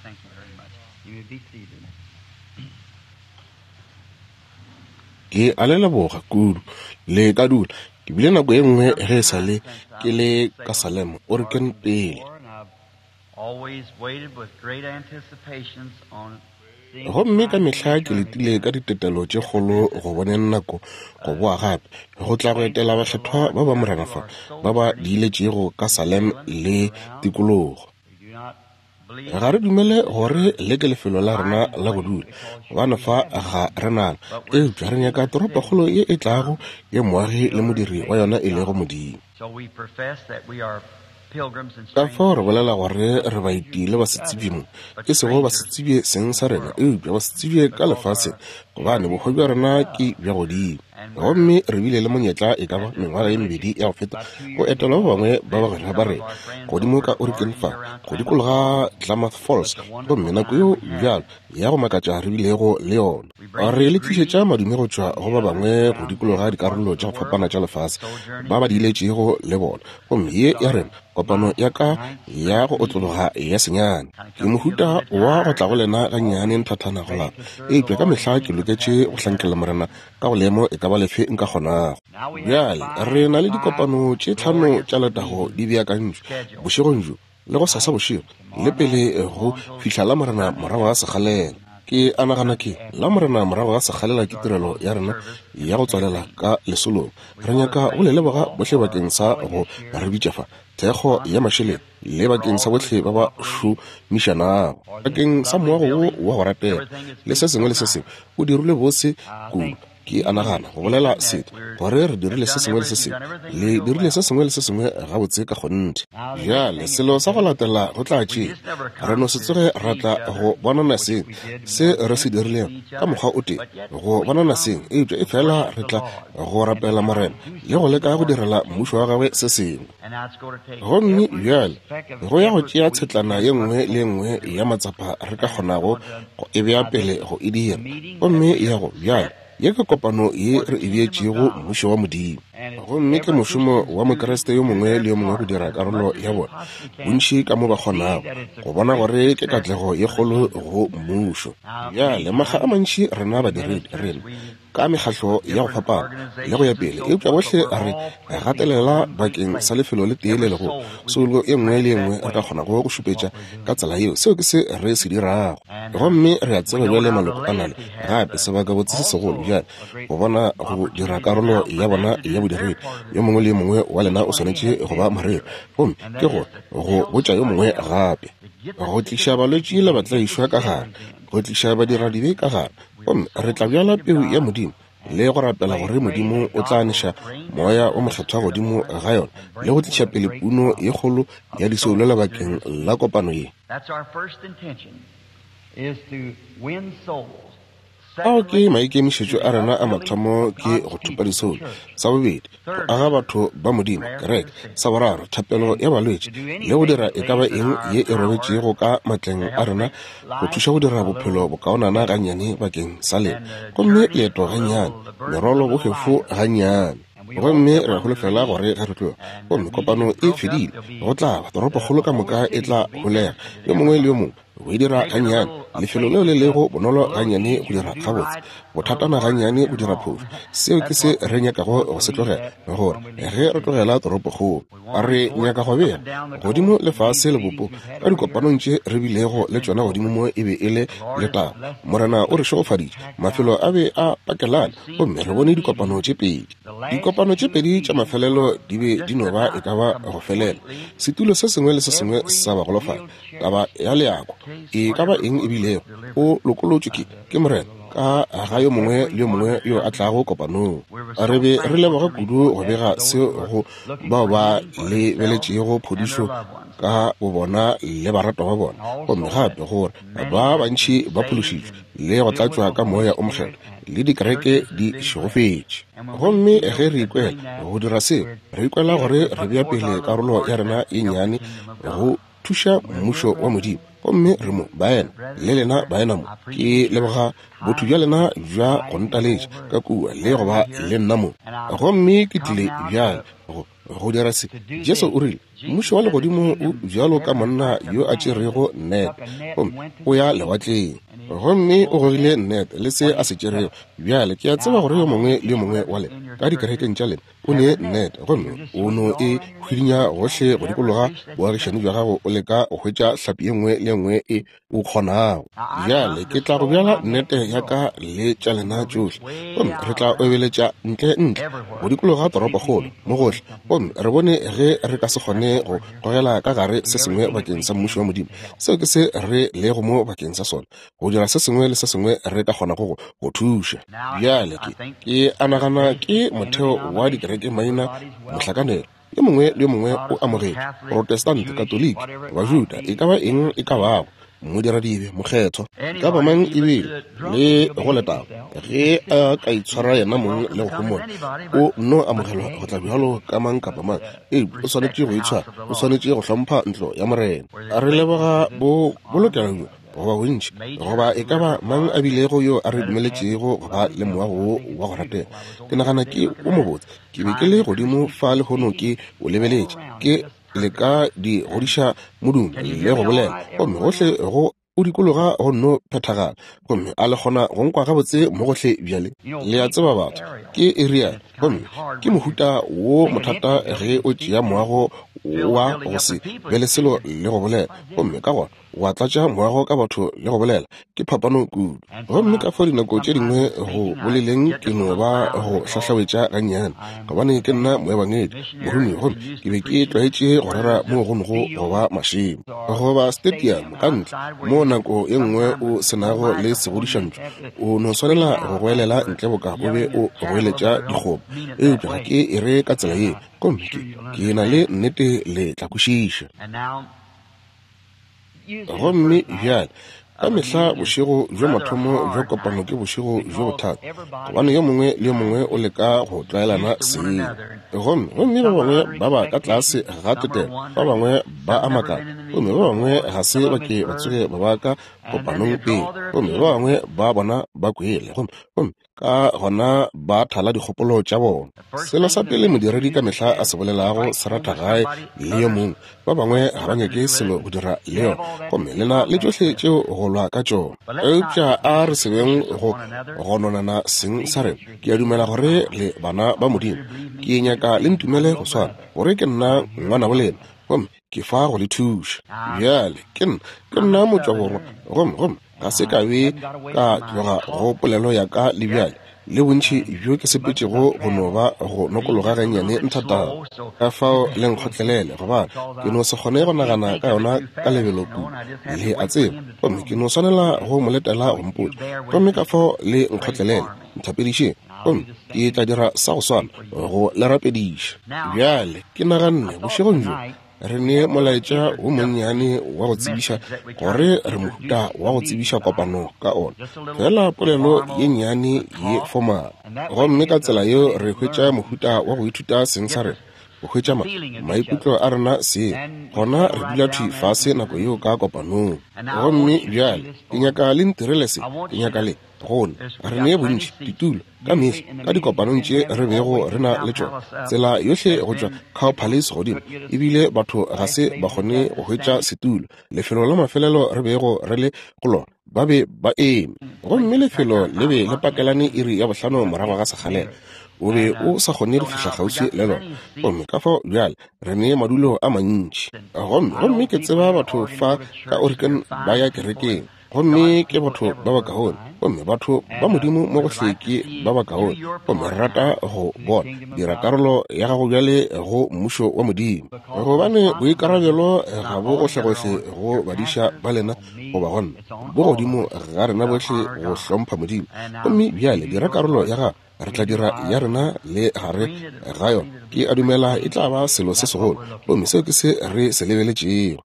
Thank you very much. You may be seated. Ke a le leboga kudu. Le ka dula. Ke bile nako ye nngwe ge e sa le ke le ka Salem, Oregon pele. Gomme ka mehla ke letile ka ditetelo tše kgolo go boneng nako go boa gape, go tla go etela bakgethwa ba ba Morena fa, ba ba diiletšego ka Salem le tikologo. Ga re dumele gore le ke lefelo la rena la go dula, gobane fa ga re nalo, eupša re nyaka toropokgolo ye e tlago, ye moagi le modiri wa yona e lego Modimo. Ka fao re bolela gore re baeti le basetsebje mo, e sego basetsebje seng sa rena, eupša basetsebje ka lefaseng, gobane bohwa bja rena ke bja godimo. Gomme re bile le monyetla e ka ba mengwaga ye mebedi ya go feta go etela ba bangwe ba bagwera ba rena godimo ka Oregon fa, go dikologa Klamath Falls, gomme nako yeo bjalo ya go makatša re bilego le yona. Re le tlišetša madume go tšwa go ba bangwe go dikologa dikarolo tša go fapana tša lefase ba ba diiletšego le bona. Gomme ye ya rena kopano ya ka ya go otlologa ya senyane ke mohuta wa go tla go lena gannyane nthathana go lapa, eupša ka mehla ke loketše go hlankela Morena ka go leemo e ka ba lefe nka kgonago. Bjale re na le dikopano tše tlhano tša letago di beakantšwe bošegong bjo le go sasa bošego le pele go fihla Lamorena morago ga sekgalela. Ke a nagana ke Lamorena morago ga sekgalela ke tirelo ya rena ya go tswalela ka lesolong. Re nyaka go le leboga bohle bakeng sa go re bitša fa, thekgo ya mašeleng, le bakeng sa bohle ba ba šomišanago bakeng sa moago wo wa go ratega le se sengwe le se sengwe o dirilwe bose kudu. Ke a nagana go bolela setho gore re dirile se sengwe le se sengwe, le dirile se sengwe le se sengwe gabotse ka kgonthe. Bjale selo sa go latela go tla tšea, re no se tsoge ra tla go bonana seng se re se dirilego ka mokgwa o tee, go bonana seng, eupša efela re tla go rapela Morena le go leka go direla mmušo wa gagwe se sengwe. Gomme bjale go ya go tšea tshetlana ye nngwe le ye nngwe ya matsapa re ka kgonago go e bea pele go e dira. Gomme ya go bjale, ye ke kopano ye re e beetšego Mmušo wa Modimo. Gomme ke mošomo wa Mokriste yo mongwe le yo mongwe go dira karolo ya bona, bontši ka mo ba kgonago, go bona gore ke katlego ye kgolo go Mmušo. Bjale, makga a mantši rena badiredi, rena, ka mekgahlo ya go fapana le go ya pele, eupša bohle re gatelela bakeng sa lefelo le tee le legolo, soulo e nngwe le e nngwe re ka kgonago go šupetša ka tsela yeo. Seo ke se re se dirago. Gomme re a tseba bjale maloko a na le gape sebakabotse se segolo bjale go bona go dira karolo ya bona ya bodiredi. Yo mongwe le yo mongwe wa lena o swanetše go ba moreri, gomme ke gore go botša yo mongwe gape, go tliša balwetši le batlaišwa ka gare, go tliša badiradibe ka gare. Gomme re tla bjala peu ya Modimo le go rapela gore Modimo o tla neša Moya o Mokgethwa godimo ga yona le go tliša pele puno ye kgolo ya disoulo lebakeng la kopano ye. Ao ke maikemišetšo a rena a mathomo, ke go thopa disoulo. Sa bobedi, go aga batho ba Modimo, kereke. Sa boraro, thapelo ya balwetši le go dira e ka ba eng ye e robetšego ka matleng a rena go thuša go dira bophelo bokaonana gannyane bakeng sa lena. Gomme leeto gannyane, merwalo bohwefo gannyane. Gomme re a holofela gore ge re tloga, gomme kopano e fedile, go tla ba toropokgolo ka moka e tla holega, yo mongwe le yo mongwe go e dira gannyane, lefelo leo le lego bonolo gannyane go dira gabotse, bothatana gannyane go dira phošo. Seo ke se re nyakago go se tlogela, gore ge re tlogela toropokgolo, re nyaka go bea godimo lefase lebopo ka dikopanong tše re bilego le tšona godimo mo e be e le letago. Morena o re šegofaditše, mafelo a be a pakelane, gomme re bone dikopano tše pedi. Dikopano tše pedi tša mafelelo di be di no ba e ka ba go felela, setulo se sengwe le se sengwe sa bagolofadi. Taba ya leako, e ka ba eng e bilego, o lokolotšwe ke, ke Morena, ka ga yo mongwe le yo mongwe yo a tlago kopanong. Re be re leboga kudu go bega seo go bao ba lebeletšego phodišo ka bobona le baratwa ba bona, gomme gape gore ba bantši ba phološitšwe le go tlatšwa ka Moya o Mokgethwa, le dikereke di šegofetše. Gomme ge re ikwela go dira seo, re ikwela gore re bea pele karolo ya rena ye nnyane go thuša Mmušo wa Modimo. Gomme re mo, baena, le lena baena mo. Ke leboga botho bja lena bja go ntaletša ka kua le go ba le nna mo. Gomme ke tlile bjale go, go dira se. Jesu o rile, Mmušo wa legodimo o bjalo ka monna yo a tšerego net gomme o ya lewatleng, gomme o gogile net le se a se tšerego. Bjale ke a tseba gore yo mongwe le yo mongwe wa lena ka dikerekeng tša lena o ne net, gomme o no e hwidinya gohle go dikologa boagišani bja gago, o leka go hwetša hlapi ye nngwe le ye nngwe e o kgonago. Bjale ke tla go bjala nnete ya ka le tša lena tšohle, gomme re tla obeletša ntle ntle go dikologa toropokgolo mo gohle, gomme re bone ge re ka se kgone go gogela ka gare se sengwe bakeng sa mmušo wa Modimo. Seo ke se re lego mo bakeng sa sona, go dira se sengwe le se sengwe re ka kgonago go thuša. Bjale ke a nagana ke motheo wa dikereke maina mohlakanelo. Yo mongwe le yo mongwe o amogetšwe, Protestant, Katoliki, Bajuda, e ka ba eng e ka bago, modiradibe, mokgethwa, e ka ba mang ebile le go letago, ge a ka itshwara yena mong le go homola, o nno amogelwa go tla bjalo ka mang kapa mang. Eupša o swanetše go itshwara, o swanetše go hlompha ntlo ya Morena. Re leboga bo bolokelo bjo, goba bontši, goba e ka ba mang a bilego yo a re dumeletšego go ba le moago wo wa go ratega. Ke nagana ke o mobotse. Ke be ke le godimo fa lehono ke o lebeletše, ke leka di godiša modumo le go bolela, gomme gohle go o dikologa go nno phethagala, gomme a le kgona go nkwa gabotse mo gohle bjale. Le a tseba batho, ke area, gomme ke mohuta wo mothata ge o tšea moago wa go se be le selo le go bolela, gomme ka gona wa tlatša moago ka batho le go bolela, ke phapano kudu. Gomme ka fao dinako tše dingwe go boleleng ke no ba go hlahlawetša gannyane, gobane ke nna moebangedi morumi, gomme ke be ke tlwaetše go rera moo go nogo go ba mašemo goba stadium ka ntle, moo nako ye nngwe o se nago le segodišantšo, o no swanela go goelela ntle boka o be o goeletša dikgomo. Eupša ga ke e re ka tsela ye, gomme ke na le nnete le tla kwešiša. Gomme bjale, ka mehla bošego bjo mathomo bja kopano ke bošego bjo bothata, gobane yo mongwe le yo mongwe o leka go tlwaelana seng. Gomme gomme ba bangwe ba ba ka tlase ga tetelo, ba bangwe ba a makala, gomme ba bangwe ga se ba ke ba tsoge ba ba ka kopanong pele, gomme ba bangwe ba bona ba kwele, gomme gomme ka gona ba thala dikgopolo tša bona. Selo sa pele modiredi ka mehla a se bolelago se ratha gae le yo mongwe, ba bangwe ga ba nyake selo go dira le yona, gomme lena le tšohle tšeo go lwa ka tšona. Eupša a re se beng go gononana seng sa rena. Ke a dumela gore le bana ba Modimo. Ke nyaka le ntumele go swana, gore ke nna ngwanabo lena, gomme ke fa go le thuša. Bjale ke nna motšwaborwa, gomme gomme ga se ka be ka tloga go polelo ya ka le bjale, le bontši bjo ke sepetšego go no ba go nokologa gannyane nthatana. Ka fao le nkgotlelele, gobane ke no se kgone go nagana ka yona ka lebelo kudu, le a tseba, gomme ke no swanela go mo letela go mpotša. Gomme ka fao le nkgotlelele, nthapedišeng, gomme ke tla dira sa go swana go le rapediša. Bjale ke naganne bošegong bjo re ne molaetša wo monnyane wa go tsebiša gore re mohuta wa go tsebiša kopano ka ona, fela polelo ye nnyane ye formal. Gomme ka tsela yeo re hwetša mohuta wa go ithuta seng sa rena, go hwetša maikutlo a rena seng, gona re dula thwi fase nako yeo ka kopanong. Gomme bjale ke nyaka le ntirele se, ke nyaka le gone re ne bontši ditulo ka mehla ka dikopanong tše re bego re na le tšona, tsela yohle go tšwa Cow Palace godimo, ebile batho ga se ba kgone go hwetša setulo. Lefelo la mafelelo re bego re le go lona, ba be ba eme, gomme lefelo le be le pakelane iri ya 5 morago ga sekgalela, o be o sa kgone go fihla kgauswi le lona. Gomme ka fao bjale re ne madulo a mantši, gomme ke tseba batho fa ka Oregon ba ya kerekeng, gomme ke batho ba bakaone, gomme batho ba Modimo mo gohle ke ba bakaone, gomme re rata go bona dira karolo ya gago bjale go mmušo wa Modimo, gobane boikarabelo ga bo gohlegohle go badiša ba lena goba go nna, bo godimo ga rena bohle go hlompha Modimo. Gomme bjale dira karolo ya gago, re tla dira ya rena le gare ga yona. Ke a dumela e tla ba selo se segolo, gomme seo ke se re se lebeletšego.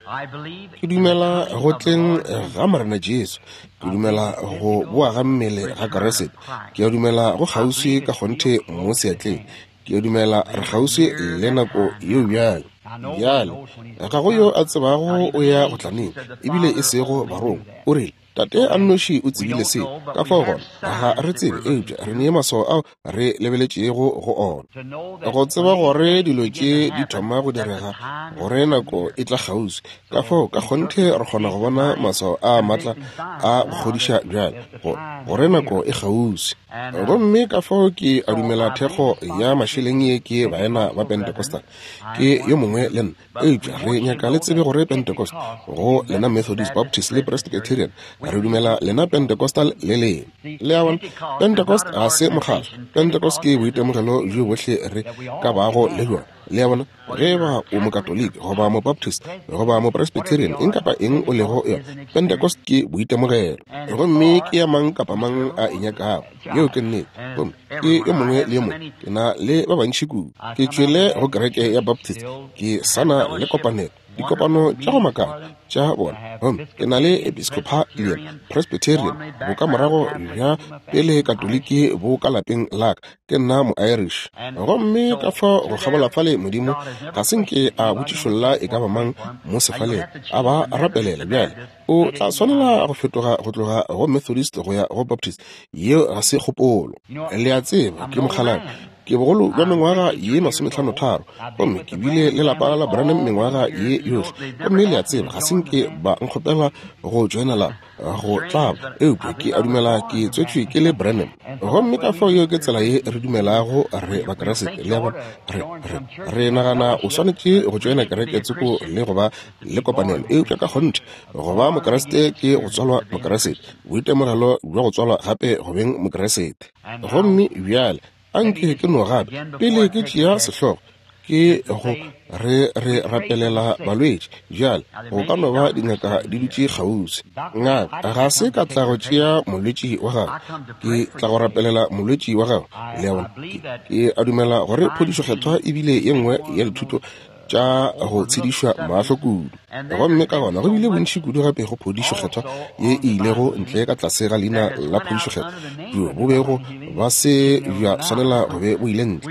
Ke dumela go tleng ga Morena Jesu, ke dumela go boa ga mmele ga Kriste, ke a dumela go kgauswi ka kgonthe mo seatleng, ke a dumela re kgauswi le nako yeo bjale. Bjale, ga go yo a tsebago o ya go tla neng, ebile e sego barongwa. O rile, Tate a nnoši o tsebile se. Ka fao gona, ga re tsebe, eupša re ne maswao ao re lebeletšego go ona. Go tseba gore dilo tše di thoma go direga, gore nako e tla kgauswi. Ka fao ka kgonthe re kgona go bona maswao a matla a go kgodiša bjale, gore nako e kgauswi. Gomme ka fao ke a dumela thekgo ya mašeleng ye ke baena ba Pentecostal. Ke yo mongwe le nna. Eupša re nyaka le tsebe gore Pentecost, go lena Methodist, Baptist le Presbyterian, re dumela lena Pentecostal le lena. Le a bona? Pentecost ga se mokgatlo. Pentecost ke boitemogelo bjo bohle re ka bago le bjona. Le a bona? Ge eba o Mokatoliki goba Mobaptist goba Mopresbyterian, eng kapa eng o lego yona, Pentecost ke boitemogelo. Gomme ke ya mang kapa mang a e nyakago. Yeo ke nnete. Gomme ke yo mongwe le yo mongwe. Ke na le ba bantši kudu. Ke tšwele go kereke ya Baptist, ke sa na le kopanelo, dikopano tša go makala tša bona. Gomme ke na le Episcopalian, Presbyterian, bokamorago bja pele Katoliki bo ka lapeng la ka. Ke nna mo-Irish. Gomme ka fao go kgabola fale, Modimo ga se nke a botšišolla e ka ba mang mo sefaleng, a ba rapelela. Bjale o tla swanela go fetoga go tloga go Methodist go ya go Baptist. Yeo ga se kgopolo. Le a tseba, ke mokgalabje. Ke bogolo bja mengwaga ye 53, gomme ke bile le lapa la Branham mengwaga ye yohle. Gomme le a tseba, ga se nke ba nkgopela go joina lapa, go tlaba, eupša ke a dumela ke tswetšwe ke le Branham. Gomme ka fao yeo ke tsela ye re dumelago re Bakriste. Le a bona? Re, re, re nagana o swanetše go joina kereke tsoko le go ba le kopanelo, eupša ka kgonthe go ba Mokriste ke go tswalwa Mokriste, boitemogelo bja go tswalwa gape go beng Mokriste. Gomme bjale anke ke no gape, pele ke tšea sehlogo, ke go re re rapelela balwetši. Bjale go ka no ba dingaka di dutše kgauswi. Ngaka, ga se ka tla go tšea molwetši wa gago, ke tla go rapelela molwetši wa gago. Le a bona? Ke a dumela gore phodišo kgethwa e bile ye nngwe ya dithuto tša go tshedišwa mahlo kudu. Gomme ka gona go bile bontši kudu gape go phodišo kgethwa ye e ilego ntle ka tlase ga leina la phodišo kgethwa, bjo bo bego ba se bja swanela go be bo ile ntle.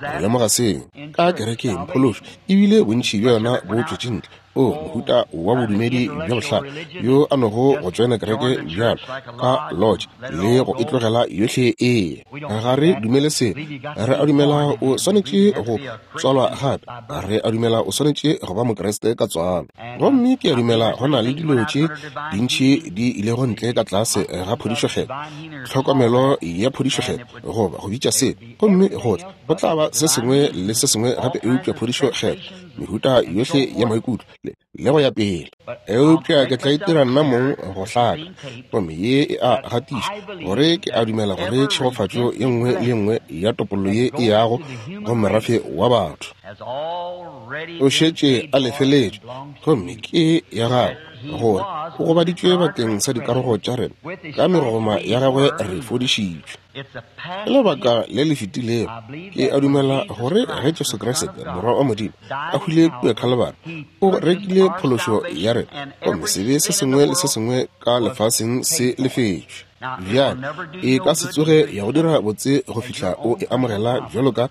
Re lemoga seo ka kerekeng, phološo e bile bontši bja yona bo tšwetše ntle. O mohuta wa bodumedi bja bohlale yo a nogo go tšoena kereke bjalo ka lodge le go e tlogela yohle e. Ga re dumele se. Re a dumela o swanetše go tswalwa gape. Re a dumela o swanetše go ba Mokriste ka tswalo. Gomme ke a dumela go na le dilo tše dintši di ilego ntle ka tlase ga phodišo kgethwa, tlhokomelo ya phodišo kgethwa, goba go bitša se, gomme go tla, go tla ba se sengwe le se sengwe gape eupša phodišo kgethwa, mehuta yohle ya maikutlo le, le go ya pele. Eupša ke tla itira nna mong go hlaka, gomme ye e a gatiša gore ke a dumela gore tšhegofatšo ye nngwe le ye nngwe ya topollo ye e yago go merafe wa batho o šetše a lefeletšwe, gomme ke ya gagwe, gore o gobaditšwe bakeng sa dikarogo tša rena, ka megogoma ya gagwe re fodišitšwe. Ke lebaka le le fetilego, ke a dumela gore ge Jesu Kriste, Morwa wa Modimo, a hwile kua Calvary, o rekile phološo ya rena, gomme sebe se sengwe le se sengwe ka lefaseng se lefetšwe. Bjale, e ka se tsoge ya go dira botse go fihla o e amogela bjalo ka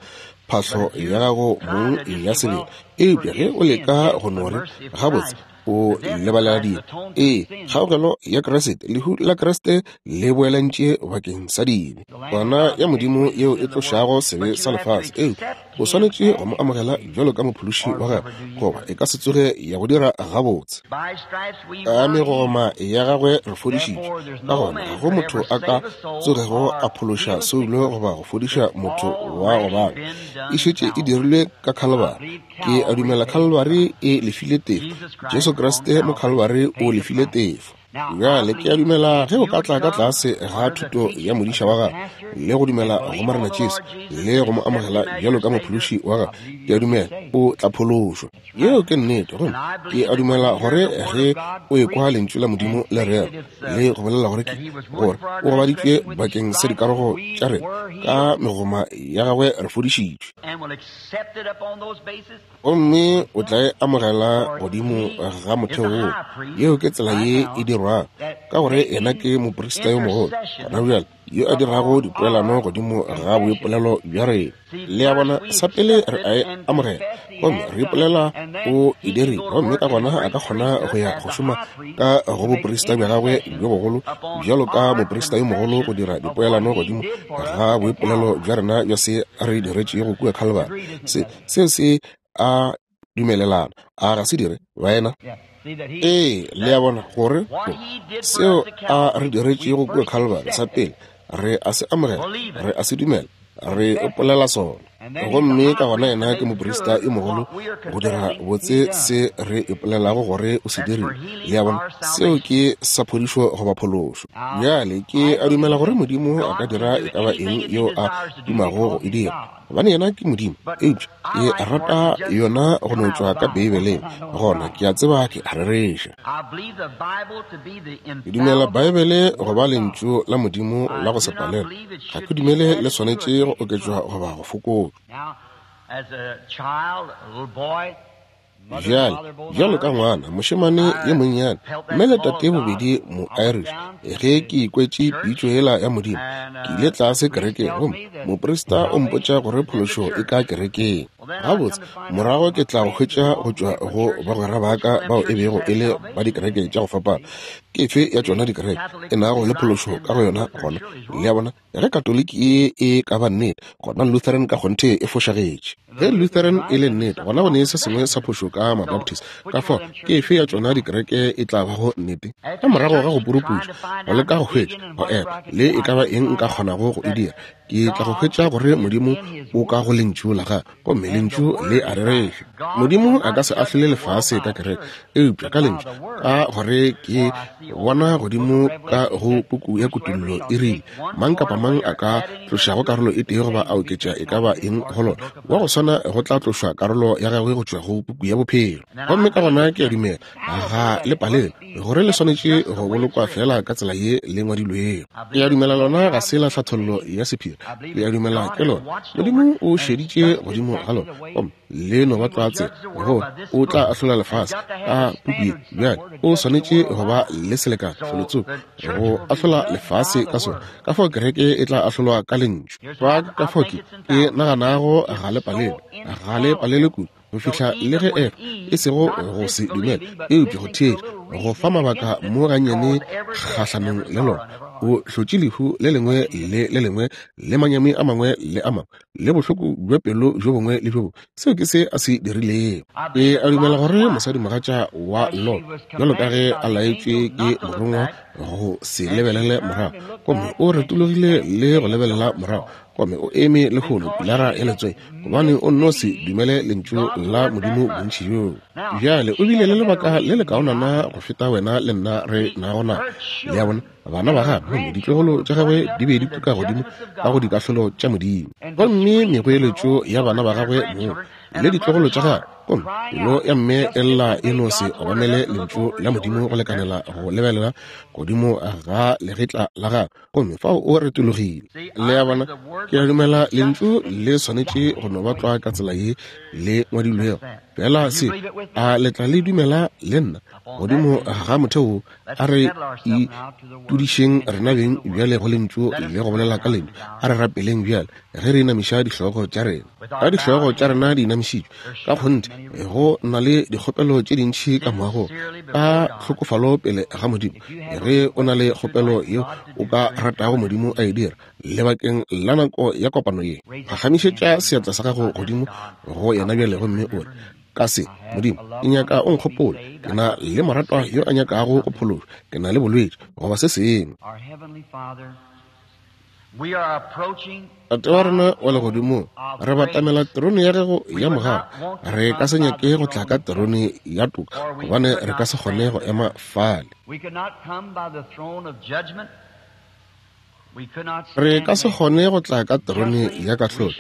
phahlo ya gago mong ya sebele. Eupša ge o leka go no re, gabotse, o lebalela dibe, ee, kgaogelo ya Kriste, lehu la Kriste le boelantše bakeng sa dibe, kwana ya Modimo yeo e tlošago sebe sa lefase. Eupša o swanetše go mo amogela bjalo ka mophološi wa gagwe, goba e ka se tsoge ya go dira gabotse. Ka megoma ya gagwe re fodišitšwe. Ka gona ga go motho a ka tsogego a phološa soulo goba go fodiša motho wa go babja. E šetše e dirilwe ka Calvary. Ke a dumela Calvary e lefile tefo. Jesu Kriste mo Calvary o lefile tefo. Bjale ke a dumela ge o ka tla ka tlase ga thuto ya modiša wa gago le go dumela go Morena Jesu le go mo amogela bjalo ka mophološi wa gago, ke a dumela o tla phološwa. Yeo ke nnete. Gomme ke a dumela gore ge o ekwa lentšu la Modimo le rera le go bolela gore ke gore o gobaditšwe bakeng sa dikarogo tša rena, ka megoma ya gagwe re fodišitšwe. Gomme o tla e amogela godimo ga motheo woo. Yeo ke tsela ye e dirwago, ka gore yena ke moprista yo mogolo gona bjale. yo a dirago dipoelano godimo ga boipolelo bja rena. Le a bona, sa pele re a e amogela, gomme re ipolela o e dirile, gomme ka gona a ka kgona go ya go šoma ka go boprista bja gagwe bjo bogolo bjalo ka moprista yo mogolo go dira dipoelano godimo ga boipolelo bja rena bja se re diretšego kua Calvary. Se seo se a dumelelana, a ga se dire, baena? Ee, le a bona gore seo a re diretšego kua Calvary sa pele re a se amogela, re a se dumela, re ipolela sona. Gomme ka gona yena ke moprista yo mogolo go dira botse se re ipolelago gore o se dirile. Le a bona, seo ke sa phodišo goba phološo. Bjale ke a dumela gore Modimo a ka dira e ka ba eng yeo a dumago go e dira, gobane yena ke Modimo. Eupša ke rata yona go no tšwa ka Beibeleng, gona ke a tseba ke a rereša. Ke dumela Beibele go ba lentšu la Modimo la go se palelwe. Ga ke dumele le swanetše go oketšwa goba go fokotšwa. Bjale, bjalo ka ngwana, mošemane yo monnyane, mme le tate bobedi mo-Irish, ge ke ikwetše pitšo yela ya Modimo, ke ile tlase kerekeng, gomme moprista o mpotša gore phološo e ka kerekeng. Gabotse, morago ke tla go hwetša go tšwa go bagwera ba ka bao e bego e le ba dikereke tša go fapana. Ke efe ya tšona dikereke e nago le phološo ka go yona gona? Le a bona? Ge Katoliki ye e ka ba nnete, gona Lutheran ka kgonthe e fošagetše. Ge Lutheran e le nnete, gona go ne se sengwe sa phošo ka Mabaptist. Ka fao, ke efe ya tšona dikereke e tla bago nnete? Ka morago ga go puruputša, go leka go hwetša, go epa, le e ka ba eng nka kgonago go e dira, ke tla go hwetša gore Modimo o ka go Lentšu la Gagwe, gomme Lentšu le a rereša. Modimo a ka se ahlole lefase ka kereke, eupša ka Lentšu, ka gore ke bona godimo ka go puku ya Kutullo e rile, mang kapa mang a ka tlošago karolo e tee goba a oketša e ka ba eng go lona, wa go swana go tla tlošwa karolo ya gagwe go tšwa go puku ya bophelo. Gomme ka gona ke a dumela ga le palelwe gore le swanetše go bolokwa fela ka tsela ye le ngwadilwego. Ke a dumela lona ga se la hlathollo ya sephiri. Ke a dumela ke lona. Modimo o šeditše godimo ga lona, gomme le no ba tlwa tsela gore o tla ahlola lefase ka puku ye. Bjale o swanetše go ba le selekane felotsoko go ahlola lefase ka sona. Ka fao kereke e tla ahlolwa ka lentšu. Fa ka fao ke naganago ga le palelwe, ga le palelwe kudu go fihla le ge Efa e sego go se dumela, eupša go theetša, go fa mabaka mo gannyane kgahlanong le lona, o hlotše lehu le lengwe le le lengwe le manyami a mangwe le a mangwe le bohloko bja pelo bjo bongwe le bjo bongwe. Seo ke se a se dirilego. Ke a dumela gore mosadimogatša wa Lot, bjalo ka ge a laetšwe ke morongwa go se lebelele morago, gomme o retologile le go lebelela morago, gomme o eme lehono pilara ya letswai, gobane o nno se dumele lentšu la Modimo bontši bjoo. Bjale o bile le lebaka le lekaonana go feta wena le nna re nago na. Le a bona, bana ba gagwe gomme ditlogolo tša gagwe di be di tuka godimo ka go dikahlolo tša Modimo, gomme megoeletšo ya bana ba gagwe moo le ditlogolo tša gagwe, gomme pelo ya mme e lla e no se obamele lentšu la Modimo go lekanela go lebelela godimo ga legetla la gagwe, gomme fao o retologile. Le a bona, ke a dumela lentšu le swanetše go no ba tlwa ka tsela ye le ngwadilwego. Fela se a le tla le dumela le nna godimo ga motheo wo, a re itudišeng rena beng bjale go lentšu le go bolela ka lentšu. A re rapeleng bjale ge re inamiša dihlogo tša rena. Ka dihlogo tša rena di inamišitšwe, ka kgonthe go na le dikgopelo tše dintši ka moagong, ka tlhokofalo pele ga Modimo. Ge o na le kgopelo yeo o ka ratago Modimo a e dira lebakeng la nako ya kopano ye, phagamišetša seatla sa gago godimo go yena bjale gomme o re, ka se, Modimo, ke nyaka o nkgopole, ke na le moratwa yo a nyakago go phološwa, ke na le bolwetši goba se sengwe. Tate wa rena wa legodimong, re batamela terone ya gago ya mogau. Re ka se nyake go tla ka terone ya toka, gobane re ka se kgone go ema fale. Re ka se kgone go tla ka terone ya kahlolo,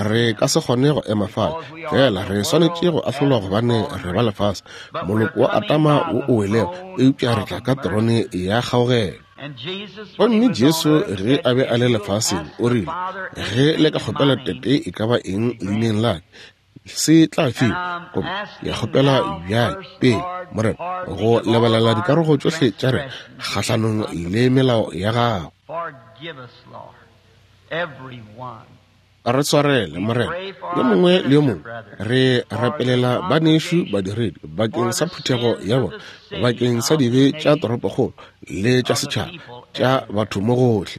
re ka se kgone go ema fale. Fela re swanetše go ahlolwa gobane re ba lefase, moloko wa Adama wo o welego, eupša re tla ka terone ya kgaogelo. Gomme Jesu ge a be a le lefaseng o rile, ge le ka kgopela Tate e ka ba eng leineng la ka, se tla fiwa. Gomme ke kgopela bjale pele, Morena, go lebalela dikarogo tšohle tša rena kgahlanong le melao ya gago. Re tshwarele, Morena, yo mongwe le yo mongwe. Re rapelela banešu badiredi bakeng sa phuthego ya bona, bakeng sa dibe tša toropokgolo le tša setšhaba, tša batho mo gohle.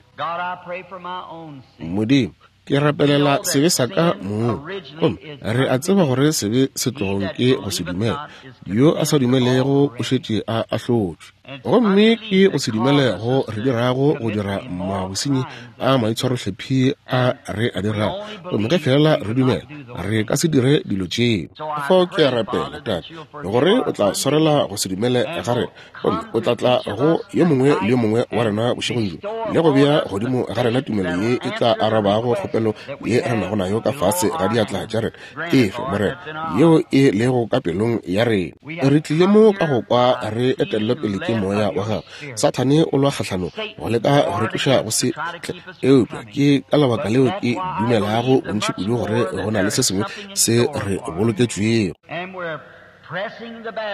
Modimo, ke rapelela sebe sa ka mong. Gomme re a tseba gore sebe se tlogong ke go se dumela. Yo a sa dumelego o šetše a ahlotšwe. Gomme ke go se dumele go re dirago go dira mabosenyi a maitshwarohlephi a re a dirago. Gomme ge fela re dumela, re ka se dire dilo tšeo. Fao ke a rapela, Tate, gore o tla swarela go se dumele ga rena, gomme o tla tla go yo mongwe le yo mongwe wa rena bošegong bjo, le go bea godimo ga rena tumelo ye e tla arabago kgopelo ye re nago nayo ka fase ga diatla tša rena. Efe, Morena, yeo e lego ka pelong ya rena. Re tlile mo ka go kwa re etellwe pele ke Moya wa Gago. Sathane o lwa kgahlanong go leka go re tloša go se tle, eupša ke ka lebaka leo ke dumelago bontši kudu gore go na le se sengwe se re boloketšwego.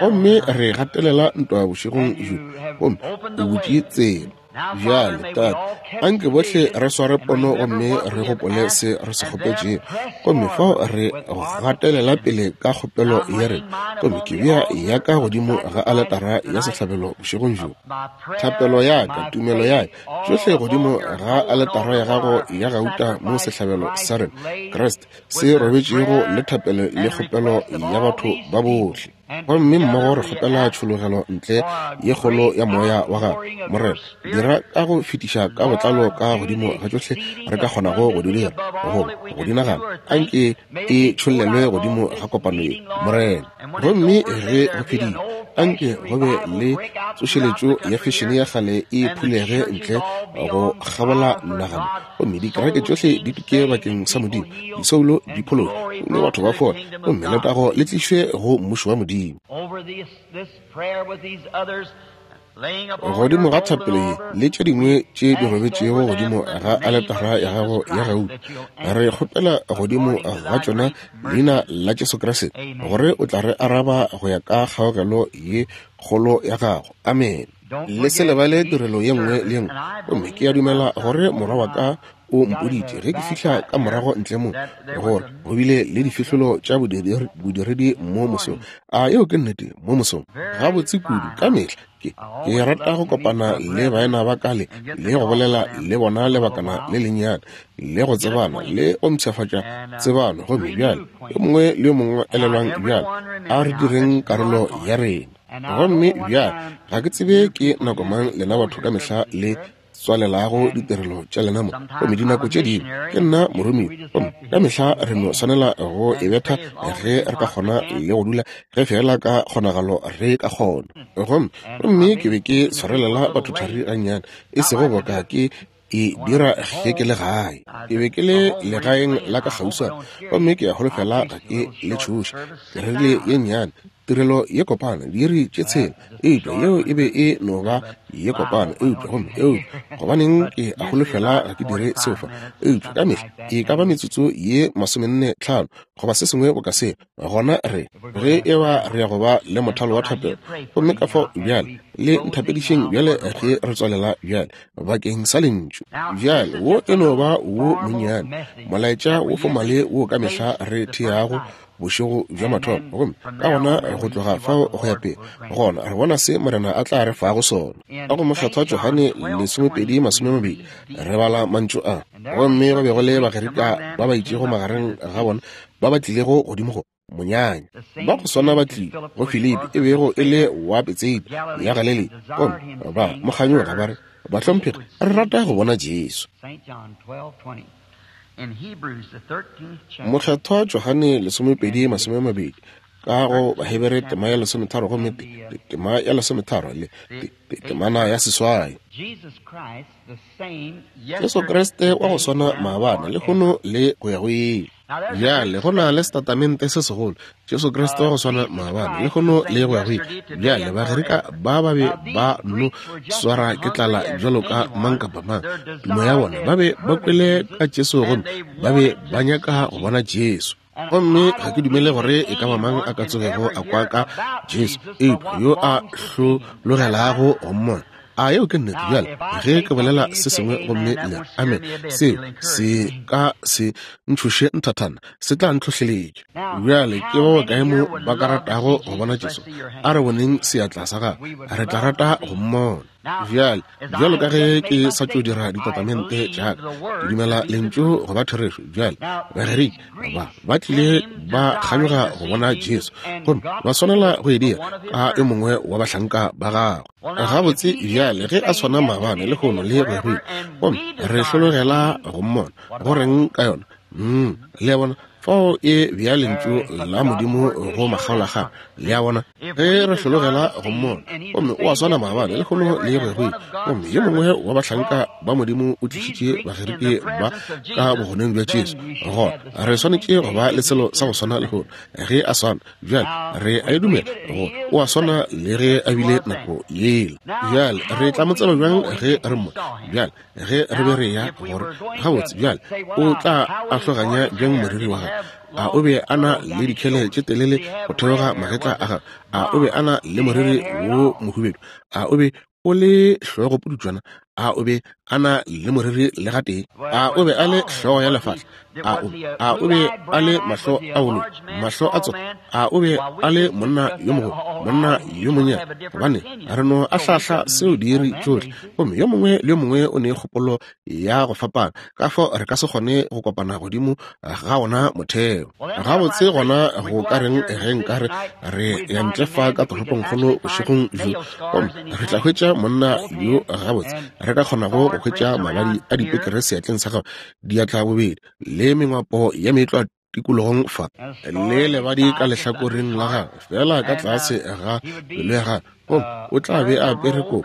Gomme re gatelela ntwa bošegong bjo, gomme o butše tsela. Bjale, Tate, anke bohle re sware pono gomme re gopole se re se kgopetšego, gomme fao re gatelela pele ka kgopelo ya rena. Gomme ke bea ya ka godimo ga aletara ya sehlabelo bošegong bjo. Thapelo ya ka, tumelo ya ka, tšohle godimo ga aletara ya gago ya gauta mo sehlabelo sa rena, Kriste, se robetšego le thapelo le kgopelo ya batho ba bohle. Gomme mmogo re kgopela tšhologelo ntle ye kgolo ya Moya wa Gago. Morena, dira ka go fetiša ka botlalo ka godimo ga tšohle re ka kgonago go di dira goba go di nagana. Anke e tšhollelwe godimo ga kopano ye, Morena. Gomme ge go fedile, anke go be le tsošeletšo ya fešene ya kgale e phulege ntle go kgabola nagano, gomme dikereke tšohle di tuke bakeng sa Modimo, disoulo di phološwe, gomme batho ba fole, gomme letago le tlišwe go mmušo wa Modimo. Godimo ga thapelo ye le tše dingwe tše di robetšego godimo ga aletara ya gago ya gauta, re kgopela godimo ga tšona leina la Jesu Kriste, gore o tla re araba go ya ka kgaogelo ye kgolo ya gago. Amen. Le se lebale tirelo ye nngwe le ye nngwe. Gomme ke a dumela gore morwa wa ka o mpoditše ge ke fihla ka morago ntle mo, gore go bile le difihlolo tša bodiredi mo mosong. A yeo ke nnete? Mo mosong gabotse kudu ka mehla ke rata go kopana le baena ba ka le go bolela le bona lebakana le lennyane, le go tsebana le go mpshafatša tsebano. Gomme bjale yo mongwe le yo mongwe elelwang bjale, a re direng karolo ya rena. Gomme bjale ga ke tsebe ke nako mang lena batho ka mehla le tswalelago ditirelo tša lena mo, gomme dinako tše dingwe ke nna moromiwa, gomme ka mehla re no swanela go e betha ge re ka kgona le go dula ge fela ka kgonagalo re ka kgona. Gomme ke be ke tshwarelela batho thari gannyane, e sego boka ke e dira ge ke le gae. Ke be ke le legaeng la ka kgauswana, gomme ke a holofela ga ke le tšhoše. Ke rerile ye nnyane tirelo ye kopana, diiri tše 6, eupša yeo e be e no ba ye kopana. Eupša gomme eupša gobaneng ke a holofela ga ke dire seo fa, eupša ka mehla e ka ba metsotso ye 45 goba se sengwe boka se. Gona re ge e ba re ya go ba le mothalo wa thapelo, gomme ka fao bjale le nthapedišeng bjale ge re tswalela bjale bakeng sa lentšu. Bjale wo e no ba wo monnyane molaetša wo fomale wo ka mehla re theago bošego bja mathomo, gomme ka gona go tloga fao go ya pele, gona re bona se Morena a tla re fago sona. Ka go Mokgethwa Johane 12:20 re bala mantšu a, gomme ba bego le Bagerika ba ba itšego magareng ga bona ba ba tlilego godimo go monyanya, ba go swana ba tlile go Filipi e bego e le wa Betsaida ya Galilea, gomme ba mo kganyoga ba re, Bahlomphegi, re rata go bona Jesu. Mokgethwa Johane 12:20, ka go Bahebere tema ya 13 gomme tema ya 13 le temana ya 8. Jesu Kriste wa go swana maabane, lehono le go ya go ile. Bjale go na le setatamente se segolo, Jesu Kriste wa go swana maabane, lehono le go ya go ile. Bjale Bagerika ba ba be ba no swara ke tlala bjalo ka mang kapa mang. Tumo ya bona ba be ba kwele ka Jesu gomme ba be ba nyaka go bona Jesu. Gomme ga ke dumele gore e ka ba mang a ka tsogego a kwa ka Jesu, eupša yo a hlologelago go mmona. A yeo ke nnete? Bjale ge ke bolela se sengwe gomme le amen, seo se ka se ntšhoše nthathana, se tla ntlhohleletša. Bjale ke ba bakae mo ba ka ratago go bona Jesu? A re boneng seatla sa gagwe, re tla rata go mmona. Bjale, bjalo ka ge ke sa tšo dira ditatamente tša ka, ke dumela lentšu go ba therešo. Bjale, Bagerike ba ba tlile ba kganyoga go bona Jesu, gomme ba swanela go e dira ka yo mongwe wa bahlanka ba gagwe. Gabotse, bjale ge a swana maabane, lehono le go ya go ile, gomme re hlologela go mmona, go reng ka yona? Le a bona, fao e bea lentšu la Modimo go makgaolakgang. Le a bona, ge re hlologela go mmona, gomme o a swana maabane, lehono le go ya go ile, gomme yo mongwe wa bahlanka ba Modimo o tlišitše Bagerike ba ka bogoneng bja Jesu, gona re swanetše go ba le selo sa go swana lehono. Ge a swana bjale, re a e dumela go o a swana le ge a bile nako yela. Bjale re tla mo tseba bjang ge re mmona? Bjale ge re be re ya gore gabotse, bjale o tla ahloganya bjang moriri wa gagwe? A o be a na le dikhele tše telele go theoga magetla a gagwe? A o be a na le moriri wo mohubedu? A o be o le hlogo pudutšwana? A o be a na le moriri le gatee? A o be a le hlogo ya lefahla? A o be a le mahlo a bolo, mahlo a tsona? A o be a le monna yo mogolo, monna yo monnyane? Gobane re no ahlahla seo diiri tšohle, gomme yo mongwe le yo mongwe o ne kgopolo ya go fapana, ka fao re ka se kgone go kopana godimo ga ona motheo. Gabotse gona go ka reng ge nkare re ya ntle fa ka toropongkgolo bošegong bjo, gomme re tla hwetša monna yo gabotse re ka kgonago go hwetša mabadi a dipekere seatleng sa gagwe, diatla bobedi, le mengwapo ya meetlwa tikologong fa, le lebadi ka lehlakoreng la gagwe, fela ka tlase ga pelo ya gagwe, gomme o tla be a apere kobo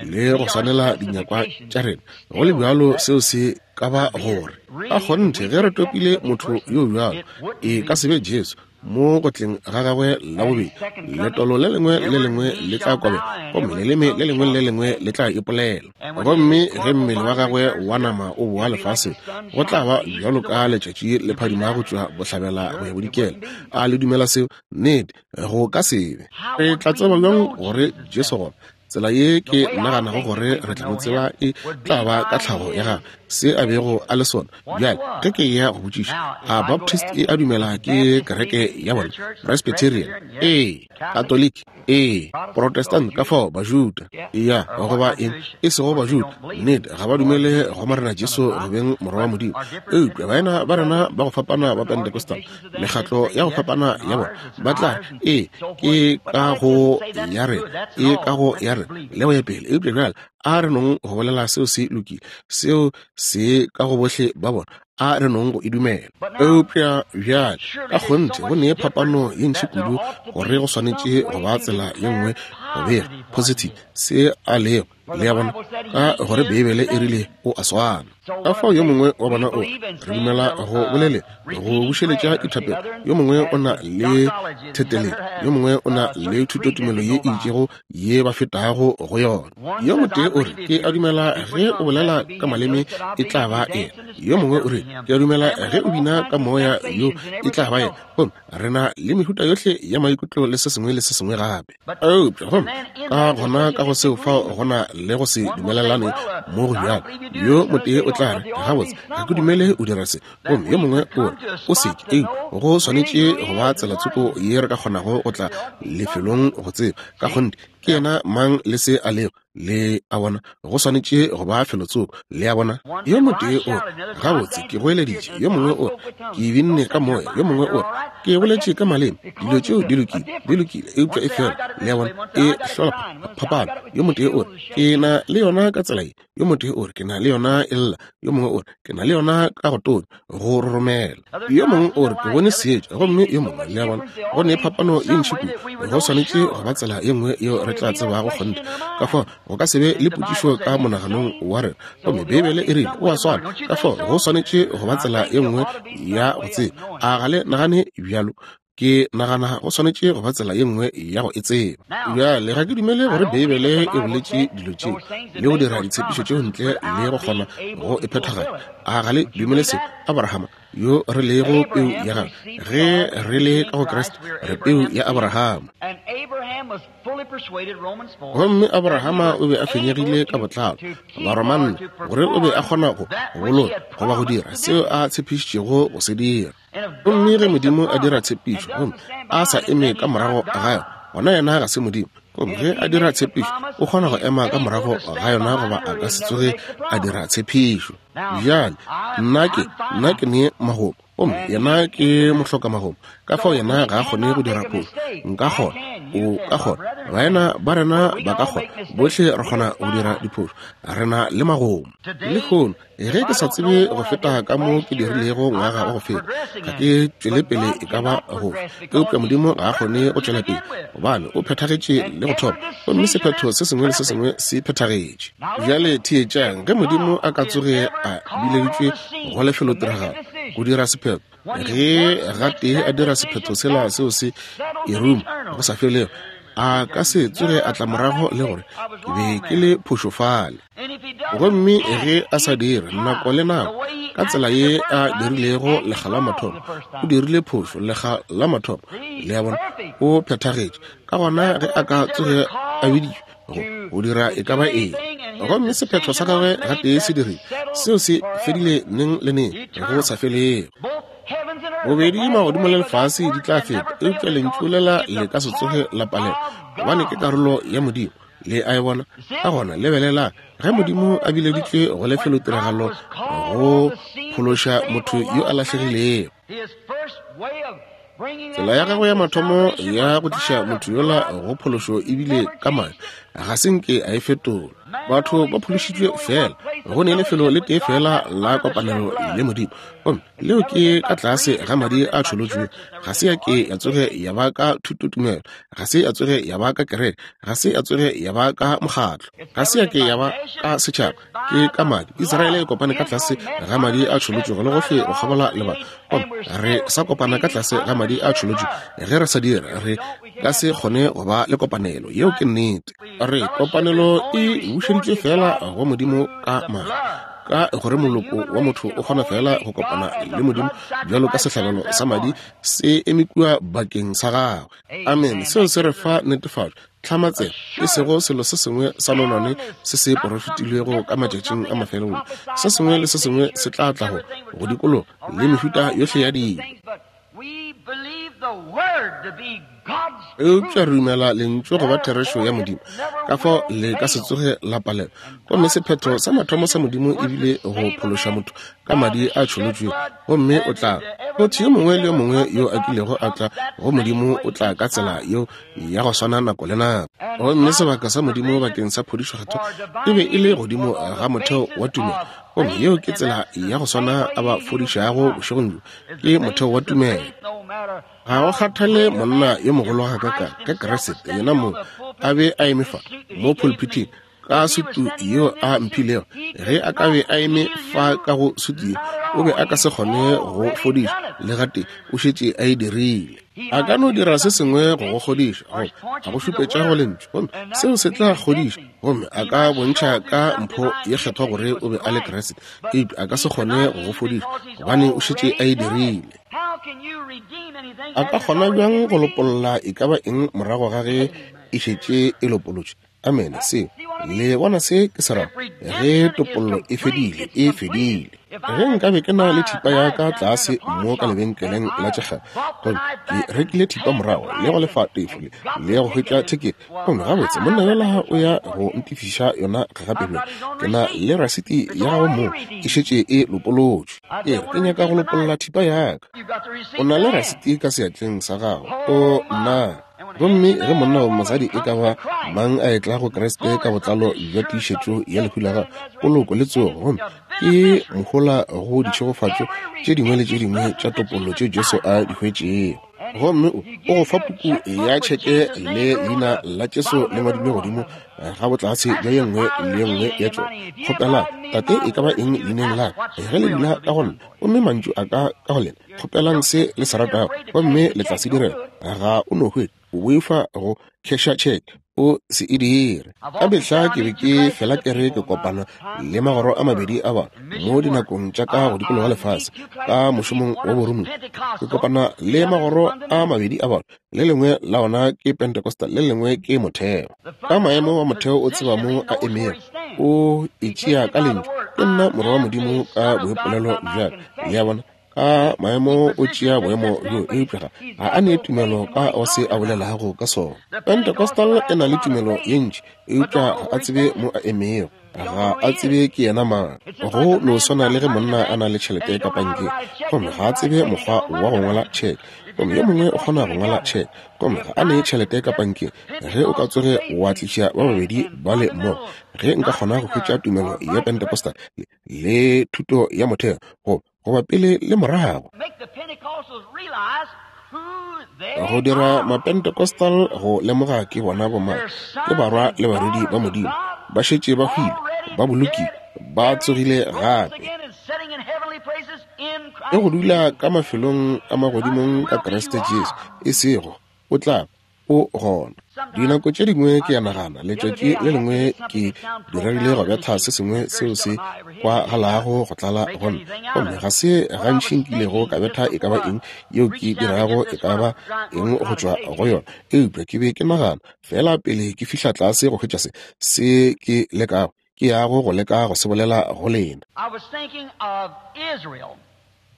le go swanela dinyakwa tša rena. Go le bjalo, seo se ka ba gore ka kgonthe ge re topile motho yo bjalo, e ka se be Jesu mo go tleng ga gagwe la bobedi. Letolo le lengwe le lengwe le tla kobela, gomme leleme le lengwe le lengwe le tla ipolela. Gomme ge mmele wa gagwe wa nama o boa lefaseng, go tla ba bjalo ka letšatši le phadima go tšwa bohlabela go ya bodikela. A le dumela seo? Nnete, go ka se be. Re tla tseba bjang gore Jesu gona? Tsela ye ke naganago gore re tla mo tseba e tla ba ka tlhago ya gagwe, se a bego a le sona. Bjale ge ke ya go botšiša, a Baptist e a dumela ke kereke ya bona? Presbyterian? Ee. Katoliki? Ee. Protestant? Ka fao Bajuda? Ya, goba eng, e sego Bajuda, nnete ga ba dumele go Morena Jesu go beng Morwa wa Modimo. Eupša baena ba rena ba go fapana ba Pentecostal, mekgatlo ya go fapana ya bona, ba tla ee ke ka go ya re, e ka go ya re, le go ya pele. Eupša bjale a re nong go bolela seo se lokile, seo se ka go bohle ba bona, a re nong go e dumela. Eupša bjale ka kgonthe go ne phapano ye ntši kudu gore go swanetše go ba tsela ye nngwe go bega positive se a lego. Le a bona, ka gore Beibele e rile o a swana. Ka fao yo mongwe wa bona o re dumela go bolele go bušeletša dithapelo, yo mongwe o na le thetelelo, yo mongwe o na le thutotumelo ye e itšego ye ba fetago go yona. Yo motee o re ke a dumela ge o bolela ka maleme e tla ba ena, yo mongwe o re ke a dumela ge o bina ka moya yo e tla ba ena. Gomme re na le mehuta yohle ya maikutlo le se sengwe le se sengwe gape. Eupša gomme ka gona ka go seo fao go na le go se dumelelane mo go bjalo. Yo motee o tla re, gabotse, ga ke dumele o dira se. Gomme yo mongwe o re, o se ke. Eupša go swanetše go ba tsela tsoko ye re ka kgonago go tla lefelong go tseba ka kgonthe ke yena mang le se a lego. Le a bona, go swanetše go ba felotsoko. Le a bona, yo motee o re, gabotse, ke goeleditše. Yo mongwe o re, ke binne ka moya. Yo mongwe o re, ke boletše ka maleme. Dilo tšeo di lokile, di lokile, eupša e fela, le a bona, e hlola phapano. Yo motee o re, ke na le yona ka tsela ye. Yo motee o re, ke na le yona e lla. Yo mongwe o re, ke na le yona ka go tonya, go roromela. Yo mongwe o re, ke bone seetša. Gomme yo mongwe, le a bona, go ne phapano ye ntši kudu. Go swanetše go ba tsela ye nngwe yeo re tla tsebago kgonthe. Ka fao go ka se be le potšišo ka monaganong wa rena. Gomme Beibele e rile o a swana. Ka fao go swanetše go ba tsela ye nngwe ya go tseba. A ga le nagane bjalo? Ke nagana go swanetše go ba tsela ye nngwe ya go e tseba. Bjale ga ke dumele gore Beibele e boletše dilo tšeo le go dira ditshepišo tšeo ntle le go kgona go e phethagatša. A ga le dumele se? Abrahama, yo re lego peu ya gagwe, ge re le ka go Kriste, re peu ya Abrahama. Gomme Abrahama o be a fenyegile ka botlalo, Baromane, gore o be a kgona go boloka goba go dira seo a tshepišitšego go se dira. Gomme ge Modimo a dira tshepišo gomme a sa eme ka morago ga yona, gona yena ga se Modimo. Gomme ge a dira tshepišo, o kgona go ema ka morago ga yona goba a ka se tsoge a dira tshepišo. Bjale, nna ke ne magomo, gomme yena ke mohlokamagomo, ka fao yena ga a kgone go dira phošo. Nka kgona, o ka kgona, baena ba rena ba ka kgona, bohle re kgona go dira diphošo, re na le magomo. Lehono, ge ke sa tsebe go feta ka mo ke dirilego ngwaga wa go feta, ga ke tšwele pele e ka ba gofe, eupša Modimo ga a kgone go tšwela pele, gobane o phethagetše le go thoma, gomme sephetho se sengwe le se sengwe se phethagetše. Bjale theetšang, ge Modimo a ka tsoge a bileditšwe go lefelotiragalo go dira sephetho, ge gatee a dira sephetho sela seo se eruma go sa felego, a ka se tsoge a tla morago le gore ke be ke le phošo fale. Gomme ge a sa dire nako le nako ka tsela ye a dirilego lekga la mathomo, o dirile phošo lekga la mathomo, le a bona, o phethagetše. Ka gona ge a ka tsoge a biditšwe go dira e ka ba eng, gomme sephetho sa gagwe gatee se dirile, seo se fedile neng le neng go sa felego. Bobedi magodimo le lefase di tla feta, eupša lentšu lela le ka se tsoge la palelwa, gobane ke karolo ya Modimo. Le a e bona? Ka gona lebelelang, ge Modimo a bileditšwe go lefelotiragalo go phološa motho yo a lahlegilego, tsela ya gagwe ya mathomo ya go tliša motho yola go phološo ebile ka madi, ga se nke a e fetola. Batho ba phološitšwe fela, go ne lefelo le tee fela la kopanelo le Modimo, gomme leo ke ka tlase ga madi a tšholotšwego. Ga se ya ke ya tsoge ya ba ka thutotumelo, ga se ya tsoge ya ba ka kereke, ga se ya tsoge ya ba ka mokgatlo, ga se ya ke ya ba ka setšhaba, ke ka madi. Israele e kopane ka tlase ga madi a tšholotšwego le gohle go kgabola lebaka, gomme re sa kopana ka tlase ga madi a tšholotšwego. Ge re sa dira, re ka se kgone go ba le kopanelo. Yeo ke nnete. Re kopanelo e bušeditšwe fela go Modimo ka madi, ka gore moloko wa motho o kgona fela go kopana le Modimo bjalo ka sehlabelo sa madi se eme kua bakeng sa gagwe. Amen. Seo se re fa netefatšo, tlhamatselo, e sego selo se sengwe sa nonwane se se porofetilwego ka matšatšing a mafelelo. Se sengwe le se sengwe se tla tla go dikologa le mehuta yohle ya dilo. Eupša re dumela lentšu go ba therešo ya Modimo, ka fao le ka se tsoge la palelwa. Gomme sephetho sa mathomo sa Modimo ebile go phološa motho ka madi a tšholotšwego, gomme o tla motho yo mongwe le yo mongwe yo a kilego a tla go Modimo o tla ka tsela yeo ya go swana nako le nako. Gomme sebaka sa Modimo bakeng sa phodišo kgethwa e be e le godimo ga motheo wa tumelo, gomme yeo ke tsela ya go swana a ba fodišago bošegong bjo, ke motheo wa tumelo. Ga go kgathale monna yo mogolo ga kakang ka Kriste yena mong a be a eme fa mo pulpiting ka sutu yeo a mphilego, ge a ka be a eme fa ka go sutu ye, o be a ka se kgone go fodiša le gatee, o šetše a e dirile. A ka no dira se sengwe go go kgodiša, goba a go šupetša go lentšu, gomme seo se tla kgodiša, gomme a ka bontšha ka mpho ye kgethwa gore o be a le Kriste, eupša a ka se kgone go go fodiša, gobane o šetše a e dirile. A ka kgona bjang go lopolla e ka ba eng morago ga ge e šetše e lopolotšwe? Amene. Seo, le bona se ke se rago? Ge topollo e fedile, e fedile. Ge nkabe ke na le thipa ya ka tlase mo ka lebenkeleng la tšekgale, gomme ke rekile thipa morago le go lefa tefo le go hwetša thekete, gomme gabotse monna yola o ya go ntefiša yona gape bjale, ke na le rasiti ya gagwe moo, e šetše e lopolotšwe. Ke re ke nyaka go lopolla thipa ya ka. O na le rasiti ka seatleng sa gago. O nna. Gomme ge monna goba mosadi e ka ba mang a etla go Kriste ka botlalo bja tiišetšo ya lehu la gagwe, poloko le tsogo, gomme ke mohola go ditšhegofatšo tše dingwe le tše dingwe tša topollo tše Jesu a di hwetšego. Gomme o go fa puku ya tšheke le leina la Jesu le ngwadilwe godimo ga botlase bja ye nngwe le ye nngwe ya tšona. Kgopelang Tate e ka ba eng leineng la ka, ge le dula ka go nna, gomme mantšu a ka ka go lena, kgopelang se le se ratago, gomme le tla se direla. Ga o no hwetša o boifa go kheša tšheke. O se e dire. Ka mehla ke be ke fela ke re ke kopana le magoro a mabedi a batho mo dinakong tša ka go dikologa lefase ka mošomong wa boromiwa. Ke kopana le magoro a mabedi a batho, le lengwe la ona ke Pentecostal, le lengwe ke motheo. Ka maemo wa motheo o tseba mo a emego, o e tšea ka lentšu, Ke nna morwa wa Modimo ka boipolelo bja ka. Le a bona? Ka maemo o tšea boemo bjo, eupša ga a ne tumelo ka go se a bolelago ka sona. Pentecostal e na le tumelo ye ntši, eupša ga a tsebe mo a emego, ga a tsebe ke yena mang. Go no swana le ge monna a na le tšhelete ka pankeng, gomme ga a tsebe mokgwa wa go ngwala tšheke, gomme yo mongwe o kgona go ngwala tšheke, gomme ga a ne tšhelete ka pankeng. Ge o ka tsoge wa tliša ba babedi bale mmogo, ge nka kgona go hwetša tumelo ya Pentecostal le thuto ya motheo, go goba pele le morago, go dira Mapentecostal go lemoga ke bona bomang, ke barwa le barwedi ba Modimo, ba šetše ba hwile, ba bolokile, ba tsogile gape, le go dula ka mafelong a magodimong ka Kriste Jesu, e sego o tla o gona. Dinako tše dingwe ke a nagana, letšatši le lengwe ke diregile go betha se sengwe seo se kwagalago go tlala go nna, gomme ga se gantši nkilego ka betha e ka ba eng yeo ke dirago e ka ba eng go tšwa go yona, eupša ke be ke nagana, feela pele ke fihla tlase go hwetša se, se ke lekago, ke yago go leka go se bolela go lena.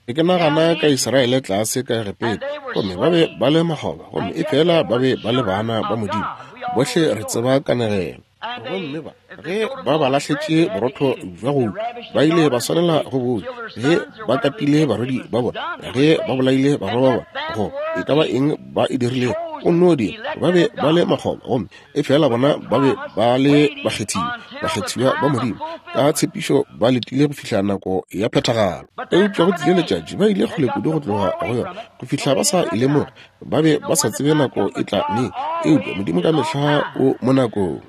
Ke ke nagana ka Israele tlase ka Egepeta, gomme ba be ba le makgoba, gomme efela ba be ba le bana ba Modimo. Bohle re tseba kanegelo. Gomme ba, ge ba ba lahletše borotho bja go ba ile ba swanela go bo ja. Ge ba katile barwedi ba bona, ge ba bolaile barwa ba bona, go e ka ba eng ba e dirilego, o nno dira. Ba be ba le makgoba, gomme Efela bona ba be ba le bakgethiwa, bakgethiwa ba Modimo, ka tshepišo ba letile go fihla nako ya phethagalo. Eupša go tlile letšatši, ba ile kgole kudu go tloga go yona, go fihla ba sa e lemoge. Ba be ba sa tsebe nako e tla neng, eupša Modimo ka mehla o mo nakong.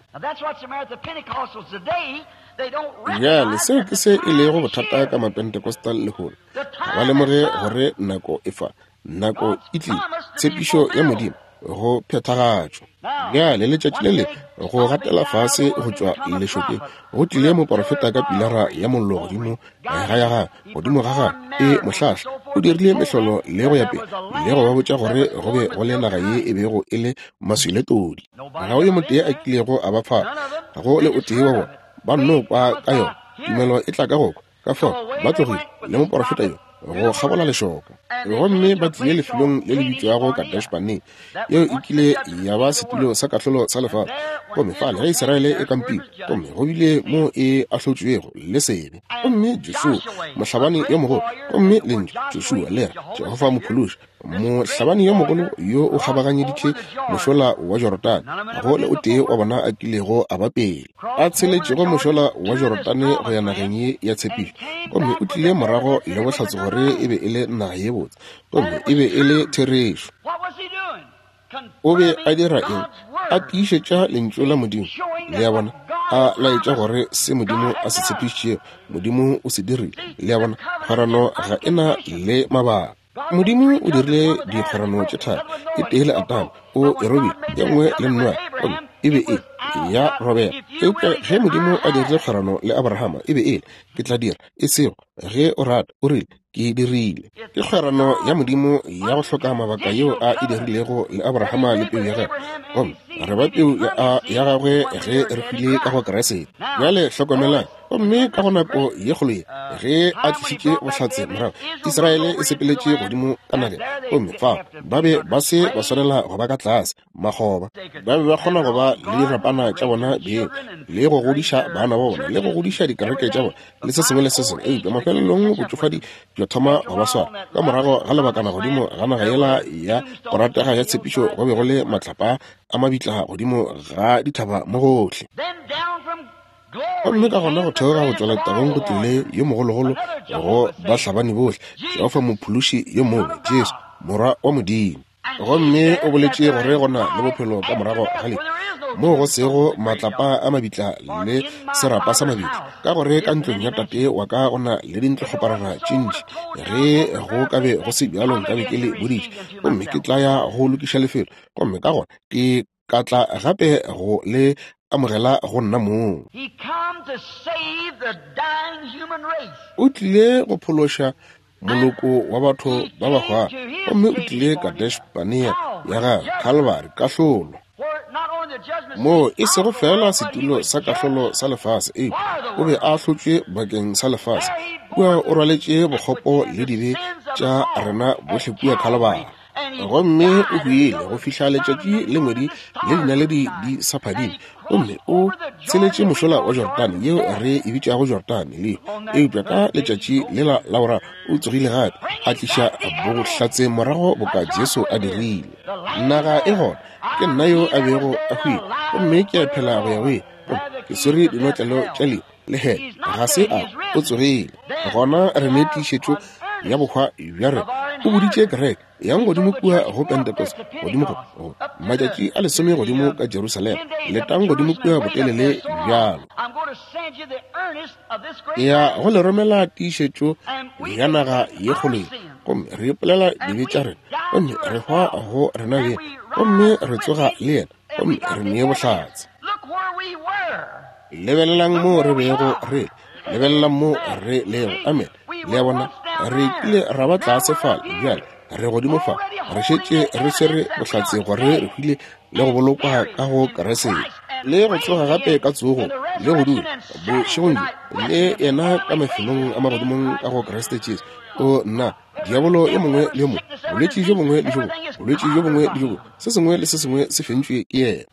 Bjale, seo ke se e lego bothata ka Mapentecostal lehono. Ga ba lemoge gore nako e fa. Nako e tlile, tshepišo ya Modimo go phethagatšwa. Bjale letšatši le le go gatela fase go tšwa lešokeng go tlile moporofeta ka pilara ya mollo godimo ga ya gagwe, godimo ga gagwe e mohlahla. O dirile mehlolo le go ya pele le go ba botša gore go be go le naga ye e bego e le maswi le todi. Ga go yo motee a kilego a ba fa, ga go le o tee wa bona. Ba nno kwa ka yona. Tumelo e tla ka go kwa. Ka fao ba tlogile le moporofeta yo go kgabola lešoka, gomme ba tlile lefelong le le bitšwago Kadesh-Barnea, yeo e kile ya ba setulo sa kahlolo sa lefase. Gomme fale ge Israele e kampile, gomme go bile mo e ahlotšwego le sebe. Gomme Joshua, mohlabani yo mogolo, gomme lentšu Joshua le re Jehofa Mophološi, Mohlabani yo mogolo yo o kgabaganyeditše mošola wa Jorodane, ga go le o tee wa bona a kilego a ba pele a tsheletšego mošola wa Jorodane go ya nageng ye ya tshepišo, gomme o tlile morago le bohlatse gore e be e le naga ye botse, gomme e be e le therešo. O be a dira eng? A tiišetša Lentšu la Modimo. Le a bona? A laetša gore se Modimo a se tshepišitšego, Modimo o se dirile. Le a bona? Kgwerano ga e na le mabaka. Modimo o dirile dikgwerano tše tharo, e tee le Adama, o e robile, ye nngwe le Noa, gomme e be e ya robega. Eupša ge Modimo a dirile kgwerano le Abrahama, e be e le, Ke tla dira, e sego ge o rata, o rile, Ke e dirile. Ke kgwerano ya Modimo ya go hloka mabaka yeo a e dirilego le Abrahama le peu ya gagwe, gomme re ba peu ya gagwe ge re hwile ka go Kriste. Bjale hlokomelang. Gomme ka go nako ye kgolo ye, ge a tlišitše bohlatse morago, Israele e sepeletše godimo ka nageng, gomme fao ba be ba se ba swanela go ba ka tlase, makgoba. Ba be ba kgona go ba le dirapana tša bona beng, le go godiša bana ba bona, le go godiša dikereke tša bona, le se sengwe le se sengwe. Eupša mafelelong botšofadi bja thoma go ba swara. Ka morago ga lebakana godimo ga naga yela ya go ratega ya tshepišo go be go le matlapa a mabitla godimo ga dithaba mo gohle. Gomme ka gona go theoga go tšwa letabong go tlile yo mogologolo go bahlabani bohle, Jehofa Mophološi yo mobe, Jesu, Morwa wa Modimo. Gomme o boletše gore go na le bophelo ka morago ga lehu, moo go sego matlapa a mabitla le serapa sa mabitla, ka gore ka ntlong ya Tate wa ka go na le dintlokgoparara tše ntši. Ge go ka be go se bjalo nkabe ke le boditše. Gomme ke tla ya go lokiša lefelo, gomme ka gona ke. Ka tla gape go le amogela go nna mong. O tlile go phološa moloko wa batho ba ba hwago, gomme o tlile Kadesh-Barnea ya gagwe, Kalvari, kahlolo. Moo e sego feela setulo sa kahlolo sa lefase, eupša o be a ahlotšwe bakeng sa lefase. Kua o rwaletše bokgopo le dibe tša rena bohle kua Kalvari. Gomme o hwile go fihla letšatši le ngwedi le dinaledi di sa phadime, gomme o tsheletše mošola wa Jordane, yeo re e bitšago Jordane le, eupša ka letšatši lela la boraro o tsogile gape, a tliša bohlatse morago boka Jesu a dirile. Naga e gona, ke nna yo a bego a hwile, gomme ke a phela go ya go ile, gomme ke swere dinotlelo tša lehu le hele. Ga se a, o tsogile. Gona re ne tiišetšo ya bohwa bja rena. O boditše kereke, yang godimo kua go Pentecost, godimo go, go matšatši a lesome godimo ka Jerusalema, letang godimo kua botelele bjalo. Ke ya go le romela tiišetšo ya naga ye kgolo ye, gomme re ipolela dibe tša rena, gomme re hwa go rena beng, gomme re tsoga le yena, gomme re nee bohlatse. Lebelelang moo re bego re, lebelelang moo re lego. Amen. Le a bona, re kile ra ba tlase fale, bjale re godimo fa, re šetše re swere bohlatse gore re hwile le go bolokwa ka go Kriste, le go tsoga gape ka tsogo, le go dula bošegong bjo le yena ka mafelong a magodimong ka go Kriste Jesu. O nna, diabolo yo mongwe le yo mongwe, bolwetši bjo bongwe le bjo bongwe, bolwetši bjo bongwe le bjo bongwe, se sengwe le se sengwe se fentšwe ke yena.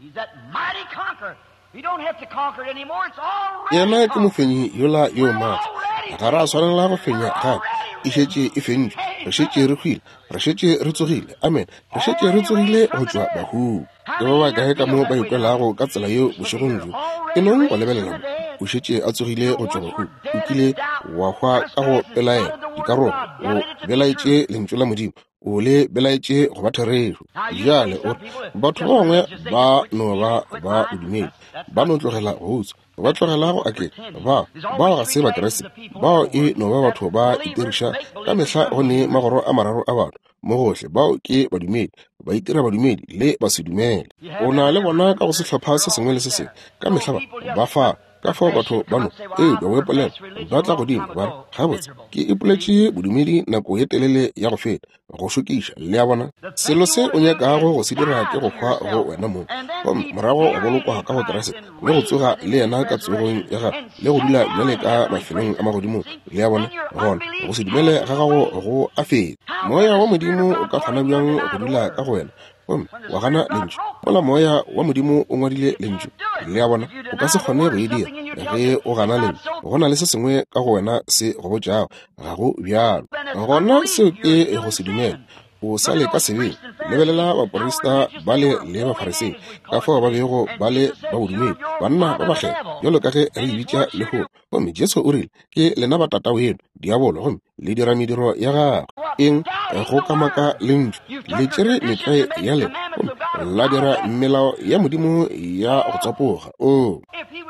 Yena ke mofenyi yola yo maatla. Ga ra swanela go fenya gape. E šetše e fentšwe. Re šetše re hwile. Re šetše re tsogile. Amen. Re šetše re tsogile go tšwa bahung. Ke ba bakae ka mo ba ikwelago ka tsela yeo bošegong bjo? E nong go lebelela mo. O šetše a tsogile go tšwa bahung. O kile wa hwa ka go pelaelo, dikarogo. O belaetše Lentšu la Modimo. O le belaetše go ba therešo. Bjale o re, batho ba bangwe ba no ba ba bodumedi, ba no tlogela go utswa, ba tlogela go aketša. Bao, bao ga se Bakriste. Bao e no ba batho ba itiriša. Ka mehla go ne magoro a mararo a batho mo gohle. Bao ke badumedi, ba itira badumedi le basedumele. O na le bona ka go sehlopha se sengwe le se sengwe. Ka mehla ba, ba fa. Ka fao batho ba no, eupša o ipolela, ba tla godimo, ba re, Gabotse, ke ipoletše bodumedi nako ye telele ya go feta, go šokiša. Le a bona? Selo se o nyakago go se dira ke go hwa go wena mong, gomme morago wa bolokwa ka go Kriste, le go tsoga le yena ka tsogong ya gagwe, le go dula bjale ka mafelong a magodimong. Le a bona? Gona go se dumele ga gago go a feta. Moya wa Modimo o ka kgona bjang go dula ka go wena gomme wa gana Lentšu, mola Moya wa Modimo o ngwadile Lentšu? Le a bona, o ka se kgone go e dira ge o gana Lentšu. Go na le se sengwe ka go wena se go botšago ga go bjalo. Gona seo ke go se dumela. O sa le ka sebeng. Lebelela baporista bale le Bafarisei, ka fao ba bego ba le ba bodumedi, banna ba bakgethwa, bjalo ka ge re e bitša lehono. Gomme Jesu o rile, Ke lena ba tata weno, diabolo, gomme le dira mediro ya gagwe. Eng? Go kamaka Lentšu. Le tšere metlwae ya lena gomme la dira melao ya Modimo ya go tsapoga. Oo,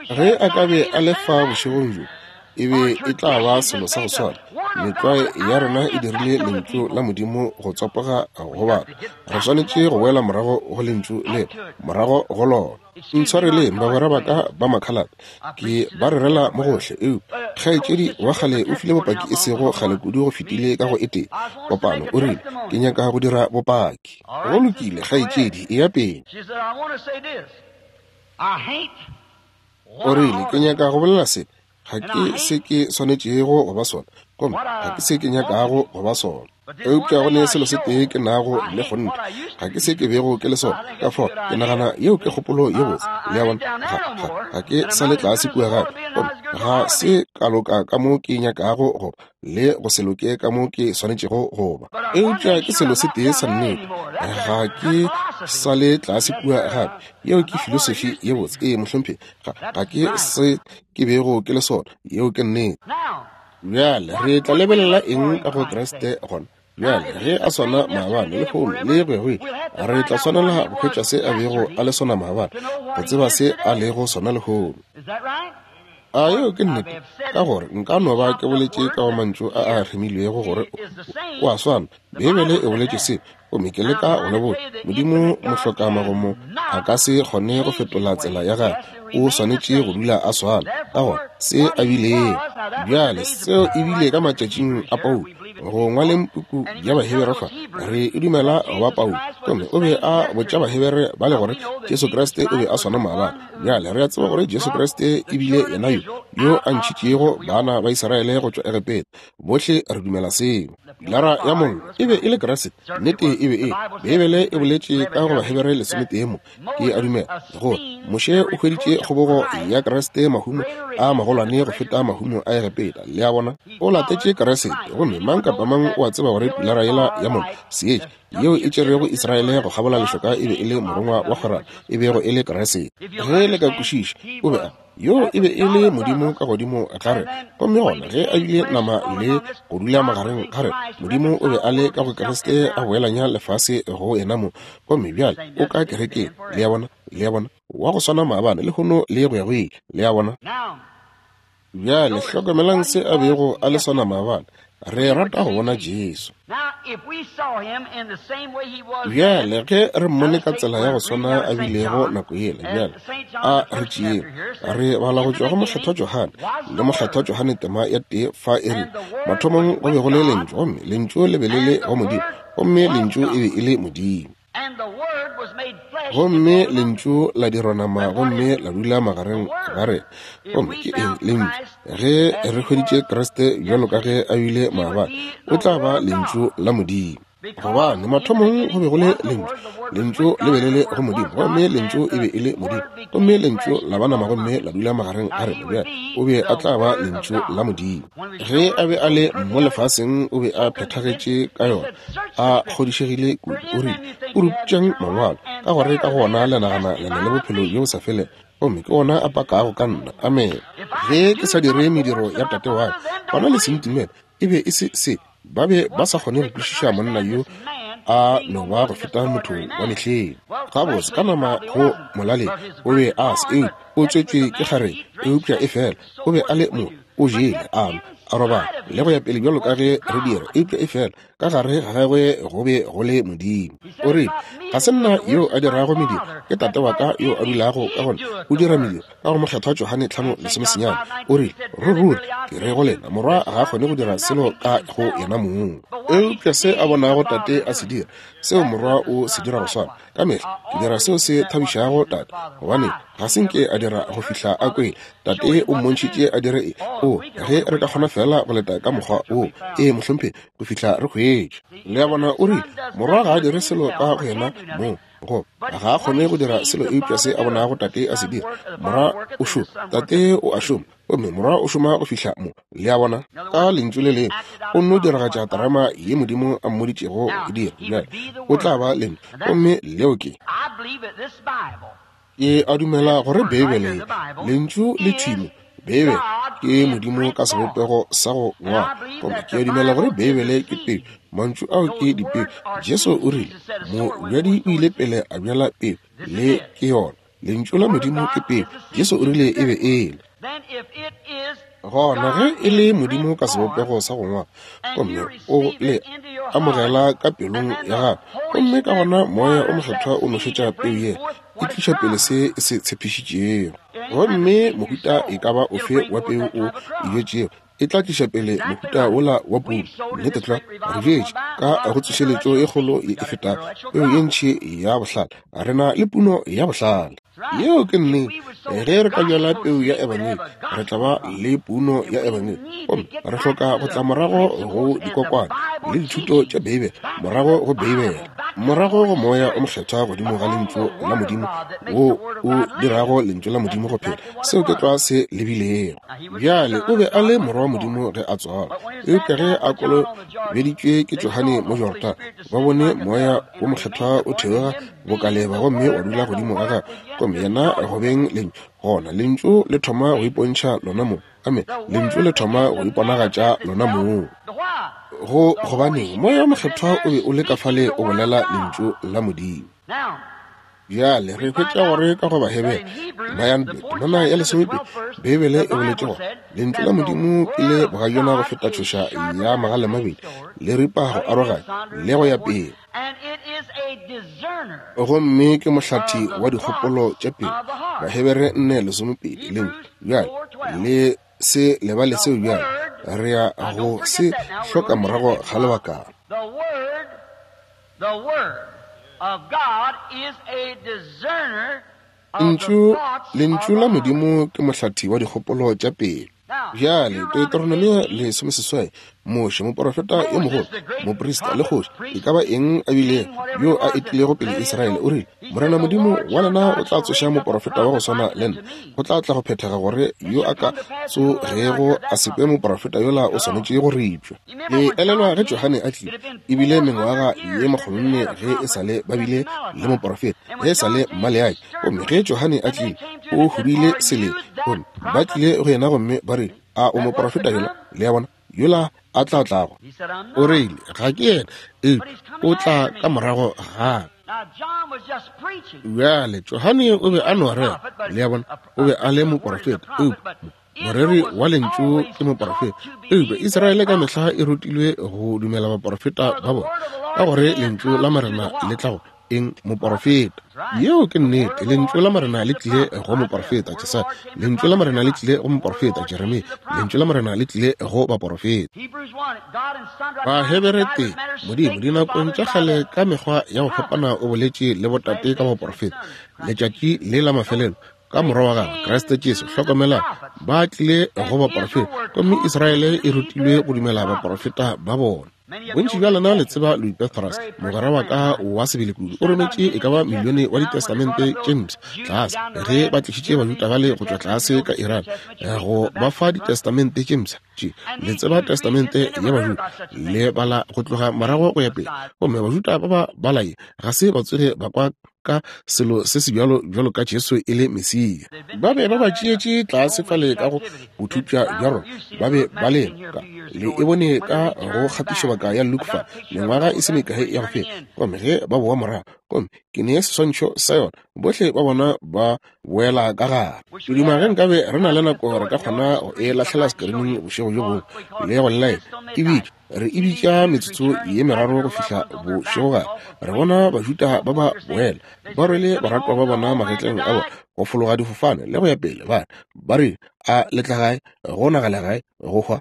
ge a ka be a le fa bošegong bjo, e be e tla ba selo sa go swana. Metlwae ya rena e dirile Lentšu la Modimo go tsapoga go batho. Re swanetše go boela morago go Lentšu lela, morago go lona. Ntshwareleng, bagwera ba ka ba makhalate, ke ba rerela mo gohle, eupša kgaetšedi wa kgale o file bopaki e sego kgale kudu go fetile ka go e tee kopano. O rile, Ke nyaka go dira bopaki. Go lokile, kgaetšedi, eya pele. O rile, Ke nyaka go bolela se. Ga ke se ke swanetšego go ba sona, gomme ga ke se ke nyakago go ba sona. Eupša go ne selo se tee ke nago le kgonthe, ga ke se ke bego ke le sona. Ka fao ke nagana yeo ke kgopolo ye botse. Le a bona? Ga, ga, ga ke sa le tlase kua gape, gomme ga se ka loka ka mo ke nyakago go ba, le go se loke ka mo ke swanetšego go ba. Eupša ke selo se tee sa nnete, ga ke sa le tlase kua gape. Yeo ke filosofi ye botse. Ee, mohlomphegi. Ga, ga ke se ke bego ke le sona. Yeo ke nnete. Bjale re tla lebelela eng ka go Kriste gona? Bjale ge a swana maabane, lehono, le go ya go ile, re tla swanela go hwetša se a bego a le sona maabane, go tseba se a lego sona lehono. A yeo ke nnete? Ka gore nka no ba ke boletše ka go mantšu a a remilwego gore o a swana. Beibele e boletše se, gomme ke leka go le botša. Modimo mohlokamagomo a ka se kgone go fetola tsela ya gagwe. O swanetše go dula a swana. Ka gona, se a bilego. Bjale, seo e bile ka matšatšing a Paulo. Go ngwaleng puku ya Bahebere fa, re e dumela go ba Paulo. Gomme o be a botša Bahebere bale gore Jesu Kriste o be a swana maabane. Bjale, re a tseba gore Jesu Kriste e bile yena yo, yo a ntšhitšego bana ba Israele go tšwa Egepeta. Bohle re dumela seo. Pilara ya mollo e be e le Kriste. Nnete e be e. Beibele e boletše ka go Bahebere 11 mo. Ke a dumela gore Moshe o hweditše kgobogo ya Kriste mahumo a magolwane go feta mahumo a Egepeta. Le a bona? O latetše Kriste, gomme mang kapa mang o a tseba gore pilara yela ya mollo, seetša, yeo e tšerego Israele go kgabola lešoka e be e le morongwa wa kgwerano, e bego e le Kriste. Ge le ka kwešiša, o be a yo e be e le Modimo ka godimo ga rena. Gomme gona ge a bile nama le go dula magareng ga rena, Modimo o be a le ka go Kriste a boelanya lefase go yena mo. Gomme bjale o ka kerekeng. Le a bona? Le a bona? Wa go swana maabane, lehono, le go ya go ile. Le a bona? Bjale hlokomelang se a bego a le sona maabane. Re rata go bona Jesu. Bjale ge re mmone ka tsela ya go swana a bilego nako yela, bjale a re tšeeng. Re bala go tšwa go Mokgethwa Johane, le Mokgethwa Johane tema ya 1 fa e re, Mathomong go be go le Lentšu, gomme Lentšu le be le le go Modimo, gomme Lentšu e be e le Modimo. Gomme Lentšu la dirwa nama gomme la dula magareng ga rena. Gomme ke eng Lentšu? Ge re hweditše Kriste bjalo ka ge a bile maabane, o tla ba Lentšu la Modimo. Gobane mathomong go be go le Lentšu, Lentšu le be le le go Modimo, gomme Lentšu e be e le Modimo. Gomme Lentšu la ba nama gomme la dula magareng ga rena. Bjale o be a tla ba Lentšu la Modimo. Ge a be a le mo lefaseng, o be a phethagetše ka yona, a kgodišegile kudu. O rile, Puruputšang Mangwalo, ka gore ka go ona le nagana le na le bophelo bjo bo sa felego, gomme ke ona a pakago ka nna. Amene. Ge ke sa dire mediro ya Tate wa ka, gona le se ntumele. E be e se se. Ba be ba sa kgone go kwešiša monna yo a no ba go feta motho wa mehleng. Gabotse, ka nama go molaleng o be a se, eupša o tswetšwe ke kgarebe, eupša efela o be a le mo, o jele, a nwa, a robala, le go ya pele bjalo ka ge re dira, eupša efela ka gare ga gagwe go be go le Modimo. O rile, Ga se nna yo a dirago mediro, ke Tate wa ka yo a dulago ka gona, o dira mediro. Ka go Mokgethwa Johane 5:19, o rile, Ruri, ruri, ke re go lena, Morwa ga a kgone go dira selo ka go yena mong, eupša se a bonago Tate a se dira, seo Morwa o se dira go swana. Ka mehla ke dira seo se thabišago Tate, gobane ga se nke a dira go fihla a kwele. Tate o mmontšhitše a dire e. O, ge re ka kgona feela go leta ka mokgwa wo, ee, mohlomphegi, go fihla re hwetša. Le a bona, o rile, Morwa ga a dire selo ka go yena mong, go ga a kgone go dira selo eupša se a bonago Tate a se dira. Morwa o šoma, Tate o a šoma, gomme Morwa o šoma go fihla mo. Le a bona? Ka lentšu le lengwe, o nno diragatša terama ye Modimo a mmoditšego go e dira. Bjale, o tla ba lentšu, gomme leo ke. Ke a dumela gore Beibele ye, Lentšu le thwi mo, Beibele ke Modimo ka sebopego sa go ngwala. Gomme ke a dumela gore Beibele ke peu, mantšu ao ke dipeu. Jesu o rile, Mobjadi o ile pele a bjala peu, le ke yona. Lentšu la Modimo ke peu. Jesu o rile e be e le. Gona ge e le Modimo ka sebopego sa go ngwala, gomme o le amogela ka pelong ya gago, gomme ka gona Moya o Mokgethwa o nošetša peu yela, e tliša pele se e se tshepišitšego. Gomme mohuta e ka ba ofe wa peu o e bjetšego, e tla tliša pele mohuta wola wa puno. Nnete tlwa, re bjetše ka go tsošeletšo e kgolo ye e fetago peu ye ntši ya bohlale. Re na le puno ya bohlale. Yeo ke nnete. Ge re ka bjala peu ya ebangedi, re tla ba le puno ya ebangedi. Gomme re hloka go tla morago go dikokwane le dithuto tša Beibele, morago go Beibele, morago go Moya o Mokgethwa godimo ga Lentšu la Modimo, wo o dirago Lentšu la Modimo go phela. Seo ke tlwa se lebilego. Bjale, o be a le Morwa wa Modimo ge a tswalwa, eupša ge a kolobeditšwe ke Johane mo Jorodane, ba bone Moya wo Mokgethwa o theoga bokaleba gomme wa dula godimo ga gagwe, gomme yena go beng Lentšu. Gona Lentšu le thoma go ipontšha lona mong. Amen. Lentšu le thoma go iponagatša lona mong. Go, gobaneng? Moya wo Mokgethwa o be o le ka fale o bolela Lentšu la Modimo. Bjale re hwetša gore ka go Bahebere nayang temana ya 12, Beibele e boletše gore lentšu la Modimo ke le bogajana go feta tšhoša ya magalemabedi, le ripa go aroganya le go ya pele. Gomme ke mohlathi wa dikgopolo tša pelo. Bahebere 4:12. Lentšu bjale le se lebale seo bjale, re ya go se hloka morago ga lebakana. Lentšu, Lentšu la Modimo ke mohlathi wa dikgopolo tša pelo. Bjale, Deuteronomia 18, Moshe, moprofeta yo mogolo, moprista le kgoši, e ka ba eng a bilego, yo a etilego pele Israele, o rile, Morena Modimo wa lena o tla tsoša moprofeta wa go swana le nna. Go tla tla go phethega gore yo a ka tsogego a se kwe moprofeta yola o swanetše go ripšwa. Le elelwa ge Johane a tlile, e bile mengwaga ye makgolonne ge e sa le ba bile le moprofeta, ge e sa le Maleaki. Gomme ge Johane a tlile, o hubile seleng, gomme ba tlile go yena gomme ba rile, A o moprofeta yola? Le a bona, yola a tla tlago. O rile, Ga ke yena, eupša o tla ka morago ga. Bjale, Johane o be a no rera, le a bona, o be a le moprofeta, eupša moreri wa lentšu ke moprofeta. Eupša Israele ka mehla e rutilwe go dumela baprofeta ba bona, ka gore lentšu la Morena le tla go eng moprofeta. Yeo ke nnete. Lentšu la Morena le tlile go moprofeta Jesaya, lentšu la Morena le tlile go moprofeta Jeremia, lentšu la Morena le tlile go baprofeta. Bahebere 1, Modimo dinakong tša kgale ka mekgwa ya go fapana o boletše le botate ka baprofeta. Letšatši le la mafelelo ka morwa wa gagwe Kriste Jesu. Hlokomelang, ba tlile go baprofeta, gomme Israele e rutilwe go dumela baprofeta ba bona. Bontši bja lena le tseba Louis Petrus, mogwera wa ka wa sebele kudu. O rometše e ka ba milione wa ditestamente tše mpsha tlase ge ba tlišitše Bajuda bale go tšwa tlase ka Iran go ba fa ditestamente tše mpsha tše. Le tseba testamente ya Bajuda, le bala go tloga morago go ya pele, gomme Bajuda ba ba bala ye ga se ba tsoge ba kwa ka selo se se bjalo bjalo ka Jesu e le Mesia. Ba be ba ba tšeetše tlase fale ka go bothupša bja rona. Ba be ba le ka, le e bone ka go kgatišobaka ya Luke fa, mengwaga e se mekae ya go feta. Gomme ge ba boa morago, gomme ke ne seswantšho sa yona, bohle ba bona ba boela ka gare. Ke duma ge nkabe re na le nako re ka kgona go e lahlela sekerining bošego bjo bongwe le go llaela e bitša. Re e bitša metsotso ye meraro go fihla bošegogare. Re bona Bajuda ba ba boela, ba rwele baratwa ba bona magetleng a bona, go fologa difofane le go ya pele. Ba re, ba rile, A le tla gae? Go nagala gae, go hwa.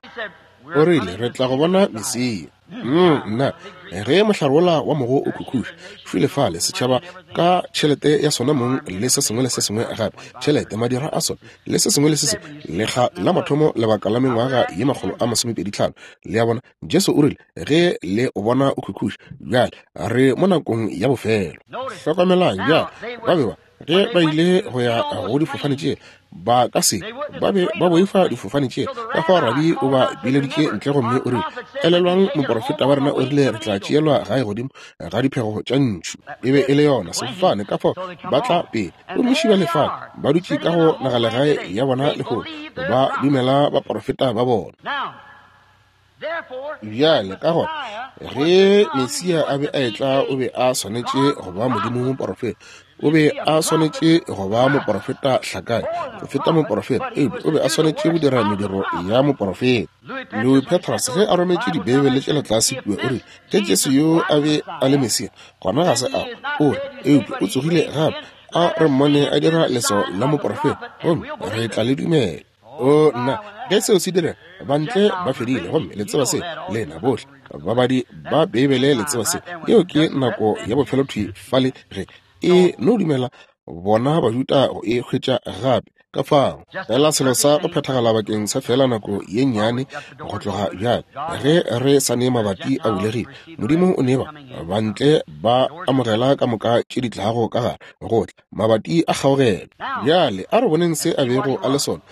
O rile, Re tla go bona Mesia. Nna, ge mohlare wola wa mogo o khukhuša, šwele fale, setšhaba ka tšhelete ya sona mong le se sengwe le se sengwe gape, tšhelete, madira a sona, le se sengwe le se sengwe, lekga la mathomo lebaka la mengwaga ye 125. Le a bona, Jesu o rile, Ge le o bona o khukhuša, bjale re mo nakong ya bofelo. Hlokomelang bjale, ba be ba, ge ba ile go ya go difofane tše, ba ka se ba be ba boifa difofane tše. Ka fao rabi o ba bileditše ntle gomme o rile, Elelwang, moporofeta wa rena o rile re tla tšeelwa gae godimo ga diphego tša ntšhu. E be e le yona sefofane, ka fao ba tla pele. Gomme šiba lefale ba dutše ka go nagalegae ya bona lehono, ba dumela baporofeta ba bona. Bjale, ka gona, ge Mesia a be a etla, o be a swanetše go ba Modimo moporofeta. O be a swanetše go ba moporofeta hlakane, go feta moporofeta, eupša o be a swanetše go dira mediro ya moporofeta. Louis Petrus, ge a rometše Dibeibele tšela tlase kua, o rile, Ge Jesu yo a be a le Mesia, gona ga se a o, eupša o tsogile gape. A re mmone a dira leswao la moporofeta, gomme re tla le dumela. O nna, ge seo se direga, bantle ba fedile, gomme le tseba se, lena bohle babadi ba Beibele le tseba se. Yeo ke nako ya bofelo thwi fale ge e no dumela bona Bajuda go e hwetša gape. Ka fao, fela selo sa go phethagala bakeng sa fela nako ye nnyane go tloga bjale, ge re sa ne mabati a bulegile, Modimo o ne ba bantle ba amogela ka moka tše di tlago ka gare, go tla mabati a kgaogelo. Bjale a re boneng se a bego a le sona.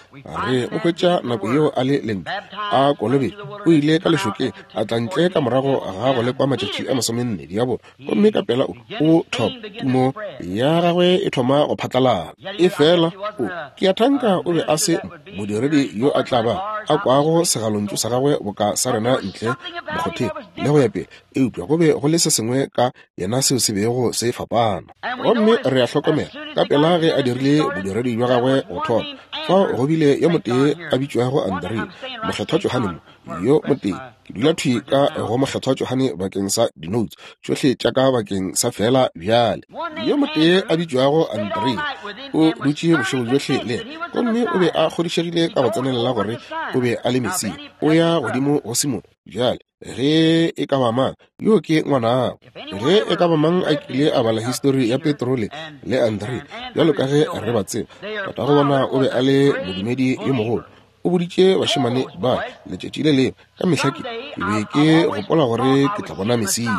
Re mo hwetša nako yeo a le Lentšu, a kolobetšwa, o ile ka lešokeng, a tla ntle ka morago ga go lekwa matšatši a 40, diabolo, gomme ka pela o thoma, tumo ya gagwe e thoma go phatlalala. Efela o, ke a thanka o be a se modiredi yo a tla ba a kwago segalontšu sa gagwe boka sa rena ntle mokgotheng le go ya pele, eupša go be go le se sengwe ka yena seo se bego se fapana. Gomme re a hlokomela ka pela ge a dirile bodiredi bja gagwe go thoma, fao go bile yo motee a bitšwago Andrea, Mokgethwa Johane mo, yo motee. Ke dula thwi ka go Mokgethwa Johane bakeng sa dinoutse tšohle tša ka bakeng sa feela bjale. Yo motee a bitšwago Andrea o dutše bošego bjohle le yena, gomme o be a kgodišegile ka go tsenelela gore o be a le Mesia. O ya godimo go Simone bjale. Ge e ka ba mang, yo ke ngwanago. Ge e ka ba mang a kile a bala histori ya Petro le, le Andre, bjalo ka ge re ba tseba, tatago bona o be a le modumedi yo mogolo. O boditše bašemane ba letšatši le lengwe, ka mehla ke, ke be ke gopola gore ke tla bona Mesia.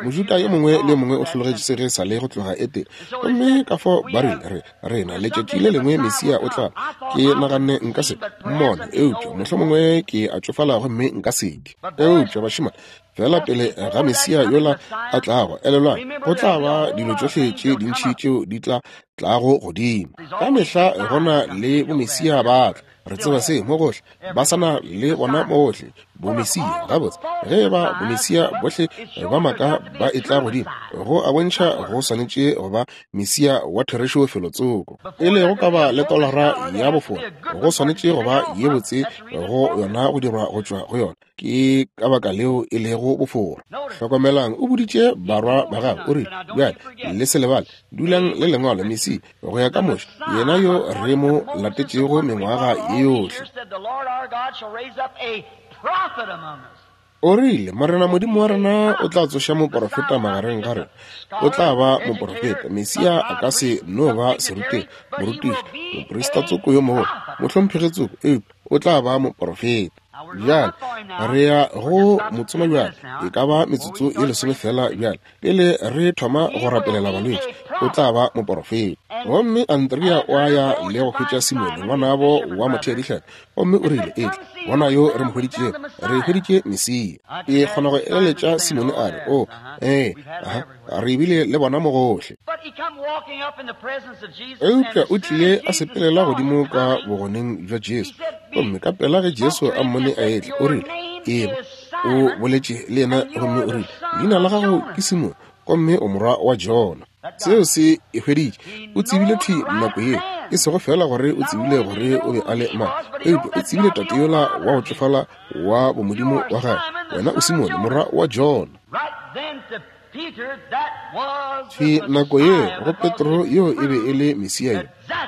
Mojuda yo mongwe le yo mongwe o hlologetše se ge sa le go tloga Etene. Gomme ka fao ba rile, re, rena, letšatši le lengwe Mesia o tla. Ke naganne nka se mmone, eupša mohlomongwe ke a tšofala gomme nka se ke. Eupša bašemane, fela pele ga Mesia yola a tlago, elelwang, go tla ba dilo tšohle tše dintši tšeo di tla tlago godimo. Ka mehla gona le bomesia ba tla. Re tseba se mo gohle, ba sa na le bona mo gohle, bomesia. Gabotse, ge e ba bomesia bohle ba maaka ba etla godimo, go a bontšha go swanetše go ba mesia wa therešo felotsoko. Pele go ka ba le tolara ya bofora, go swanetše go ba ye botse go yona go dirwa go tšwa go yona. Ke ka baka leo e lego bofora. Hlokomelang, o boditše barwa ba gagwe, o rile, Bjale, le se lebale, dulang le Lengwalo, Mesia, go ya ka Moshe, yena yo re mo latetšego mengwaga ye yohle. O rile, Morena Modimo wa rena o tla tsoša moporofeta magareng ga rena. O tla ba moporofeta. Mesia a ka se no ba serutegi, morutiši, moprista tsoko yo mogolo, mohlomphegi tsoko, eupša o tla ba moporofeta. Bjale, re ya go motsoma bjale, e ka ba metsotso ye lesome feela bjale, pele re thoma go rapelela balwetši. O tla ba moporofeta. Gomme Andrea o a ya le go hwetša Simone, ngwanabo wa motheadihlapi, gomme o rile, Etla, bona yo re mo hweditšego. Re hweditše Mesia. Ke kgona go eleletša Simone a re, O, ee, aha, re bile le bona mo gohle. Eupša o tlile a sepelela godimo ka bogoneng bja Jesu, gomme ka pela ge Jesu a mmone a etla, o rile, Eba, o boletše le yena gomme o rile, Leina la gago ke Simone, gomme o morwa wa Jona. Seo se e hweditše. O tsebile thwi nako yeo, e sego feela gore o tsebile gore o be a le mang, eupša o tsebile tate yola wa go tšofala wa bomodimo wa gagwe. Wena o Simone, morwa wa Jona. Thwi nako yeo go Petro yo e be e le Mesia yo,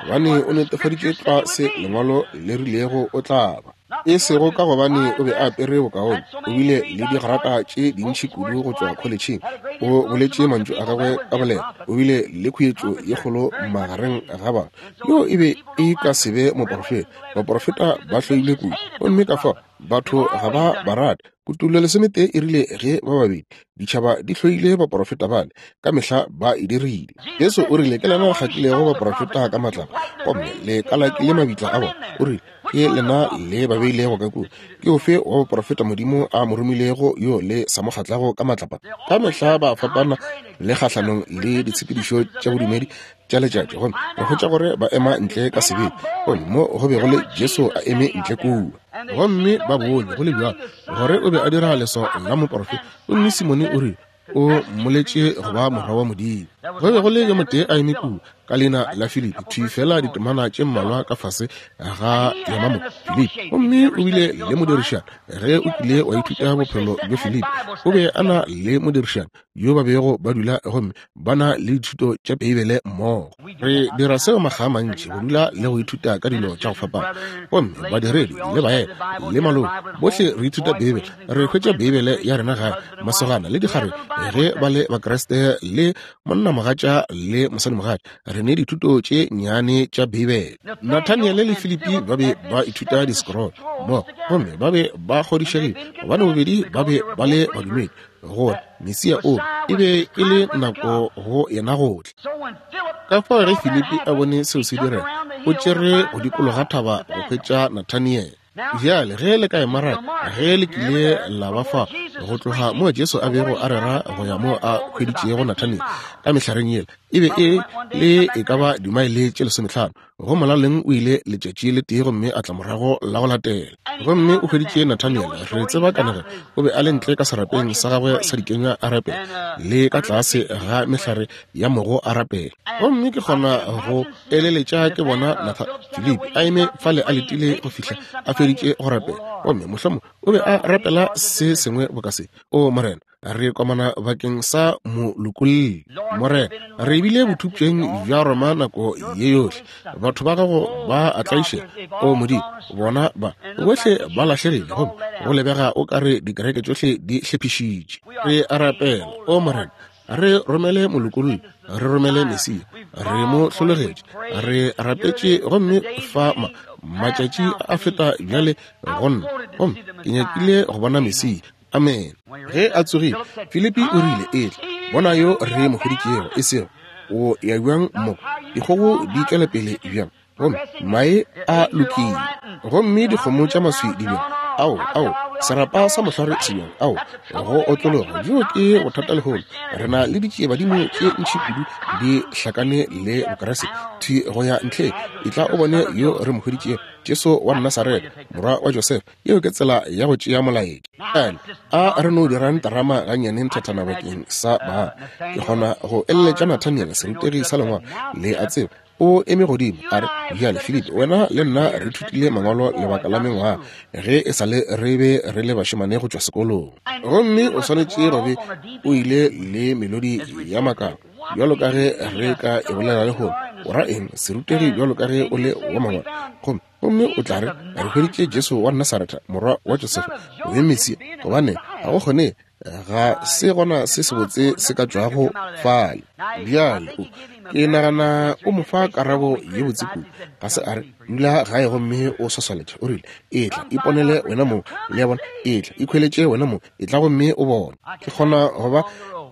gobane o netefaditše tlwa se Lengwalo le rilego o tla ba. E sego ka gobane o be a apere bokaone, o bile le digrata tše dintši kudu go tšwa kholetšheng, o boletše mantšu a gagwe ka boleta, o bile le khuetšo ye kgolo magareng ga batho. Yo e be e ka se be moporofeta. Baporofeta ba hloilwe kudu, gomme ka fao batho ga ba ba rate. Kutullo lesometee e rile ge ba babedi ditšhaba di hloile baporofeta bale, ka mehla ba e dirile. Jesu o rile, Ke lena le kgatlilego baporofeta ka matlapa, gomme le kalakile mabitla a bona. O rile, Ke lena le ba beilego ka kua. Ke ofe wa baporofeta Modimo a mo romilego yo le sa mo kgatlago ka matlapa? Ka mehla ba fapana le kgahlanong le ditshepedišo tša bodumedi tša letšatši, gomme re hwetša gore ba ema ntle ka sebete. Gomme mo go be go le Jesu a eme ntle kua, gomme ba bone go le bjalo gore o be a dira leswao la moporofeta. Gomme Simone o rile o mmoletše go ba morwa wa Modimo. Go be go le yo motee a eme kua ka leina la Filipi, thwi fela ditemana tše mmalwa ka fase ga yona mo, Filipi. Gomme o bile le modirišani. Ge o kile wa ithuta bophelo bja Filipi, o be a na le modirišani yo ba bego ba dula gomme ba na le dithuto tša Beibele mmogo. Re dira seo makga a mantši, go dula le go ithuta ka dilo tša go fapana. Gomme badiredi le baena le maloko, bohle re ithuta Beibele. Re hwetša Beibele ya rena gae, masogana le dikgarebe, ge ba le Bakriste, le monnamogatša le mosadimogatša, re ne dithuto tše nnyane tša Beibele. Nathaniele le Filipi ba be ba ithuta di-scroll mmogo, gomme ba be ba kgodišegile gobane bobedi ba be ba le badumedi gore Mesia o e be e le nako go yena go tla. Ka fao ge Filipi a bone seo se direga, o tšere go dikologa thaba go hwetša Nathaniele. Bjale ge le ka e maraka, ge le kile la ba fa go tloga mo Jesu a bego a rera go ya mo a hweditšego Nathaniel ka mehlareng yela, e be e le e ka ba dimaele tše 15. Go molaleng o ile letšatši le tee gomme a tla morago la go latela. Gomme o hweditše Nathaniel, re tseba kanegelo, o be a le ntle ka serapeng sa gagwe sa dikenywa a rapela, le ka tlase ga mehlare ya mogo a rapela. Gomme ke kgona go eleletša ke bona Nathan Filipi a eme fale a letile go fihla a feditše go rapela. Gomme mohlomong o be a rapela se sengwe boka se: O Morena, re komana bakeng sa molokolli. Morena, re bile bothupšeng bja Roma nako ye yohle. Batho ba gago ba a tlaišega. O Modimo, bona ba bohle ba lahlegile, gomme go lebega o ka re dikereke tšohle di hlephišitše. Re a rapela, o Morena, re romele molokolli, re romele Mesia. Re mo hlologetše, re rapetše, gomme fa matšatši a feta bjale go nna, gomme ke nyakile go bona Mesia. Amen. Ge a tsogile, Filipi o rile, Etla, bona yo re mo hweditšego. E sego, o ya bjang mo, dikgogo di tšwela pele bjang, gomme mae a lokile, gomme dikgomo tša maswi di bjang, ao, ao, serapa sa mohlware se bjang, ao, go otlologa. Bjo ke bothata lehono. Re na le ditšiebadimo tše ntši kudu di hlakane le Bokriste, thwi go ya ntlheng. Etla o bone yo re mo hweditšego, Jesu wa Nasaretha, morwa wa Josefa. Yeo ke tsela ya go tšea molaetša. Bjale a re no dirang terama gannyane nthathana bakeng sa ba. Ke kgona go eleletša Nathaniel, serutegi sa lengwalo, le a tseba, o eme godimo a re, Bjale, Filipi, wena le nna re thutile mangwalo lebaka la mengwaga, ge e sa le re be re le bašemane go tšwa sekolong. Gomme o swanetše go be o ile le melodi ya makalo, bjalo ka ge re ka e bolela lehono. O ra eng, serutegi bjalo ka ge o le wa mangwalo? Gomme gomme o tla re, re hweditše Jesu wa Nasaretha, morwa wa Josefa, o be Mesia, gobane ga go kgone, ga se gona se sebotse se ka tšwago fale. Bjale o, ke nagana o mo fa karabo ye botse kudu. Ga se a re, dula gae gomme o swaswaletše. O rile, etla, iponele wena mong. Le a bona? Etla, ikhweletše wena mong. Etla gomme o bone. Ke kgona go ba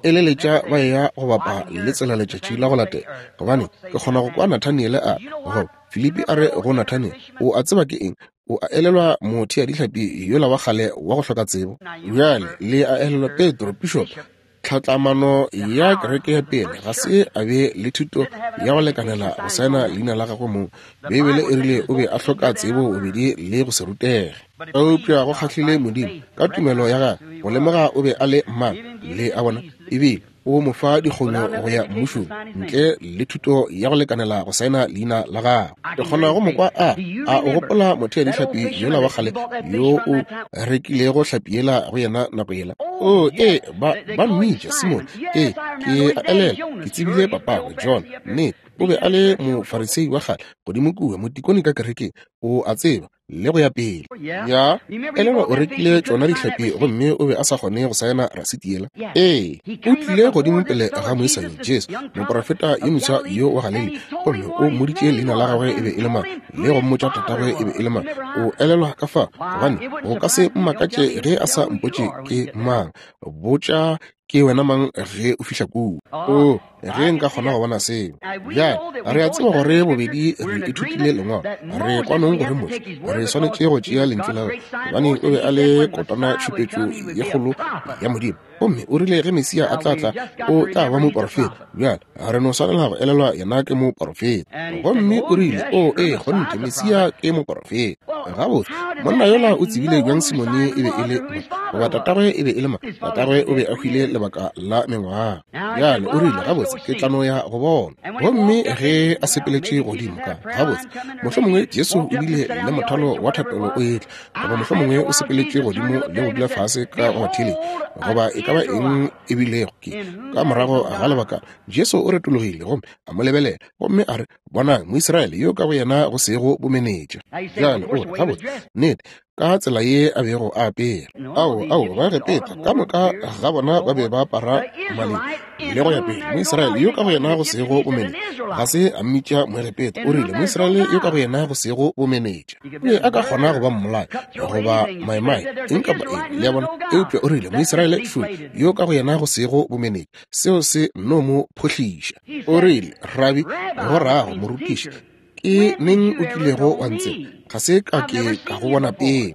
eleletša ba eya go bapa le tsela letšatši la go latela, gobane ke kgona go kwa Nathaniele a re, goba Filipi a re go Nathaniele, O a tseba ke eng? O a elelwa motheadihlapi yola wa kgale wa go hloka tsebo? Bjale le a elelwa Petro, pišopo, tlhatlamano ya kereke ya pele, ga se a be le thuto ya go lekanela go saena leina la gagwe mong. Beibele e rile o be a hloka tsebo bobedi le go se rutege. Eupša go kgahlile Modimo ka tumelo ya gagwe go lemoga o be a le mang. Le a bona? Ebile o mo fa dikgonyo go ya mmušong ntle le thuto ya go lekanela go saena leina la gagwe. Ke kgona go mo kwa a a o gopola motheadihlapi yola wa kgale yo o rekilego hlapi yela go yena nako yela. O, ee, ba, ba mmitša Simone. Ee, ke a elelwa, ke tsebile papagwe, John. Nnete, o be a le Mofarisei wa kgale godimo kua, motikone ka kerekeng, o a tseba, le go ya pele. Ya, elelwa o rekile tšona dihlapi gomme o be a sa kgone go saena rasiti yela. Ee, o tlile godimo pele ga moisa yo, Jesu, moprofeta yo moswa yo wa Galilea, gomme o mmoditše leina la gagwe e be e le mang, le go mmotša tatagwe e be e le mang. O elelwa ka fa, gobane go ka se mmakatše ge a sa mpotše ke mang. Botša ke wena mang ge o fihla kua. O, ge nka kgona go bona seo. Bjale, re a tseba gore bobedi re ithutile Lengwalo. Re kwanong gore Moshe, re swanetše go tšea Lentšu la gagwe, gobane o be a le kotana tšhupetšo ye kgolo ya Modimo. Gomme o rile ge Mesia a tla tla, o tla ba moporofeta. Bjale, re no swanela go elelwa yena ke moporofeta. Gomme o rile, O, ee, kgonthe, Mesia ke moporofeta. Gabotse, monna yola o tsebile bjang Simone e be e le mang, goba tatagwe e be e le mang? Tatagwe o be a hwile lebaka la mengwaga. Bjale o rile, Gabotse, ke tla no ya go bona. Gomme ge a sepeletše godimo ka, gabotse, mohlomongwe Jesu o bile le mothalo wa thapelo o etla, goba mohlomongwe o sepeletše godimo le go dula fase ka go batheeletši, goba e ka ba eng e bilego. Ke ka morago ga lebaka Jesu o retologile gomme a mo lebelela, gomme a re, Bonang Moisraele yo ka go yena go sego bomenetša. Bjale o re, Gabotse, nnete, ka tsela ye a bego a apere. Ao, ao, Baegepeta ka moka ga bona ba be ba apara maleng le go ya pele. Moisraele yo ka go yena go sego bomenetša, ga se a mmitša Moegepeta, o rile Moisraele yo ka go yena go sego bomenetša. O be a ka kgona go ba mmolai goba maemae, eng kapa eng, le a bona, eupša o rile Moisraele šole yo ka go yena go sego bomenetša. Seo se nno mo phohliša. O rile, Rabi, go rago morutiši, ke neng o kilego wa ntseba? Ga se ka ke ka go bona pele.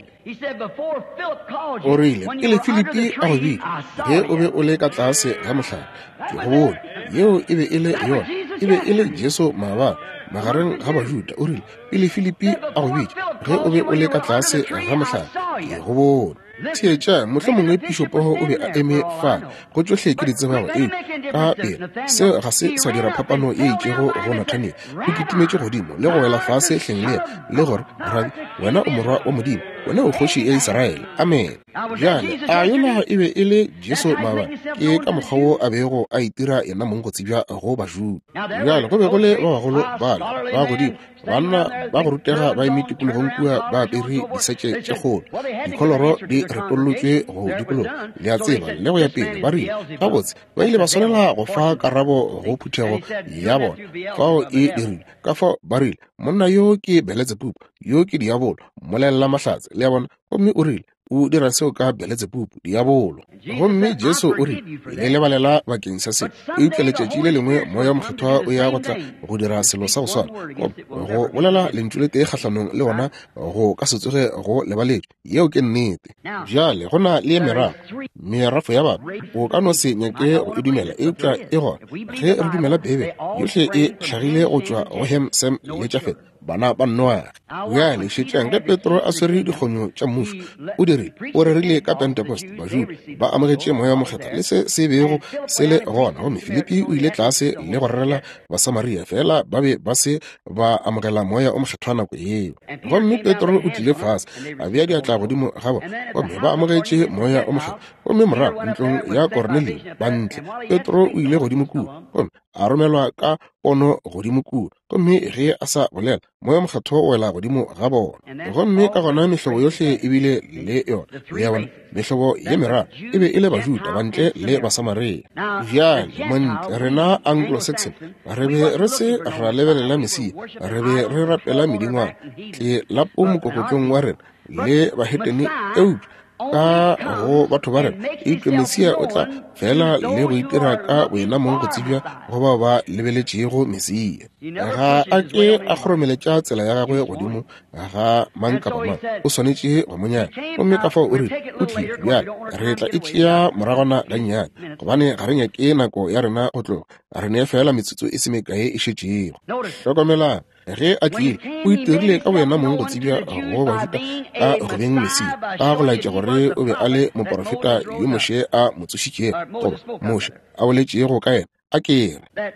O rile, pele Filipi a go bitša, ge o be o le ka tlase ga mohlare, ke go bone. Yeo e be e le yona. E be e le Jesu maabane, magareng ga Bajuda. O rile, pele Filipi a go bitša, ge o be o le ka tlase ga mohlare, ke go bone. Theetša, mohlomongwe pišopogo o be a eme fa, go tšohle ke di tsebago, eupša ka pela seo ga se sa dira phapano ye itšego go Nathaniel. O kitimetše godimo le go wela fase hleng le yena, le gore, Rabi, wena o Morwa wa Modimo, wena o Kgoši ya Israele. Amene. Bjale, a yola e be e le Jesu maabane? Ke ka mokgwa wo a bego a itira yena mong go tsebja go Bajuda. Bjale, go be go le ba bagolo bale ba godimo, banna ba go rutega ba eme tikologong kua ba apere disetše tše kgolo, dikholoro di retollotšwe go dikologa, le a tseba, le go ya pele. Ba rile, gabotse, ba ile ba swanela go fa karabo go phuthego ya bona fao e dirile. Ka fao ba rile, monna yo ke Beletsebubu, yo ke diabolo, mmolelela mahlatse, le a bona. Gomme o rile, o dira seo ka Beletsebubu, diabolo. Gomme Jesu o rile, le lebalela bakeng sa se, eupša letšatši le lengwe Moya wo Mokgethwa o ya go tla go dira selo sa go swana. Go bolela lentšu le tee kgahlanong le ona go ka se tsoge go lebaletšwe. Yeo ke nnete. Bjale go na le merafo, merafo ya batho. O ka no se nyake go e dumela, eupša e gona. Ge re dumela Beibele, yohle e hlagile go tšwa go Ham, Sem le Jafet, bana ba Noage. Bjale šetšang ge Petro a swere dikgonyo tša mmušo, o dirile, o rerile ka Pentecost, Bajuda ba amogetše Moya wo Mokgethwa le se se bego se le gona. Gomme Filipi o ile tlase le go rerela Basamaria, fela ba be ba se ba amogela Moya o Mokgethwa nako yeo. Gomme Petro o tlile fase, a bea diatla godimo ga bona, gomme ba amogetše Moya o Mokgethwa. Gomme morago ntlong ya Kornelio, bantle, Petro o ile godimo kua, gomme a romelwa ka pono godimo kua. Gomme ge a sa bolela, Moya Mokgethwa o wela godimo ga bona. Gomme ka gona mehlobo yohle e bile le yona. Le a bona, mehlobo ye meraro e be e le Bajuda, Bantle le Basamaria. Bjale, Montle, rena Anglo-Saxon, re be re se ra lebelela Mesia, re be re rapela medingwana, tlelapo mokokotlong wa rena le bahetene, eupša ka go batho ba rena, eupša Mesia o tla fela le go itira ka boyena mong go tsebja go bao ba lebeletšego Mesia. Ga a ke a kgoromeletša tsela ya gagwe godimo ga mang kapa mang, o swanetše go mo nyaka. Gomme ka fao o rile, o tlile bjale, re tla e tšea moragwana gannyane, gobane ga re nyake nako ya rena go tloga, re ne fela metsotso e se mekae e šetšego. Hlokomelang, Ge a tlile, o itirile ka boyena mong go tsebja go Bajuda ka go beng Mesia, ka go laetša gore o be a le moporofeta yo Moshe a mo tsošitšego, goba Moshe a boletšego ka yena, a ke re,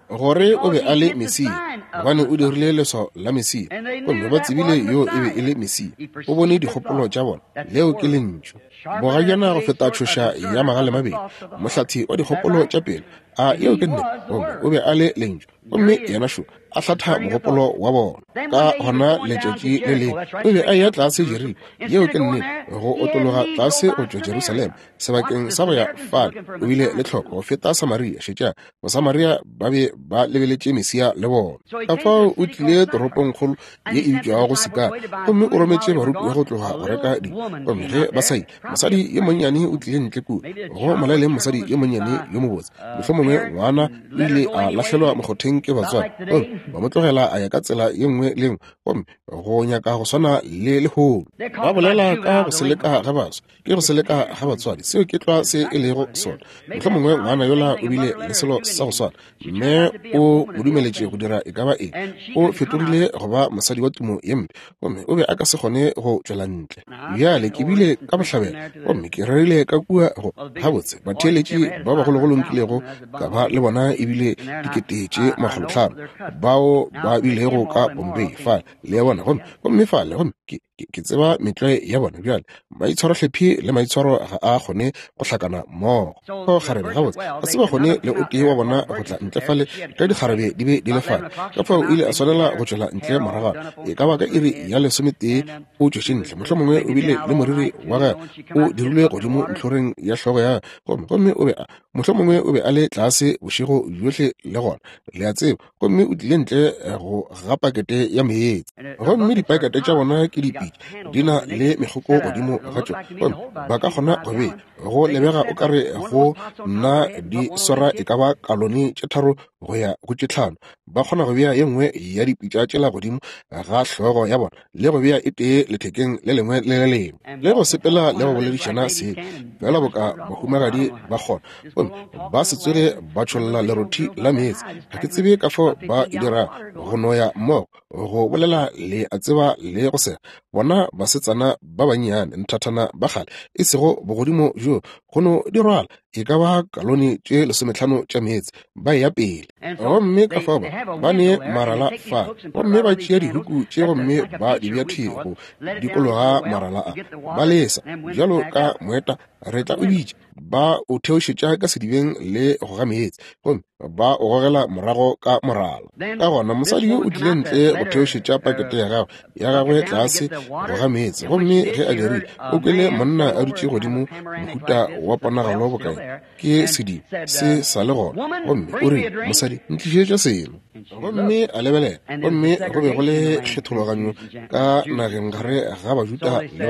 gore o be a le Mesia, gobane o dirile leswao la Mesia, gomme ba tsebile yo e be e le Mesia. O bone dikgopolo tša bona. Leo ke Lentšu. Bogajana go feta tšhoša ya magalemabedi, mohlathi wa dikgopolo tša pelo. A yeo ke nnete? Gomme o be a le Lentšu. Gomme yena šo a hlatha mogopolo wa bona. Ka gona letšatši le lengwe o be a eya tlase Jeriko, yeo ke nnete, go otologa tlase go tšwa Jerusalema, sebakeng sa go ya fale o bile le tlhoko go feta Samaria. Šetšang, Basamaria ba be ba lebeletše Mesia le bona. Ka fao o tlile toropongkgolo ye e bitšwago Sikara, gomme o rometše barutiwa go tloga go reka dijo. Gomme ge ba sa ile, mosadi yo monnyane o tlile ntle kua, go molaleng mosadi yo monnyane yo mobotse, mohlomongwe ngwana o ile a lahlelwa mokgotheng ke batswadi, gomme ba mo tlogela a ya ka tsela ye nngwe le nngwe, gomme go nyaka go swana le lehono. Ba bolela ka go seleka ga baswa, ke go seleka ga batswadi, seo ke tlwa se e lego sona. Mohlomongwe ngwana yola o bile le selo sa go swana, mme o mo dumeletše go dira e ka ba eng, o fetogile go ba mosadi wa tumo ye mpe, gomme o be a ka se kgone go tšwela ntle. Bjale ke bile ka bohlabela gomme ke rerile ka kua go gabotse batheeletši ba bagologolo nkilego ka ba le bona ebile 500,000 bao ba bilego ka Bombay fale, le bona, gomme gomme fale, gomme ke ke tseba metlwae ya bona. Bjale maitshwarohlephi le maitshwaro ga a kgone go hlakana mmogo. O kgarebe, gabotse ga se ba kgone le o tee wa bona go tla ntle fale ge dikgarebe di be di le fale. Ka fao o ile a swanela go tšwela ntle moragwana, e ka ba ka iri ya 11 o tšwetše ntle. Mohlomongwe o bile le moriri wa gagwe o dirilwe godimo ntlhoreng ya hlogo ya gagwe, gomme gomme o be a, mohlomongwe o be a le tlase bošego bjohle le gona, le a tseba, gomme o tlile ntle go ga pakete ya meetse. Gomme dipakete tša bona ke dipitša. dipitša di na le megoko godimo ga tšona, gomme ba ka kgona go bea, go lebega o ka re go nna di swara e ka ba kalone tše 3 go ya go tše 5. Ba kgona go bea ye nngwe ya dipitša tšela godimo ga hlogo ya bona le go bea e tee lethekeng le lengwe le le lengwe, le go sepela le go boledišana se fela boka bahumagadi ba kgona, gomme ba se tsoge ba tšholla lerothi la meetse. Ga ke tsebe ka fao ba e dira go noya mmogo, go bolela le a tseba le go sega. Bona basetsana ba bannyane nthathana ba kgale, e sego bogodimo bjo go no di rwala e ka ba kalone tše 15 tša meetse, ba ya pele. Gomme ka fao ba ne marala fa, gomme ba tšea dihuku tše gomme ba di bea thwi go dikologa marala a, ba lesa bjalo ka moeta, re tla o bitša, ba o theošetša ka sedibeng le go ga meetse, gomme ba o gogela morago ka morala. Ka gona mosadi yo o tlile ntle go theošetša pakete ya gagwe tlase go ga meetse, gomme ge a dirile, o kwele monna a dutše godimo mohuta wa ponagalo bokae ke sediba se sa le gona, gomme o rile, mosadi, ntlišetša seno. Gomme a lebelela, gomme go be go le kgethologanyo ka nageng gare ga Bajuda le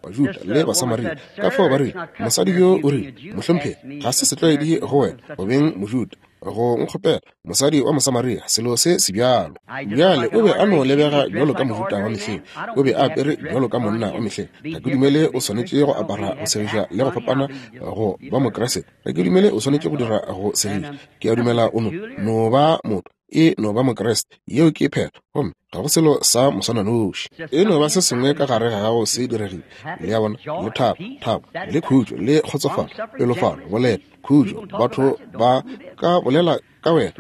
Bajuda le Basamaria. Ka fao ba rile, mosadi yo o rile, mohlomphegi, ga se setlwaedi go wena go beng Mojuda go nkgopela, mosadi wa Mosamaria, selo se se bjalo. Bjale o be a no lebega bjalo ka mohuta wa mehleng, o be a apere bjalo ka monna wa mehleng. Ga ke dumele o swanetše go apara go segiša le go fapana go ba Mokriste. Ga ke dumele o swanetše go dira go segiša. Ke a dumela o no ba motho, e no ba Mokriste, yeo ke phetho, gomme ga go selo sa moswananoši. E no ba se sengwe ka gare ga gago se diregile, le a bona, le thabo, thabo, le khutšo, le kgotsofalo, pelofalo, boleta, khutšo. Batho ba ka bolela ka wena,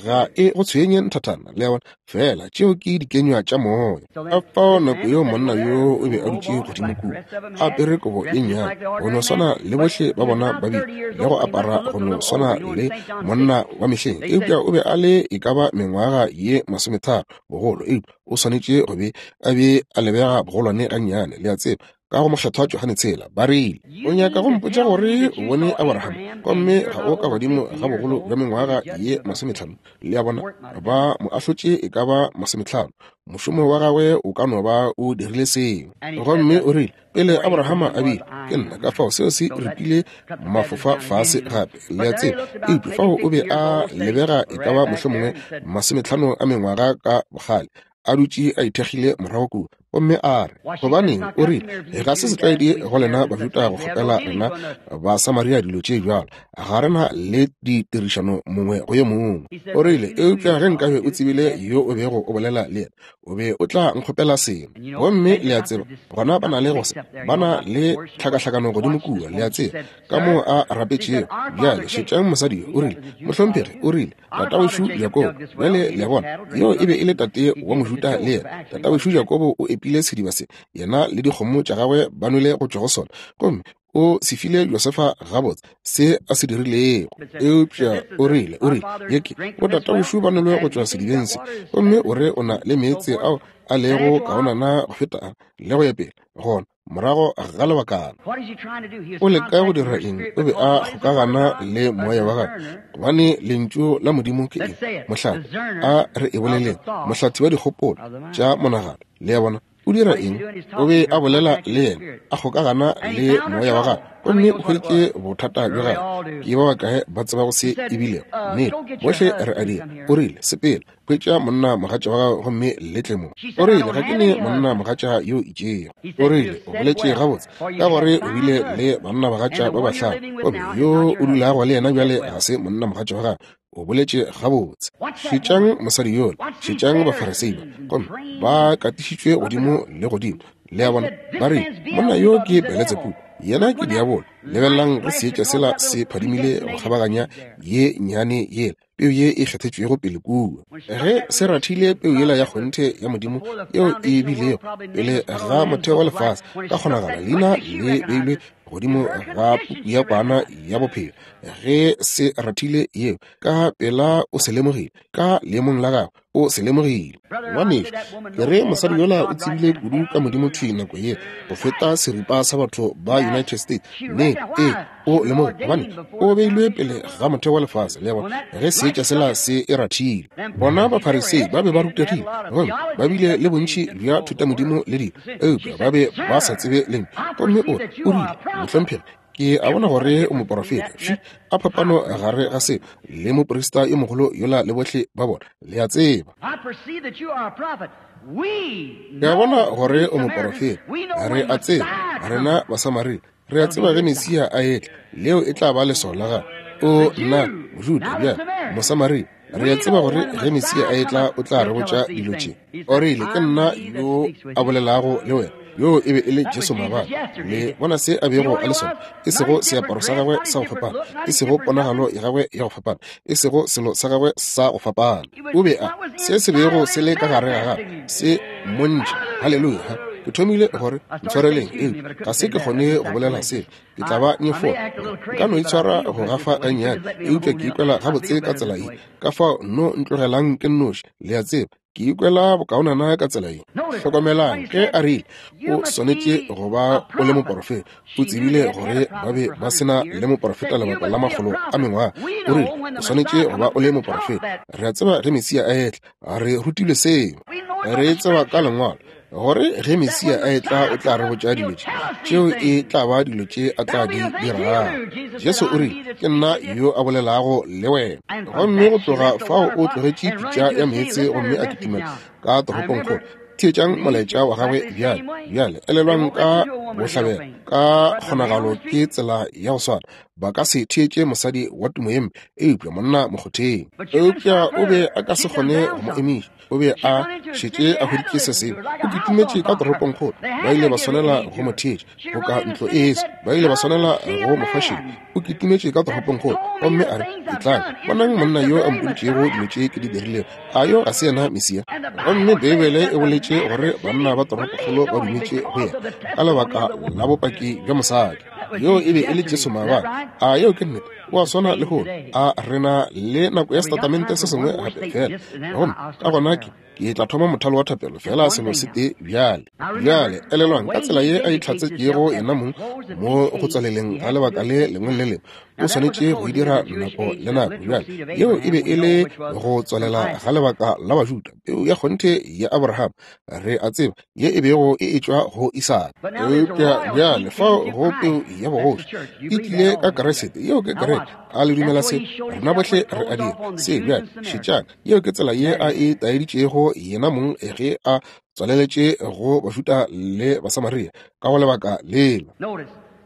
ga e go tshwenye nthathana, le a bona, fela tšeo ke dikenywa tša moya. Ka fao nako yeo monna yo o be a dutše godimo kua, a apere kobo e nnyane, go no swana le bohle ba bona ba bile, le go apara go no swana le monna wa mehleng, eupša o be a le e ka ba mengwaga ye 30 bogolo, eupša o swanetše go be a be a lebega bogolwane gannyane, le a tseba, ka go mokgethwa Johane tshela. Ba rile, o nyaka go mpotša gore o bone Abraham, gomme ga o ka godimo ga bogolo bja mengwaga ye 50. Le a bona, ba mo ahlotše e ka ba 50. Mošomo wa gagwe o ka no ba o dirile seo. Gomme o rile, pele Abrahama a bile, ke nna. Ka fao seo se ripile mafofa fase gape, le a tseba. Eupša fao o be a lebega e ka ba mohlomongwe 50 a mengwaga ka bogale, a dutše a ithekgile morago kua. Gomme a re, gobaneng, o rile, ga se setlwaedi go lena Bajuda go kgopela rena Basamaria dilo tše bjalo, ga rena le ditirišano mongwe go yo mongwe. O rile, eupša ge nkabe o tsebile yo o bego o bolela le yena, o be o tla nkgopela sengwe. Gomme le a tseba, gona ba na le go se, ba na le tlhakahlakano godimo kua, le a tseba, ka moo a rapetšego. Bjale šetšang mosadi yo, o rile, mohlomphegi, o rile, tatawešu Jakobo. Bjale le a bona, yo e be e le tate wa Mojuda le yena. Tatawešu Jakobo o epile sediba se, yena le dikgomo tša gagwe ba nwele go tšwa go sona, gomme o se file Josefa gabotse se a se dirilego. Eupša o rile, ye ke bo tatawešu ba nwele go tšwa sedibeng se, gomme o re o na le meetse ao a lego kaonana go feta a, le go ya pele. Gona morago ga lebakana, o leka go dira eng? O be a kgokagana le moya wa gagwe, gobane lentšu la Modimo ke eng? Mohlathi, a re e boleleng, mohlathi wa dikgopolo tša monagano. Le a bona, o dira eng? O be a bolela le yena, a kgokagana le moya wa gagwe, gomme o hweditše bothata bja gagwe. Ke ba bakae ba tsebago se e bilego? Nnete, bohle re a dira. O rile, sepela, hwetša monna mogatša wa gago gomme le tle mo. O rile, ga ke ne monna mogatša yo itšego. O rile, o boletše gabotse, ka gore o bile le banna bagatša ba bahlano, gomme yo o dulago le yena bjale ga se monna mogatša wa gago. O boletše gabotse. Šetšang mosadi yola, šetšang Bafarisei ba, gomme ba katišitšwe godimo le godimo. Le a bona, ba rile, monna yo ke Beletsebubu, yena ke diabolo. Lebelelang ge seetša sela se phadimile go kgabaganya ye nnyane yela, peu ye e kgethetšwego pele kua. Ge se rathile peu yela ya kgonthe ya Modimo yeo e bilego pele ga motheo wa lefase, ka kgonagala leina le beilwe godimo ga puku ya Kwana ya Bophelo. Ge se rathile yeo, ka pela o se lemogile, ka leemong la gagwe, o se lemogile. Ngwanešu, ke re mosadi yola o tsebile kudu ka Modimo thwi nako ye go feta seripa sa batho ba United States. Ne, ee, o lemogile, gobane o beilwe pele ga motheo wa lefase, le bona, ge seetša sela se e rathile. Bona Bafarisei ba be ba rutegile, gomme ba bile le bontši bja thutamodimo le dilo, eupša ba be ba sa tsebe Lentšu. Gomme o, o rile, Mohlomphegi, ke a bona gore o moporofeta. Fši, a phapano gare ga seo le moprista yo mogolo yola le bohle ba bona, le a tseba. Ke a bona gore o moporofeta. Re a tseba, rena Basamaria, re a tseba ge Mesia a etla, leo e tla ba leswao la gagwe. O nna Mojuda bjale, Mosamaria, re a tseba gore ge Mesia a etla o tla re botša dilo tše. O rile, Ke nna yo a bolelago le wena. Yoo e be e le Jesu maabane. Le bona se a bego a le sona, e sego seaparo sa gagwe sa go fapana, e sego ponagalo ya gagwe ya go fapana, e sego selo sa gagwe sa go fapana. O be a se se bego se le ka gare ga gagwe se mmontšha. Haleluya! Ke thomile gore ntshwareleng, eupša ga se ke kgone go bolela se. Ke tla ba nyefola. Nka no itshwara go gafa gannyane, eupša ke ikwela gabotse ka tsela ye. Ka fao no ntlogelang ke nnoši, le a tseba. Ke ikwela bokaonana ka tsela ye. Hlokomelang, ge a rile, O swanetše go ba o le moporofeta. O tsebile gore ba be ba se na le moporofeta lebaka la makgolo a mengwaga. O rile, O swanetše go ba o le moporofeta. Re a tseba ge Mesia a etla. Re rutilwe seo. Re tseba ka Lengwalo gore ge Mesia a etla o tla re botša dilo tše. Tšeo e tla ba dilo tše a tla di dirago. Jesu o rile, Ke nna yo a bolelago le wena. Gomme go tloga fao o tlogetše pitša ya meetse gomme a kitimela ka toropongkgolo. Theetšang molaetša wa gagwe bjale. Bjale elelwang ka bohlabela, ka kgonagalo ke tsela ya go swana. Ba ka se theetše mosadi wa tumo ye mpe, eupša monna mokgotheng. Eupša o be a ka se kgone go mo emiša. O be a šetše a hweditše se sengwe. O kitimetše ka toropongkgolo. Ba ile ba swanela go mo theetša boka ntlo e eso. Ba ile ba swanela go mo fa šedi. O kitimetše ka toropongkgolo gomme a re, Etlang, bonang monna yo a mpoditšego dilo tše ke di dirilego. A yo ga se yena Mesia? Gomme Beibele e boletše gore banna ba toropokgolo ba dumetše go yena ka lebaka la bopaki bja mosadi. Yoo e be e le Jesu maabane. A yeo ke nnete? O a swana lehono. A re na le nako ya setatamente se sengwe gape fela. Gomme ka gona ke, ke tla thoma mothalo wa thapelo fela selo se tee bjale. Bjale elelwang ka tsela ye a itlhatsetšego yena mong mo go tswaleleng ga lebaka le lengwe le lengwe. O swanetše go e dira nako le nako. Bjale yeo e be e le go tswalela ga lebaka la Bajuda, peu ya kgonthe ya Abraham, re a tseba, ye e bego e etšwa go Isaka. Eupša bjale fao go peu ya bogoši e tlile ka Kriste, yeo ke kereke. A le dumela se? Rena bohle re a dira se. Bjale šetšang, yeo ke tsela ye a e taeditšego yena mong ge a tswaleletše go Bajuda le Basamaria ka go lebaka lela.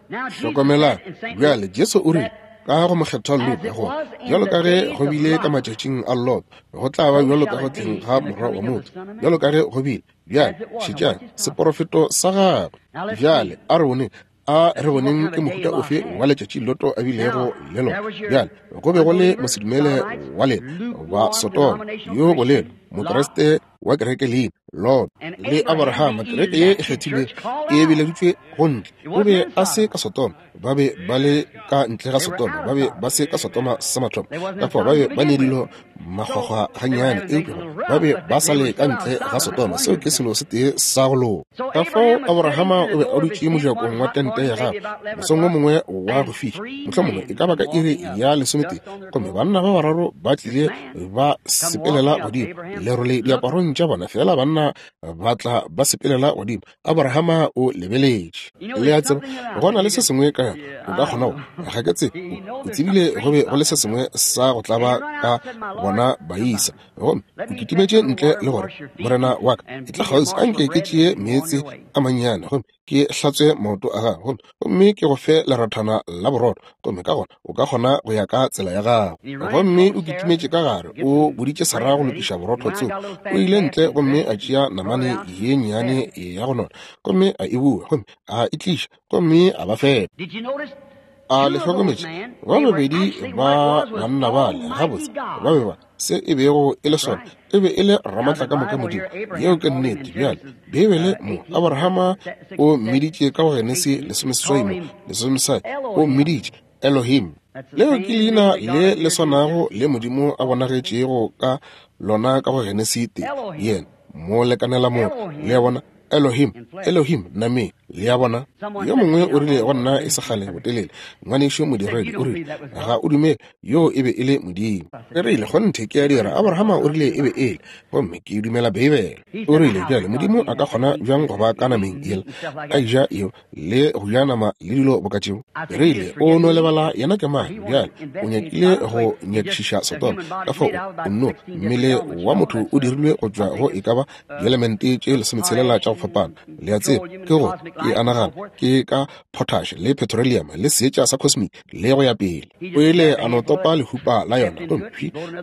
Hlokomelang, bjale Jesu o rile ka go mokgethwa Luka gore bjalo ka ge go bile ka matšatšing a Lot, go tla ba bjalo ka go tleng ga Morwa wa motho, bjalo ka ge go bile. Bjale šetšang seporofeto sa gagwe. Bjale a re boneng, a re boneng ke mohuta ofe wa letšatši Loto a bilego le lona. Bjale go be go le mosedumele wa lena ba Sodoma yo bolelo, Mokriste wa kereke leina Lot, le Abraham, kereke ye e kgethilwego e bileditšwe go ntle. O be a se ka Sodoma, ba be ba le ka ntle ga Sodoma, ba be ba se ka Sodoma sa mathomo, ka fao ba be ba ne dilo makgwakgwa gannyane, eupša ba be ba sa le ka ntle ga Sodoma. Seo ke selo se tee sa go loka. Ka fao Abrahama o be a dutše mojakong wa tente ya gagwe mosong wo mongwe wa go fiša, mohlomongwe e ka ba ka iri ya lesometee, gomme banna ba bararo ba tlile ba sepelela godimo lerole diaparong tša bona, fela banna ba tla ba sepelela godimo. Abrahama o lebeletše. Le a tseba, go na le se sengwe ka yona, o ka kgona go, ga ke tsebe, o tsebile go be go le se sengwe sa go tlaba ka bona baisa. Gomme o kitimetše ntle le gore, Morena wa ka, etla kgauswi, a nke ke tšee meetse a mannyane gomme ke hlatswe maoto a gago, gomme ke go fe lerathana la borotho, gomme ka gona o ka kgona go ya ka tsela ya gago. Gomme o kitimetše ka gare, o boditše Sarah go lokiša borotho tseo. O ile ntle gomme a tšea namane ye nnyane ya go nona, gomme a e bua, gomme a e tliša, gomme a ba fepa. A le hlokometše? Ba babedi ba banna bale, gabotse, ba be ba se e bego e le sona, e be e le Ramatlakamoka Modimo. Yeo ke nnete. Bjale, Beibele mo, Abrahama o mmiditše ka go Genesi 18 mo, 16, o mmiditše Elohim. Leo ke leina le le swanago le Modimo a bonagetšego ka lona ka go Genesi 1, yena mo lekanela mo, le a bona, Elohim, Elohim, nameng, le a bona. Yo mongwe o rile go nna e se kgale botelele, ngwanešu modiredi, o rile, Ga o dumele yoo e be e le Modimo? Ke rile, Kgonthe ke a dira. Abrahama o rile e be e le, gomme ke dumela Beibele. O rile, Bjale, Modimo a ka kgona bjang go ba ka nameng yela, a ja yeo le go ja nama le dilo boka tšeo? Ke rile, O no lebala yena ke mang. Bjale, o nyakile go nyakišiša Sodoma, ka fao o nno, mmele wa motho o dirilwe go tšwa go e ka ba dielemente tše 16 tša go fapana, le a tseba, ke gore, ke a nagana, ke ka potash le petroleum le seetša sa cosmic le go ya pele. O ile a no topa lehupa la yona gomme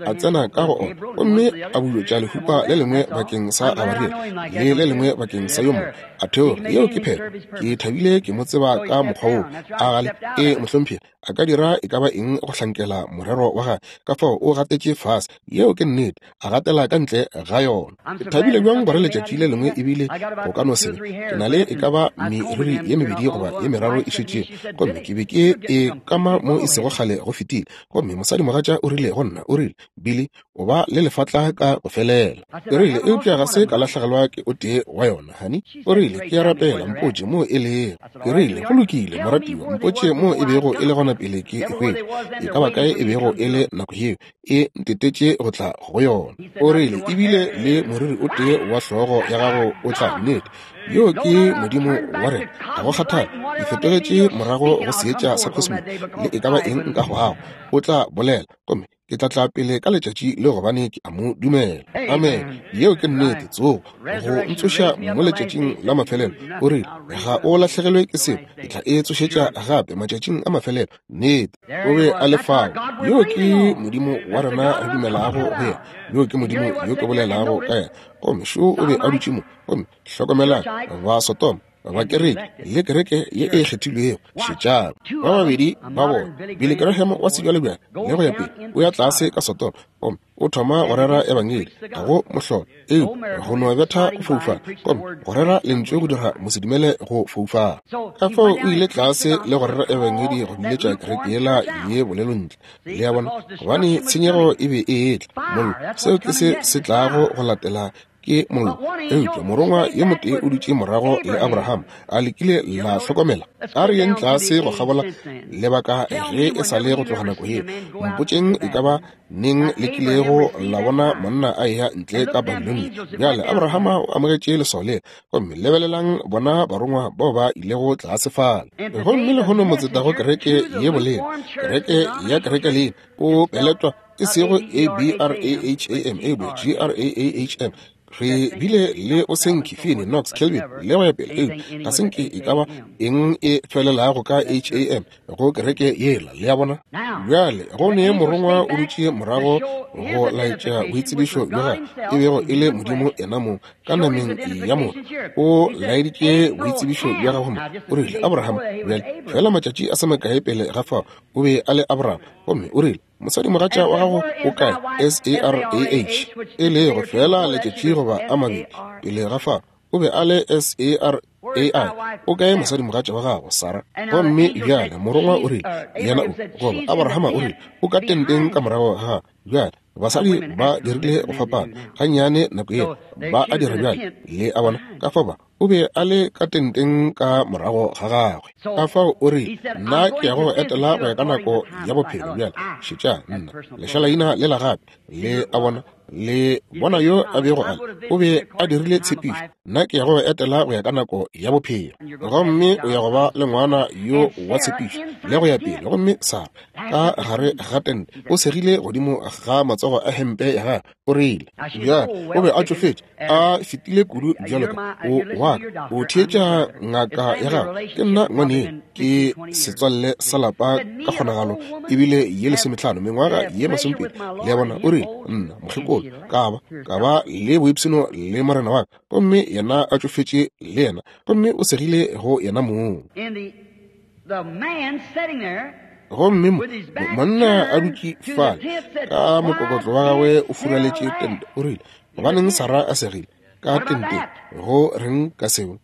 a tsena ka go ona, gomme a bulotša lehupa le lengwe bakeng sa Gabariele le le lengwe bakeng sa yo mongwe. A theoga. Yeo ke phetho. Ke thabile ke mo tseba ka mokgwa woo. A gale? Ee, mohlomphegi. A ka dira e ka ba eng go hlankela morero wa gagwe. Ka fao o gatetše fase. Yeo ke nnete. A gatela ka ntle ga yona. Ke thabile bjang gore letšatši le lengwe ebile go ka no se be. Ke na le e ka ba meriri ye mebedi goba ye meraro e šetšego. Gomme ke be ke e kama mo e sego kgale go fetile. Gomme mosadimogatša o rile go nna, o rile, Billy, o ba le lefatla ka go felela. Ke rile, Eupša ga se ka lahlegelwa ke o tee wa yona, honey. O rile, Ke a rapela, mpotše moo e lego. Ke rile, Go lokile, moratiwa, mpotše moo e bego e le gona pele ke e hwetša. E ka ba kae e bego e le nako yeo, e ntetetše go tla go yona. O rile, Ebile le moriri o tee wa hlogo ya gago o tla. Nnete, yoo ke Modimo wa rena. Ga go kgathale, di fetogetše morago go seetša sa cosmic, le e ka ba eng nka hwago, o tla bolela, gomme ke tla tla pele ka letšatši le gobane ke a mo dumela. Amen. Yeo ke nnete. Tsogo go ntsoša mo letšatšing la mafelelo. O rile, Ga o lahlegelwe ke selo, ke tla e tsošetša gape matšatšing a mafelelo. Nnete, o be a le fao. Yoo ke Modimo wa rena re dumelago go yena. Yoo ke Modimo yo ke bolelago ka yena. Gomme šo o be a dutše mo. Gomme hlokomelang, ba Sodoma, ba kereke le kereke ye e kgethilwego. Šetšang, ba babedi ba bona, Billy Graham wa sebjalebjale le go ya pele, o ya tlase ka Sodoma gomme o thoma go rera ebangedi. Ga go mohlolo, eupša go no betha go foufala, gomme go rera lentšu go dira mosedumele go foufala. Ka fao o ile tlase le go rera ebangedi go biletša kereke yela ye bolelo ntle. Le a bona, gobane tshenyego e be e etla, mollo, seo ke se se tlago go latela ke mollo. Eupša morongwa yo motee o dutše morago le Abraham, a le kile la hlokomela? A re yeng tlase go kgabola lebaka ge e sa le go tloga nako yeo. Mpotšeng e ka ba neng le kilego la bona monna a eya ntle ka Babilonia. Bjale Abrahama o amogetše leswao lela, gomme lebelelang bona barongwa bao ba ilego tlase fale. Gomme lehono motseta go kereke ye bolena, kereke ya kereke leina, o peletwa e sego A B R A H A M, eupša G R A A H M. Re bile le o senke Finney, Knox, Calvin, le go ya pele, eupša ga se nke e ka ba eng e felelago ka H A M go kereke yela, le a bona. Bjale go ne morongwa o dutše morago go laetša boitsebišo bja gagwe, e bego e le Modimo yena mong ka nameng ya motho. O laeditše boitsebišo bja gagwe mo, o rile, Abraham, bjale fela matšatši a se makae pele ga fao, o be a le Abraham, gomme o rile, Mosadimogatša wa gago o kae? S-A-R-A-H, e lego feela letšatši goba a mabedi pele ga fao, o be a le S-A-R-A-I. O kae mosadimogatša wa gago, Sara? Gomme bjale morongwa o rile, yena o, goba Abrahama o rile, o ka tenteng ka morago ga gagwe. Bjale, basadi ba dirile go fapana gannyane nako yeo, ba a dira bjale, le a bona, ka fao ba, O be a le ka tenteng ka morago ga gagwe. Ka fao o rile, Nna ke ya go go etela go ya ka nako ya bophelo. Bjale, šetša, nna, lešalaina lela gape, le a bona, le bona yo a bego a le. O be a dirile tshepišo, Nna ke ya go go etela go ya ka nako ya bophelo. Gomme o ya go ba le ngwana yo wa tshepišo, le go ya pele. Gomme Sara, ka gare ga tente, o segile godimo ga matsogo a hempe ya gagwe. O rile, Bjale, o be a tšofetše, a fetile kudu bjalo ka o wa ka. O theetša ngaka ya gagwe. Ke nna ngwaneno, ke setswalle sa lapa ka kgonagalo ebile ye lesometlhano, mengwaga ye masomepedi. Le a bona? O rile, Nna, mokgekolo, ka ba, ka ba le boipshino le morena wa ka, gomme yena a tšofetše le yena, gomme o segile go yena mong. Gomme monna a dutše fale ka mokokotlo wa gagwe o furaletše tente, o rile, gobaneng Sarah a segile ka tenteng? Go reng ka seo?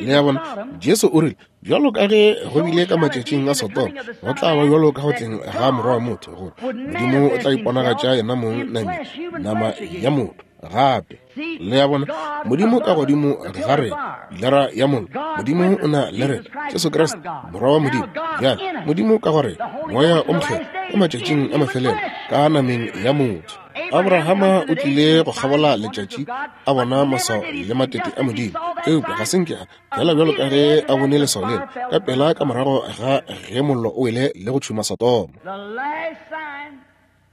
Le a bona, Jesu o rile, bjalo ka ge go bile ka matšatšing a Sodoma, go tla ba bjalo ka go tleng ga Morwa wa motho, gore Modimo o tla iponagatša yena mong nameng, nama ya motho gape. Le a bona, Modimo ka godimo ga rena, pilara ya mollo, Modimo o na le rena, Jesu Kriste, Morwa wa Modimo. Bjale, Modimo ka go rena, Moya o Mokgethwa, ka matšatšing a mafelelo, ka nameng ya motho. Abrahama o tlile go kgabola letšatši a bona maswao le matete a Modimo, eupša ga se nke a fela bjalo ka ge a bone leswao lela ka pela ka morago ga ge mollo o wele le go tšhuma Sodoma.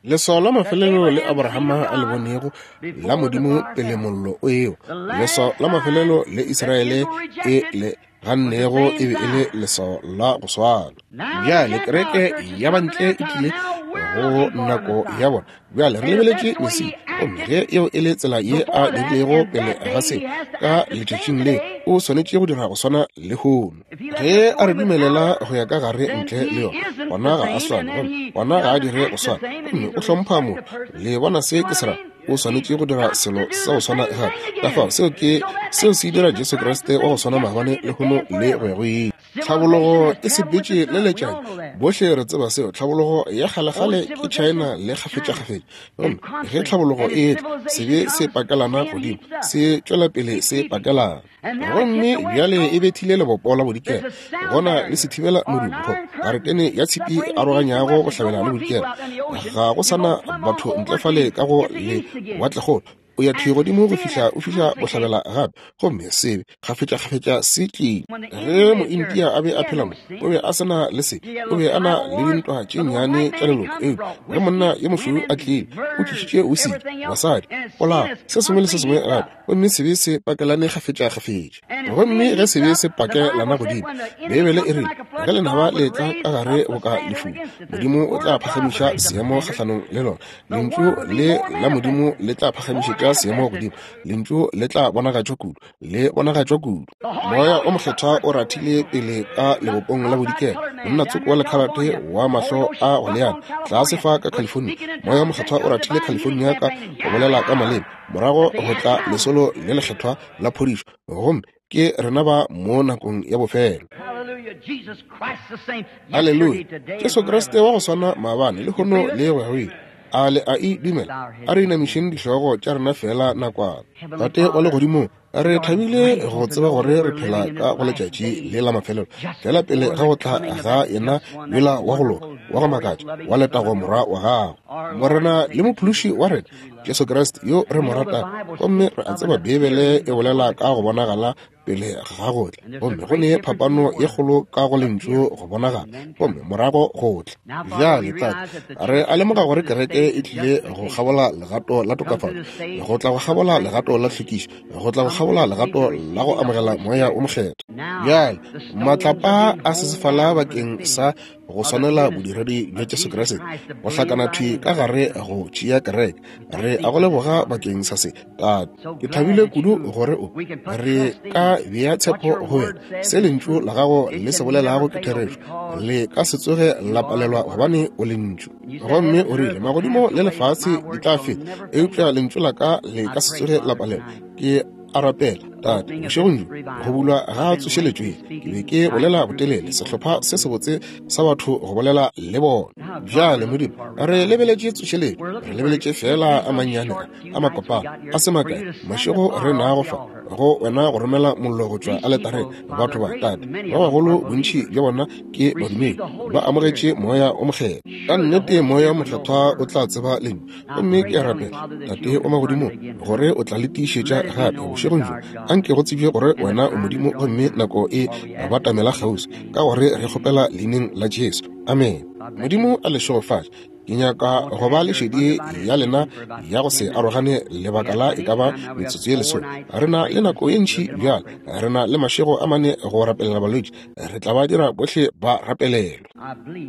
Leswao la mafelelo le Abrahama a le bonego la Modimo pele mollo o ewa, leswao la mafelelo le Israele e le gannego e be e le leswao la go swana. Bjale kereke ya bantle e tlile go nako ya bona. Bjale re lebeletše Mesia, gomme ge eo e le tsela ye a dirilego pele ga seo ka letšatšing le, o swanetše go dira go swana lehono. Ge a re dumelela go ya ka gare ntle le yona, gona ga a swane, gomme gona ga a dire go swana, gomme o hlompha motho. Le bona se ke se ra? O swanetše go dira selo sa go swana gape. Ka fao seo ke seo se dira Jesu Kriste wa go swana maabane, lehono le go ya go ile. Tlhabologo e sepetše le letšatši, bohle re tseba seo. Tlhabologo ya kgalekgale ke China le kgafetšakgafetša, gomme ge tlhabologo e etla, sebe se pakelana godimo, se tšwela pele se pakelana. Gomme bjale e bethile lebopo la bodikela, gona le sethibela modumo, go garetene ya tshipi e aroganyago bohlabela le bodikela. Ga go sa na batho ntle fale ka go lewatlekgolo. O ya thwi godimo go fihla o fihla bohlabela gape, gomme sebe kgafetšakgafetša se tlile. Ge Moindia a be a phela mo, o be a se na le se, o be a na le dintwa tše nnyane tša leloko, eupša ge monna yo mošweu a tlile, o tlišitše wisiki, basadi, polao, se sengwe le se sengwe gape, gomme sebe se pakelane kgafetšakgafetša. Gomme ge sebe se pakelana godimo, Beibele e rile, ge lenaba le etla ka gare boka lefula, Modimo o tla phagamiša seemo kgahlanong le lona. Lentšu le la Modimo le tla phagamišetša seemo godimo. Lentšu le tla bonagatšwa kudu, le bonagatšwa kudu. Moya o Mokgethwa o rathile pele ka lebopong la bodikela, monna tsoko wa lekhalate wa mahlo a go leana, tlase fa ka California. Moya o Mokgethwa o rathile California ka go bolela ka maleme, morago go tla lesolo le lekgethwa la phodišo, gomme ke rena ba mo nakong ya bofelo. Haleluya! Jesu Kriste wa go swana maabane, lehono le go ya go ile. A le a e dumela? A re inamišeng dihlogo tša rena feela nakwana. Tate wa Legodimong, re thabile go tseba gore re phela ka go letšatši le la mafelelo, feela pele ga go tla ga yena yola wa go loka, wa go makatša, wa letago Morwa wa gago, Morena le Mophološi wa rena, Jesu Kriste, yo re mo ratago. Gomme re a tseba Beibele e bolela ka go bonagala pele ga go tla, gomme go ne phapano ye kgolo ka go lentšu go bonagala gomme morago go tla. Bjale, Tate, re a lemoga gore kereke e tlile go kgabola legato la tokafatšo, go tla go kgabola legato la tlhwekišo, go tla go kgabola legato la go amogela Moya wo Mokgethwa. Bjale, matlapa a sesefala bakeng sa go swanela bodiredi bja Jesu Kriste, go hlakana thwi ka gare go tšea kereke. Re a go leboga bakeng sa se, Tate. Ke thabile kudu gore o re ka bea tshepo go wena. Se lentšu la gago le se bolelago ke therešo, le ka se tsoge la palelwa gobane o lentšu. Gomme o rile, magodimo le lefase di tla feta, eupša lentšu la ka le ka se tsoge la palelwa. Ke a rapela, Tate, bošegong bjo, go bulwa ga tsošeletšo ye, ke be ke bolela botelele, sehlopha se sebotse sa batho go bolela le bona. Bjale, Modimo, re lebeletše tsošeletšo, re lebeletše feela a mannyane a, a makopana, a se makae, mašego re nago fa, go wena go romela mollo go tšwa aletareng. Batho ba, Tate, ba bagolo, bontši bja bona ke badumedi, ba amogetše Moya wo Mokgethwa. Ka nnete Moya wo Mokgethwa o tla tseba Lentšu. Gomme ke a rapela, Tate wa Magodimong, gore o tla le tiišetša gape bošegong bjo. Anke go tsebje gore wena o Modimo gomme nako e batamela kgauswi, ka gore re kgopela Leineng la Jesu. Amene. Modimo a le šegofatše. Ke nyaka go ba le šedi ya lena ya go se arogane lebaka la e ka ba metsotso ye lesome. Re na le nako ye ntši bjale. Re na le mašego a mane go rapelela balwetši. Re tla ba dira bohle ba rapelelwe.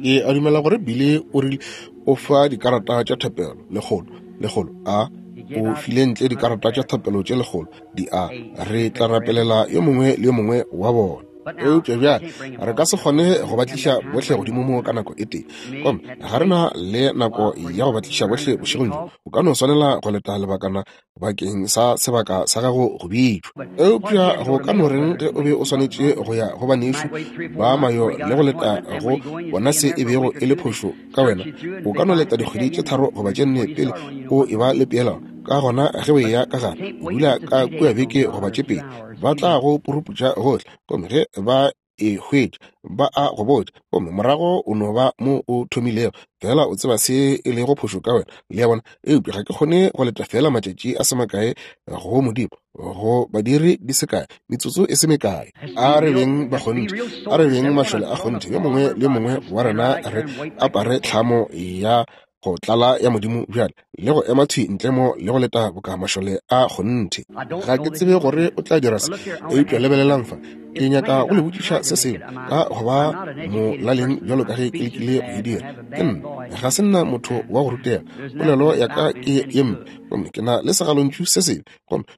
Ke a dumela gore Billy o rile o fa dikarata tša thapelo lekgolo, lekgolo a. O file ntle dikarata tša thapelo tše 100 di a re tla rapelela yo mongwe le yo mongwe wa bona. Eupša bjale re ka se kgone go ba tliša bohle godimo mo ka nako e tee, gomme ga re na le nako ya go ba tliša bohle bošegong bjo. O ka no swanela go leta lebakana bakeng sa sebaka sa gago go bitšwa. Eupša go ka no reng ge o be o swanetše go ya go banešu ba mayo le go leta go bona se e bego e le phošo ka wena? O ka no leta dikgwedi tše 3 goba tše 4 pele o e ba le peelano. Ka gona ge o eya ka gare, o dula ka kua beke goba tše 2, ba tla go puruputša gohle, gomme ge ba e hwetša ba a go botša, gomme morago o no ba mo o thomilego fela o tseba se e lego phošo ka wena. Le a bona? Eupša ga ke kgone go leta fela matšatši a se makae go Modimo, go badiri di se kae, metsotso e se mekae. A re beng ba kgonthe, a re beng mašole a kgonthe, yo mongwe le yo mongwe wa rena re apare tlhamo ya go tlala ya Modimo bjale, le go ema thwi ntle mo le go leta boka mašole a kgonthe. Ga ke tsebe gore o tla dira se, eupša lebelelang fa. Ke nyaka go le botšiša se sengwe ka go ba molaleng bjalo ka ge ke lekile go e dira. Ke nna, ga se nna motho wa go rutega, polelo ya ka ke ye mpe, gomme ke na le segalontšu se sebe,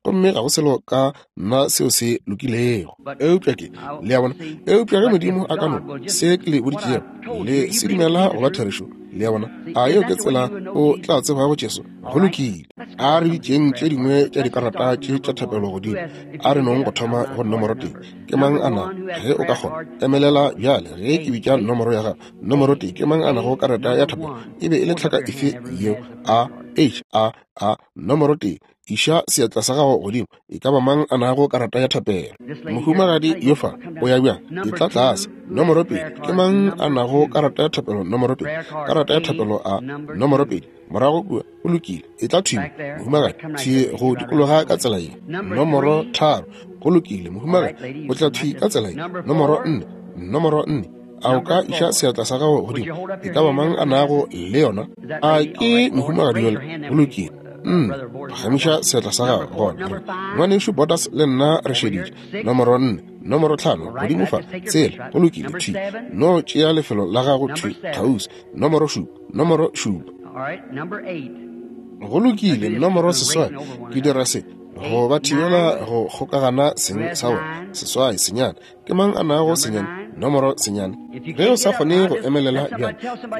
gomme ga go selo ka nna seo se lokilego. Eupša ke, le a bona, eupša ge Modimo a ka no se ke le boditšego le se dumela go ba therešo, le a bona, a yeo ke tsela o tla tsebago Jesu? Go lokile. A re bitšeng tše dingwe tša dikarata tše tša thapelo godimo. A re nong go thoma go nomoro 1. Ke mang a na, ge o ka kgona, emelela bjale ge ke bitša nomoro ya gago. Nomoro 1, ke mang a nago karata ya thapelo? E be e le tlhaka efe yeo? A, H, A, A. Nomoro 1, iša seatla sa gago godimo. E ka ba mang a nago karata ya thapelo? Mohumagadi yo fa, o ya bjang? E tla tlase. Nomoro 2, ke mang a nago karata ya thapelo? Nomoro 2, karata ya thapelo a. Nomoro 2, morago kua, o lokile. E tla thwi, mohumagadi, thwi go dikologa ka tsela ye. Nomoro 3, go lokile, mohumagadi, o tla thwi ka tsela ye. Nomoro 4, nomoro 4, a o ka iša seatla sa gago godimo? E ka ba mang a nago le yona? A ke mohumagadi yola? Go lokile. Phagamiša seatla sa gago gona. Ngwanešu Borders le nna re šeditše. Nomoro 4, nomoro 5, godimo fa, tsela, go lokile, thwi. No tšea lefelo la gago thwi kgauswi. Nomoro 7, nomoro 7. Go lokile, nomoro 8. Ke dira se go ba thibela go kgokagana seng sa bona. 8, senyane. Ke mang a nago senyane? Nomoro senyane. Ge o sa kgone go emelela bjale,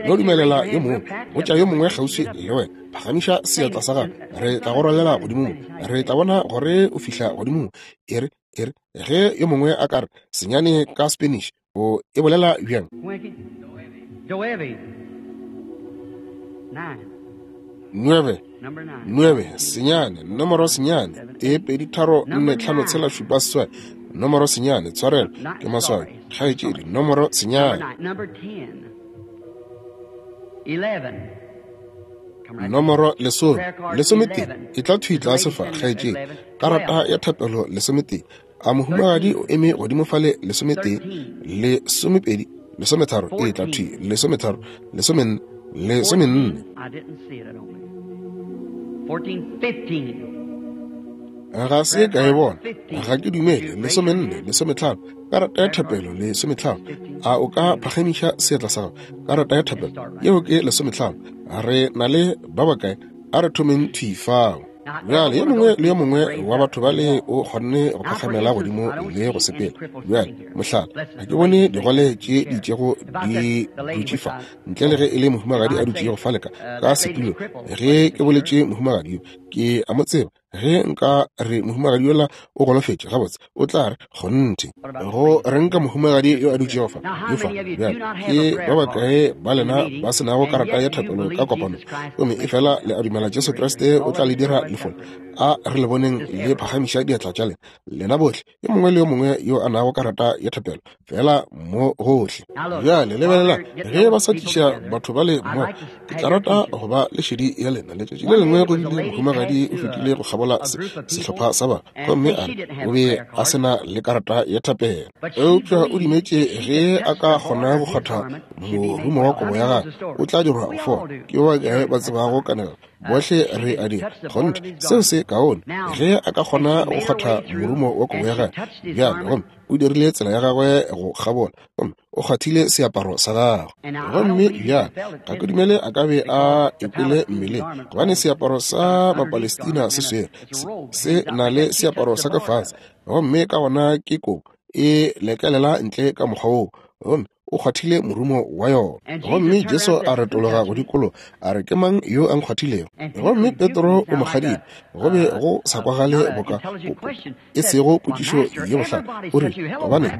no dumelela yo mongwe, botša yo mongwe kgauswi le wena, phagamiša seatla sa gago, re tla go rwalela godimo mo, re tla bona gore o fihla godimo mo. E re, ge yo mongwe a ka re senyane ka Spanish, o e bolela bjang? 9, 9, senyane, nomoro senyane, 1 2 3 4 5 6 7 8, nomoro senyane, tshwarelo, ke maswabi, kgaetšedi, nomoro senyane. Nomoro 10, 11, e tla thwi tlase fa, kgaetšedi, karata ya thapelo 11. A mohumagadi o eme godimo fale? 11, 12, 13, e tla thwi, 13, 14, 14. Ga se ka e bona, ga ke dumele. 14, 15, karata ya thapelo 15. A o ka phagamiša seatla sa gago? Karata ya thapelo yeo ke 15. Re na le ba bakae? A re thomeng thwi fao. Bjale yo mongwe le yo mongwe wa batho bale o kgonne go phakgamela godimo le go sepela. Bjale, mohlala, ga ke bone digole tše di itšego di dutše fa, ntle le ge e le mohumagadi a dutšego fale ka setulo. Ge ke boletše mohumagadi yo, ke a mo tseba. Ge nka re mohumagadi yola o golofetše, gabotse o tla re kgonthe. Go reng ka mohumagadi yo a dutšego fa, yo fa? Bjale ke ba bakae ba lena ba se nago karata ya thapelo ka kopano, gomme efela le a dumela Jesu Kriste o tla le dira lefole? A re le boneng le phagamiša diatla tša lena, lena bohle, yo mongwe le yo mongwe yo a nago karata ya thapelo, fela mo gohle. Bjale lebelelang, ge ba sa tliša batho ba le mmogo, ke tla rata go ba le šedi ya lena. Letšatši le lengwe go bile mohumagadi o fetile go kgabola sehlopha sa ba, gomme a re o be a se na le karata ya thapelo, eupša o dumetše ge a ka kgona go kgwatha morumo wa kobo ya gagwe, o tla dirwa go fola. Ke ba bakae ba tsebago kanegelo? Bohle re a dira. Kgonthe, seo se kaone. Ge a ka kgona go kgwatha morumo wa kobo ya gagwe bjale, gomme o dirile tsela ya gagwe go kgabola, gomme o kgwathile seaparo sa gagwe. Gomme bjale ga ke dumele a ka be a ekwele mmeleng, gobane seaparo sa Mapalestina se swere se na le seaparo sa ka fase, gomme ka gona ke kobo e lekelela ntle ka mokgwa woo, gomme o kgwathile morumo wa yona. Gomme Jesu a retologa go dikologa, a re, Ke mang yo a nkgwathilego? Gomme Petro o mo kgadile. Go be go sa kwagale boka e sego potšišo ye bohlale. O rile, Gobane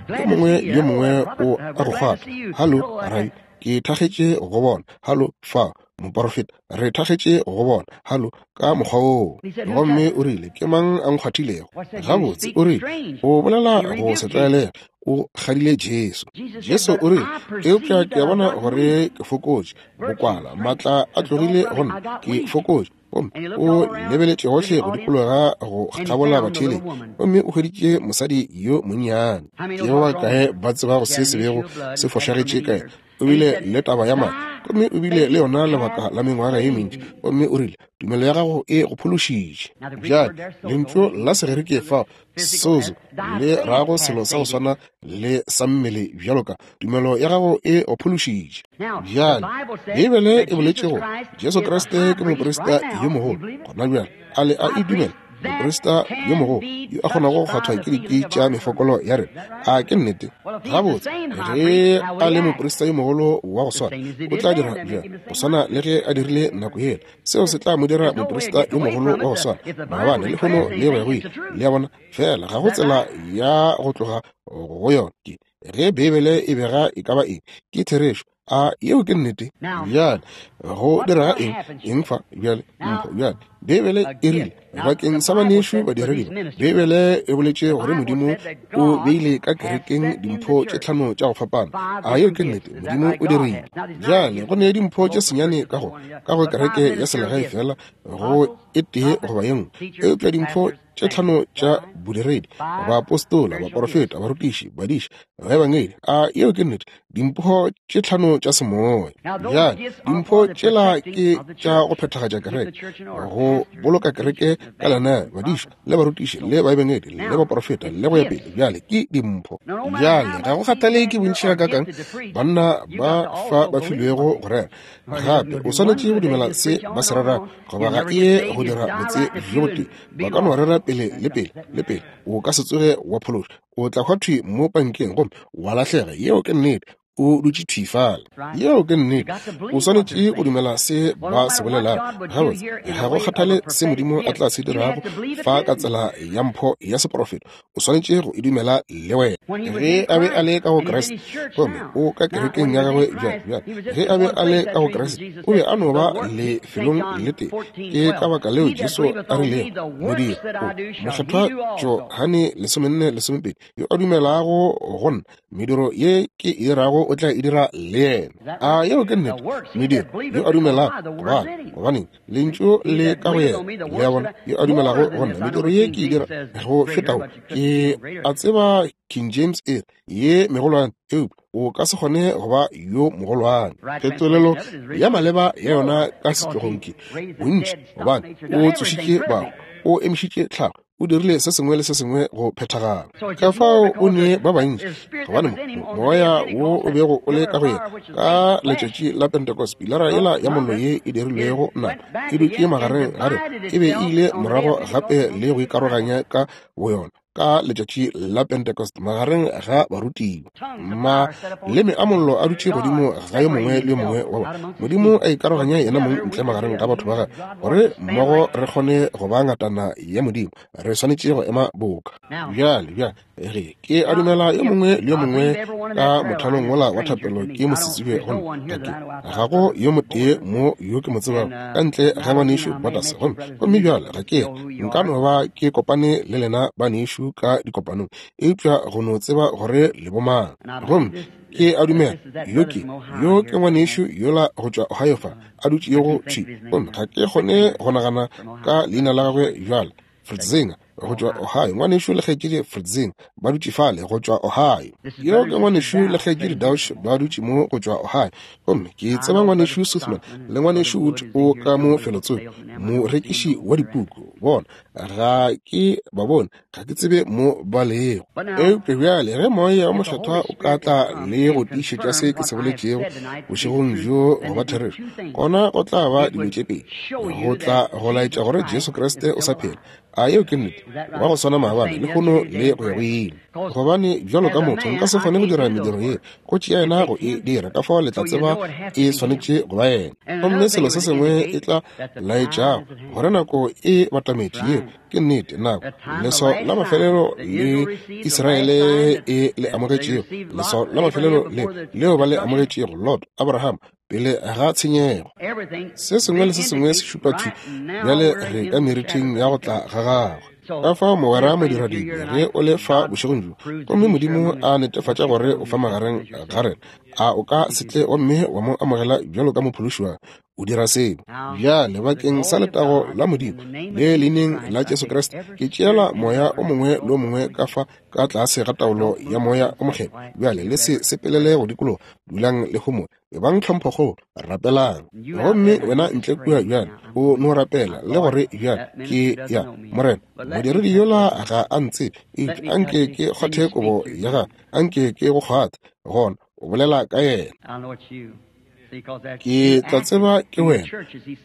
mo yo mongwe le yo mongwe o a go kgwatha. Halo, Rabi, ke thakgetše go bona. Halo, fa, moporofeta, re thakgetše go bona. Halo, ka mokgwa woo. Gomme o rile, Ke mang a nkgwathilego? Gabotse, o rile, o bolela go se tlwaelege. O kgadile Jesu. Jesu o rile, Eupša ke a bona gore ke fokotše, bokwala, maatla a tlogile go nna, ke fokotše. Gomme o lebeletše gohle go dikologa go kgabola batheeletši, gomme o hweditše mosadi yo monnyane. Ke ba bakae ba tsebago se se bego se fošagetše ka yena? O bile le taba ya madi, gomme o bile le yona lebaka la mengwaga ye mentši. Gomme o rile, Tumelo ya gago e go phološitše. Bjale, lentšu la Segerike fao, sozo, le rago selo sa go swana le sa mmele bjalo ka tumelo ya gago e go phološitše. Bjale, Beibele e boletše gore Jesu Kriste ke moprista yo mogolo gona bjale. A le a e dumela? Moprista yo mogolo yo a kgonago go kgwathwa ke dikwi tša mefokolo ya rena. A ke nnete? Gabotse, ge a le moprista yo mogolo wa go swana, o tla dira bjang go swana le ge a dirile nako yela? Seo se tla mo dira moprista yo mogolo wa go swana maabane, lehono le go ya go ile. Le a bona? Fela ga go tsela ya go tloga go yona. Ke ge Beibele e bega e ka ba eng, ke therešo. A yeo ke nnete? Bjale go direga eng? Eng fa bjale? Mpho bjale. Beibele e rile bakeng sa banešu badiredi ba, Beibele e boletše gore Modimo o beile ka kerekeng dimpho tše tlhano tša go fapana. A yeo ke nnete? Modimo o dirile. Bjale go ne dimpho tše senyane ka go ka go kereke ya selegae fela go e tee goba ye nngwe, eupša dimpho tše tlhano tša bodiredi, baapostola, baporofeta, barutiši, badiši, baebangedi. A yeo ke nnete? Dimpho tše tlhano tša semoya. Bjale dimpho tšela ke tša go phethagatša kereke, go boloka kereke ka lenaneo, badiši le barutiši le baebangedi le baporofeta le go ya pele. Bjale ke dimpho. Bjale ga go kgathale ke bontši gakaakang banna ba fa ba filwego go rera, gape o swanetše go dumela se ba se rerago, goba ga e ye go dira botse bjo botee. Ba ka no rera pele le pele le pele, o ka se tsoge wa phološwa. O tla hwa thwi mo pankeng gomme wa lahlega. Yeo ke nnete. O dutše thwi fale. Yeo ke nnete. O swanetše go dumela se ba se bolelago. Gabotse, ga go kgathale se Modimo a tla se dirago fa ka tsela ya mpho ya seprofeto, o swanetše go e dumela le wena. Ge a be a le ka go Kriste, gomme o ka kerekeng ya gagwe bjale, bjale, ge a be a le ka go Kriste, o be a no ba lefelong le tee. Ke ka baka leo Jesu a rilego, Modiro o Mokgethwa Johane 14:12, yo a dumelago go nna, mediro ye ke e dirago o tla e dira le yena. A yeo ke nnete? Mediro, yo a dumelago, gobane, gobaneng, Lentšu le ka go yena. Le a bona? Yo a dumelago go nna, mediro ye ke e dira go fetago. Ke a tseba King James e re, ye megolwane, eupša o ka se kgone go ba yo mogolwane. Phetolelo ya maleba ya yona ka setlogong ke bontši, gobane o tsošitše bahu, o emišitše tlhago, o dirile se sengwe le se sengwe go phethagala. Ka fao o ne ba bantši, gobane moya wo o bego o le ka go yena ka letšatši la Pentecost, pilara yela ya mollo ye e dirilwego nama e dutše magareng ga rena, e be e ile morago gape le go ikaroganya ka boyona ka letšatši la Pentecost magareng ga barutiwa. Maleme a mollo a dutše godimo ga yo mongwe le yo mongwe wa bona. Modimo a ikaroganya yena mong ntle magareng ga batho ba gagwe, gore mmogo re kgone go ba ngatana ya Modimo. Re swanetše go ema boka bjale. Bjale ge ke a dumela yo mongwe le yo mongwe ka mothalong wola wa thapelo ke mosetsebje gomme ga ke, ga go yo motee mo yo ke mo tsebago ka ntle ga ngwanešu Borders. Gomme, gomme bjale ga ke, nka no ba ke kopane le lena banešu ka dikopanong, eupša go no tseba gore le bomang. Gomme ke a dumela yo ke, yo ke ngwanešu yola go tšwa Ohio fa, a dutšego thwi. Gomme ga ke kgone go nagana ka leina la gagwe bjale, Fritzinger. go tšwa Ohio. Ngwanešu le kgaetšedi Fritzing ba dutše fale, go tšwa Ohio. Yo ke ngwanešu le kgaetšedi Dauch ba dutše mo, go tšwa Ohio. Gomme ke tseba ngwanešu Suthman le ngwanešu Wood o ka mo felotsoko, morekiši wa dipuku. Bona, ga ke ba bone, ga ke tsebe mo ba lego. Eupša bjale ge Moya wo Mokgethwa o ka tla le go tiišetša se ke se boletšego bošegong bjo go ba therešo, gona go tla ba dilo tše pedi. Go tla go laetša gore Jesu Kriste o sa phela. A yeo ke nnete? Wa go swana maabane, lehono le go ya go ile. Gobane bjalo ka motho nka se kgone go dira mediro ye, go tšea yena go e dira, ka fao le tla tseba e swanetše go ba yena. Gomme selo se sengwe e tla laetšago gore nako e batametše, yeo ke nnete, nako leswao la mafelelo le Israele e le amogetšego, leswao la mafelelo le leo ba le amogetšego, Lot, Abraham, pele ga tshenyego. Se sengwe le se sengwe se šupa thwi bjale re ka meriting ya go tla ga gagwe. Ka fao mogwera modiradibe, ge o le fa bošegong bjo, gomme Modimo a netefatša gore o fa magareng ga rena, a o ka se tle gomme wa mo amogela bjalo ka mophološi wa o dira seo bjale bakeng sa letago la Modimo le leineng la Jesu Kriste, ke tšeela moya o mongwe le o mongwe ka fa ka tlase ga taolo ya Moya o Mokgethwa. Bjale le se sepelele go dikologa, dulang le homole, ebang tlhomphokgolo, rapelang. Gomme wena ntle kua bjale o no rapela le gore bjale ke ya Morena, modiredi yola ga a ntsebe, eupša anke ke kgwathe kobo ya gagwe, anke ke go kgwathe, gona o bolela ka yena. Ke tla tseba ke wena,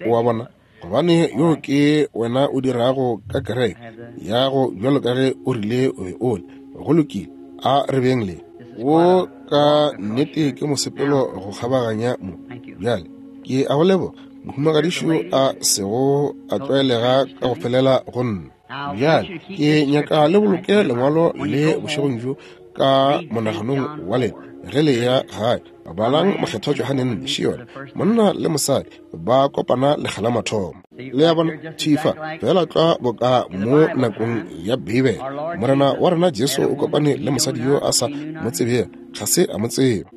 o a bona, gobane yo ke wena o dirago ka kereke ya go bjalo ka ge o rile o be o le. Go lokile, a re beng le wo ka nnete ke mosepelo go kgabaganya mo. Bjale ke a go leboga, mohumagadišo a sego a tlwaelega ka go felela go nna. Bjale ke nyaka le boloke lengwalo le bošegong bjo ka monaganong wa lena ge le ya gae. Balang Mokgethwa Johane nne, še yona, monna le mosadi ba kopana lekga la mathomo. Le a bona, thifa fela tlwa boka mo nakong ya Beibele, Morena wa rena Jesu o kopane le mosadi yo a sa mo tsebego, ga se a mo tseba.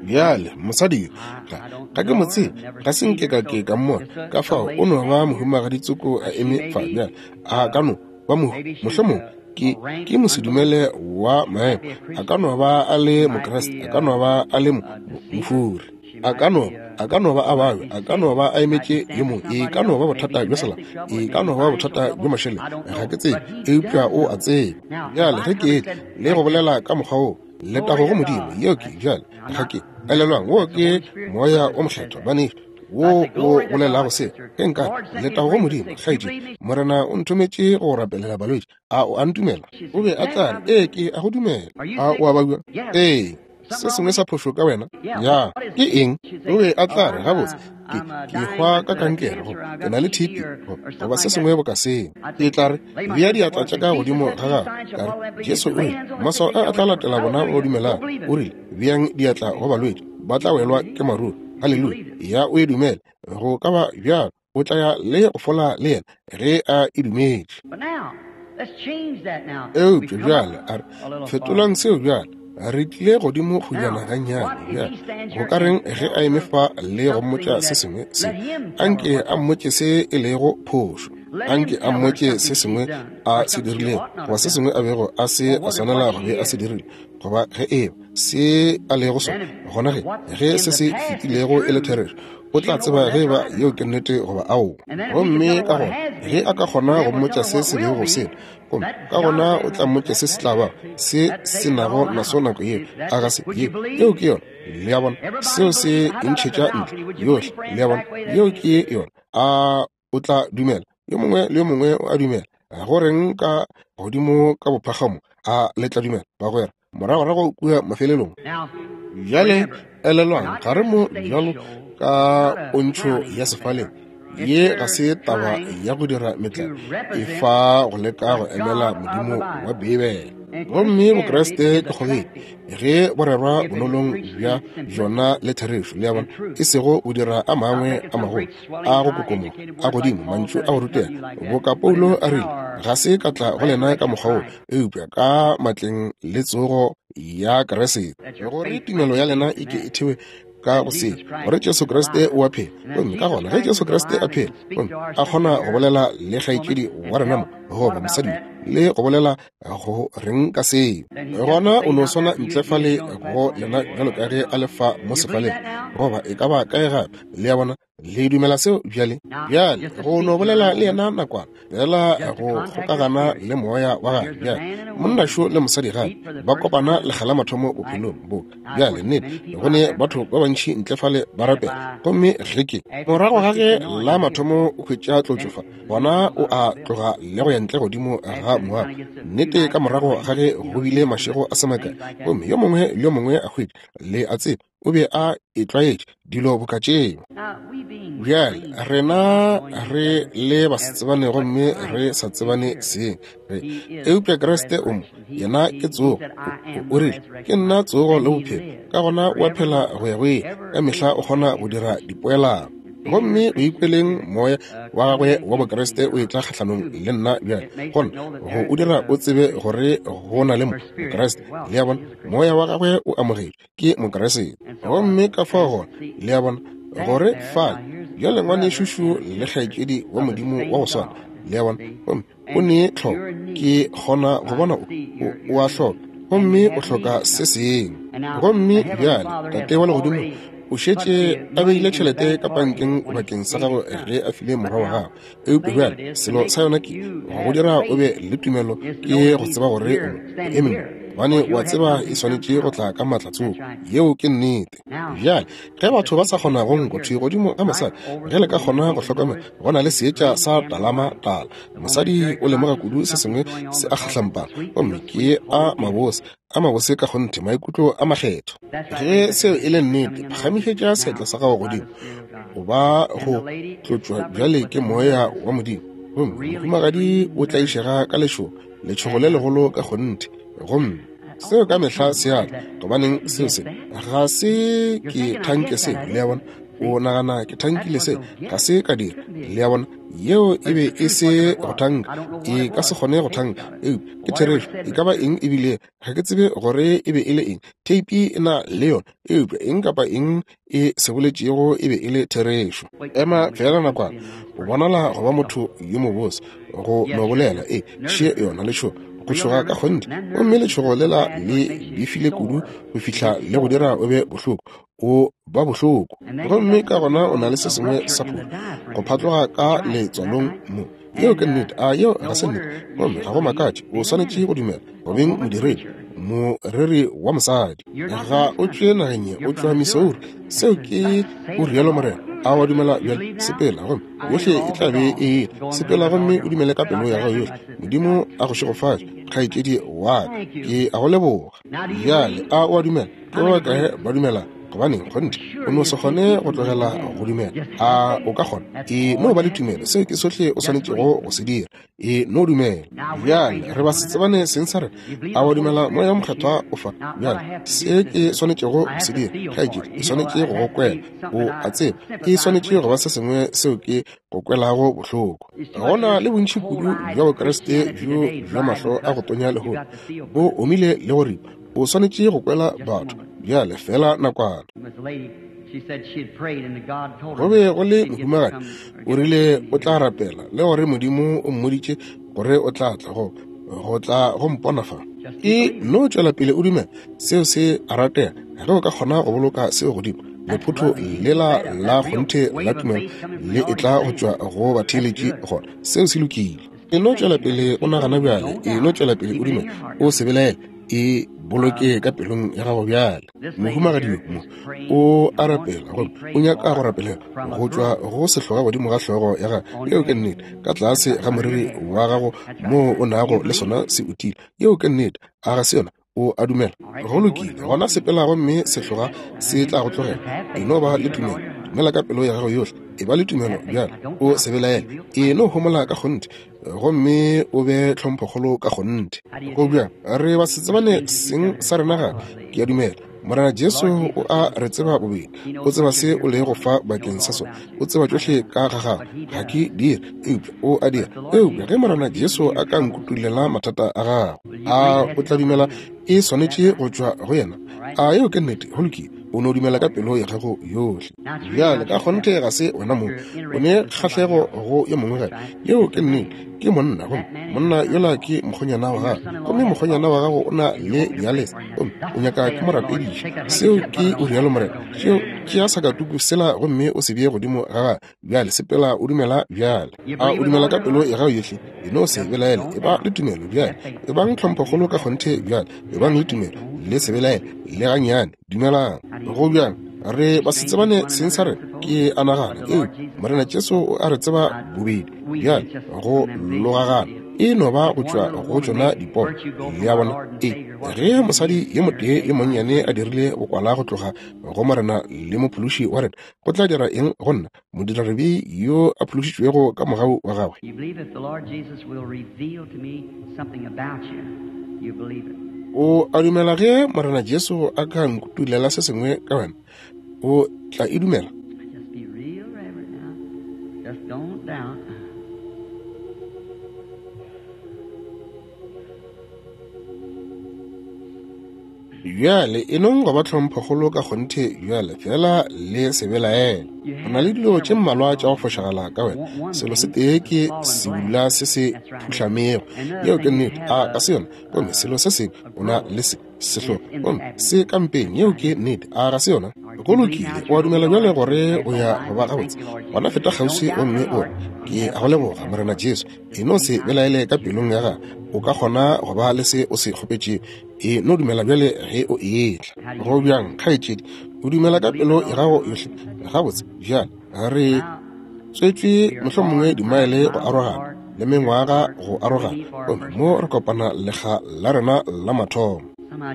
Bjale mosadi yo, ga ke mo tsebe, ga se nke ka ke ka mmona, ka fao o no ba mohumagaditsoko a eme fa bjale, a ka no ba mohlomong ke mosedumele wa maemo, a ka no ba a le Mokriste, a ka no ba a le mofuri, a ka no ba a babja, a ka no ba a emetše yo mongwe, e ka no ba bothata bja selapa, e ka no ba bothata bja mašeleng, ga ke tsebe, eupša o a tseba. Bjale ge ke etla le go bolela ka mokgwa wo, letago go Modimo, yeo ke bjale, ga ke elelwang, wo ke Moya o Mokgethwa, banešu, wo o bolelago se. Ge nka letago go Modimo, kgaetšedi, Morena o nthometše go rapelela balwetši. A o a ntumela? O be a tla re, ee, ke a go dumela. A o a babja? Ee. Se sengwe sa phošo ka wena? Ya. Ke eng? O be a tla re, gabotse, ke hwa ka kankere, goba ke na le TB, goba se sengwe boka seo. Ke tla re, bea diatla tša ka godimo ga gagwe, ka re, Jesu o rile, maswao a a tla latela bona ba dumelago. O rile, beang diatla go balwetši, ba tla welwa ke maruru. Haleluya. Ya o e dumele. Go ka ba bjalo. O tla ya le go fola le yena ge a e dumetše. Eupša bjale a re fetolang seo bjale. Re tlile godimo kgojana gannyane bjale. Go ka reng ge a eme fa le go mmotša se sengwe se? Anke a mmotše se e lego phošo. Anke a mmotše se sengwe a se dirilego, goba se sengwe a bego a se a swanela go be a se dirile, goba ge eba se a lego sona. Gona ge se se fetilego e le therešo, o tla tseba ge eba yeo ke nnete goba aowa. Gomme ka gona ge a ka kgona go mmotša se se bego se le, gomme ka gona o tla mmotša se se tla bago se se nago naso nako yeo, a ga se yeo? Yeo ke yona. Le a bona, seo se e ntšhetša ntle yohle. Le a bona, yeo ke yona. A o tla dumela? Yo mongwe le yo mongwe o a dumela. Go reng ka godimo ka bophagamo? A le tla dumela, bagwera? Moragorago kua mafelelong. Bjale elelwang, ga re mo bjalo ka pontšho ya sefaleng. Ye ga se taba ya go dira metlae, e fa go leka go emela Modimo wa Beibele. Gomme Bokriste ke kgogedi ge bo rerwa bonolong bja bjona le therešo, le a bona, e sego go dira a mangwe a magolo a go kokomoga a godimo mantšu a go rutega, boka Paulo a rile, ga se ka tla go lena ka mokgwa wo, eupša ka matleng le tsogo ya Kriste, gore tumelo ya lena e ke e thewe ka go se gore Jesu Kriste o a phela. Gomme ka gona ge Jesu Kriste a phela gomme a kgona go bolela le kgaetšedi wa rena mo, goba mosadi le go bolela go reng ka seo. Gona o no swana ntle fale go lena bjalo ka ge a le fa mo sefaleng, goba e ka ba kae gape. Le a bona? Le dumela seo bjale? Bjale go no bolela le yena nakwana fela, go kgokagana le moya wa gagwe. Bjale monna šo le mosadi gape ba kopana lekga la mathomo bophelong bo. Bjale nnete go ne batho ba bantši ntle fale ba rapela, gomme ge ke morago ga ge la mathomo o hwetša tlotšo fa, gona o a tloga le go ya ntle godimo ga moago. Nnete ka morago ga ge go bile mašego a se makae, gomme yo mongwe le yo mongwe a hwetša, le a tseba, o be a itlwaetše dilo boka tšeo. Bjale rena re le basetsebane gomme re sa tsebane seng re, eupša Kriste o mo, yena ke tsogo. O rile, ke nna tsogo le bophelo, ka gona o a phela go ya go ile, ka mehla o kgona go dira dipoelano. Gomme o ikweleng moya wa gagwe wa Bokriste o etla kgahlanong le nna bjale, gona go o dira o tsebe gore go na le Mokriste. Le a bona, moya wa gagwe o amogetšwe ke Mokriste. Gomme ka fao gona, le a bona, gore fale bjale ngwanešušu le kgaetšedi wa Modimo wa go swana, le a bona, gomme o ne tlhoko, ke kgona go bona o a hloka, gomme o hloka se sengwe. Gomme bjale Tate wa Legodimo o šetše a beile tšhelete ka pankeng bakeng sa gago ge a file morwa wa gagwe. Eupša bjale selo sa yona ke go dira o be le tumelo, ke go tseba gore o eme mo, gobane wa tseba e swanetše go tla ka maatla tsoko. Yeo ke nnete. Bjale ge batho ba sa kgona go nkwa thwi godimo ga mosadi, ge le ka kgona go hlokomela, go na le seetša sa talama tala. Mosadi o lemoga kudu se sengwe se a kgahlampana, gomme ke a mabose, a mabose ka kgonthe, maikutlo a makgetho. Ge seo e le nnete, phagamišetša seatla sa gago godimo, o ba go tlotšwa bjale ke moya wa Modimo. Gomme mohumagadi o tlaišega ka lešogo, letšhogo le legolo ka kgonthe. Gomme seo ka mehla se a tla, gobaneng seo se ga se ke thanke seo, le a bona. O nagana ke thankile se, ga se ka dira, le a bona. Yeo e be e se go thanka, e ka se kgone go thanka, eupša ke therešo. E ka ba eng e bile, ga ke tsebe gore e be e le eng, theipi e na le yona, eupša eng kapa eng e se boletšego e be e le therešo. Ema fela nakwana, o bonala go ba motho yo mobose go no bolela, e še yona letšhogo, go tšhoga ka kgonthe, gomme letšhogo lela le befile kudu go fihla le go dira o be bohloko, o ba bohloko. Gomme ka gona o na le se sengwe sa pholo go phatloga ka letswalong mo. Yeo ke nnete. A yeo ga se nnete? Gomme ga go makatše, o swanetše go dumela go beng modiredi, moreri wa mosadi. Ga o tšwe nageng ye, o tšwa Missouri. Seo ke o rialo Morena. A wa dumela bjale? Sepela, gomme yohle e tla be e ile. Sepela gomme o dumele ka pelo ya gago yohle. Modimo a go šegofatše, kgaetšedi wa ka. Ke a go leboga. Bjale a o a dumela? Ke ba bakae ba dumela? Gobaneng, kgonthe o no se kgone go tlogela go dumela. A o ka kgona? E no ba le tumelo, seo ke sohle o swanetšego go se dira. E no dumela. Bjale re ba se tsebane seng sa rena. A wa dumela Moya wo Mokgethwa o fa? Bjale se ke swanetšego go se dira, kgaetšedi, ke swanetše go go kwela. O a tseba, e swanetše go ba se sengwe seo ke go kwelago bohloko. Go na le bontši kudu bja Bokriste bjo bja mahlo a go tonya lehono, bo omile le go ripa. O swanetše go kwela batho bjale feela nakwana. Go be go le mohumagadi, o rile o tla rapela le gore Modimo o mmoditše gore o tla tla go go tla go mpona fa. E no tšwela pele o dumela, seo se a ratega. Ge o ka kgona go boloka seo godimo, lephotho lela la kgonthe la tumelo le e tla go tšwa go batheeletši gona. Seo se lokile. E no tšwela pele o nagana bjale, e no tšwela pele o dumela, o se belaele, e boloke ka pelong ya gago bjale. Mohumagadi yo mo o a rapela, gomme o nyaka go rapelela go tšwa go sehloga godimo ga hlogo ya gago. Yeo ke nnete. Ka tlase ga moriri wa gago moo o nago le sona se utile. Yeo ke nnete. A ga se yona? O a dumela? Go lokile, gona sepela gomme sehloga se tla go tlogela. E no ba le tumelo, dumela ka pelo ya gago yohle. E ba le tumelo bjale, o se belaele. E no homola ka kgonthe gomme o be tlhomphokgolo ka kgonthe. Go bjang? Re ba se tsebane seng sa rena gape. Ke a dumela Morena Jesu o a re tseba bobedi. O tseba se o lego fa bakeng sa sona. O tseba tšohle ka ga gago. Ga ke dire, eupša o a dira. Eupša ge Morena Jesu a ka nkutulela mathata a gago, a o tla dumela e swanetše go tšwa go yena? A yeo ke nnete? Go lokile. O no dumela ka pelo ya gago yohle. Bjale ka kgonthe ga se wena mong, o ne kgahlego go yo mongwe gape. Yeo ke nnete, ke monna, gomme monna yola ke mokgonyana wa gago, gomme mokgonyana wa gago o na le dialese, gomme o nyaka ke mo rapediša. Seo ke o rialo Morena. Tšeo, tšea sakatuku sela gomme o se bee godimo ga gagwe. Bjale sepela o dumela bjale. A o dumela ka pelo ya gago yohle? E no se belaele, e ba le tumelo bjale. E bang tlhomphokgolo ka kgonthe bjale. E bang le tumelo, le se belaele le gannyane. Dumelang. Go bjang? Re ba se tsebane seng sa rena, ke a nagana. Ee, Morena Jesu o a re tseba bobedi. Bjale go logagana e no ba go tšwa go tšona dipono. Le a bona? Ee, ge mosadi yo motee yo monnyane a dirile bokwala go tloga go Morena le Mophološi wa rena, go tla dira eng go nna, modiradibe yo a phološitšwego ka mogau wa gagwe? O a dumela ge Morena Jesu a ka nkutulela se sengwe ka wena, o tla e dumela? Bjale e nong go ba tlhomphokgolo ka kgonthe bjale, fela le se belaele. O na le dilo tše mmalwa tša go fošagala ka wena. Selo se tee ke sebula se se phuhlamego. Yeo ke nnete. A ka se yona? Gomme selo se sengwe, o na le se sehlogo, gomme se ka mpeng. Yeo ke nnete. A ga se yona? Go lokile. O a dumela bjale gore o ya go ba gabotse? Gona feta kgauswi gomme o re, Ke a go leboga, Morena Jesu. E no se belaele ka pelong ya gago. O ka kgona go ba le se o se kgopetšego. E no dumela bjale ge o etla. Go bjang, kgaetšedi? O dumela ka pelo ya gago yohle? Gabotse, bjale re tswetšwe mohlomongwe dimaele go arogana le mengwaga go arogana, gomme mo re kopana lekga la rena la mathomo.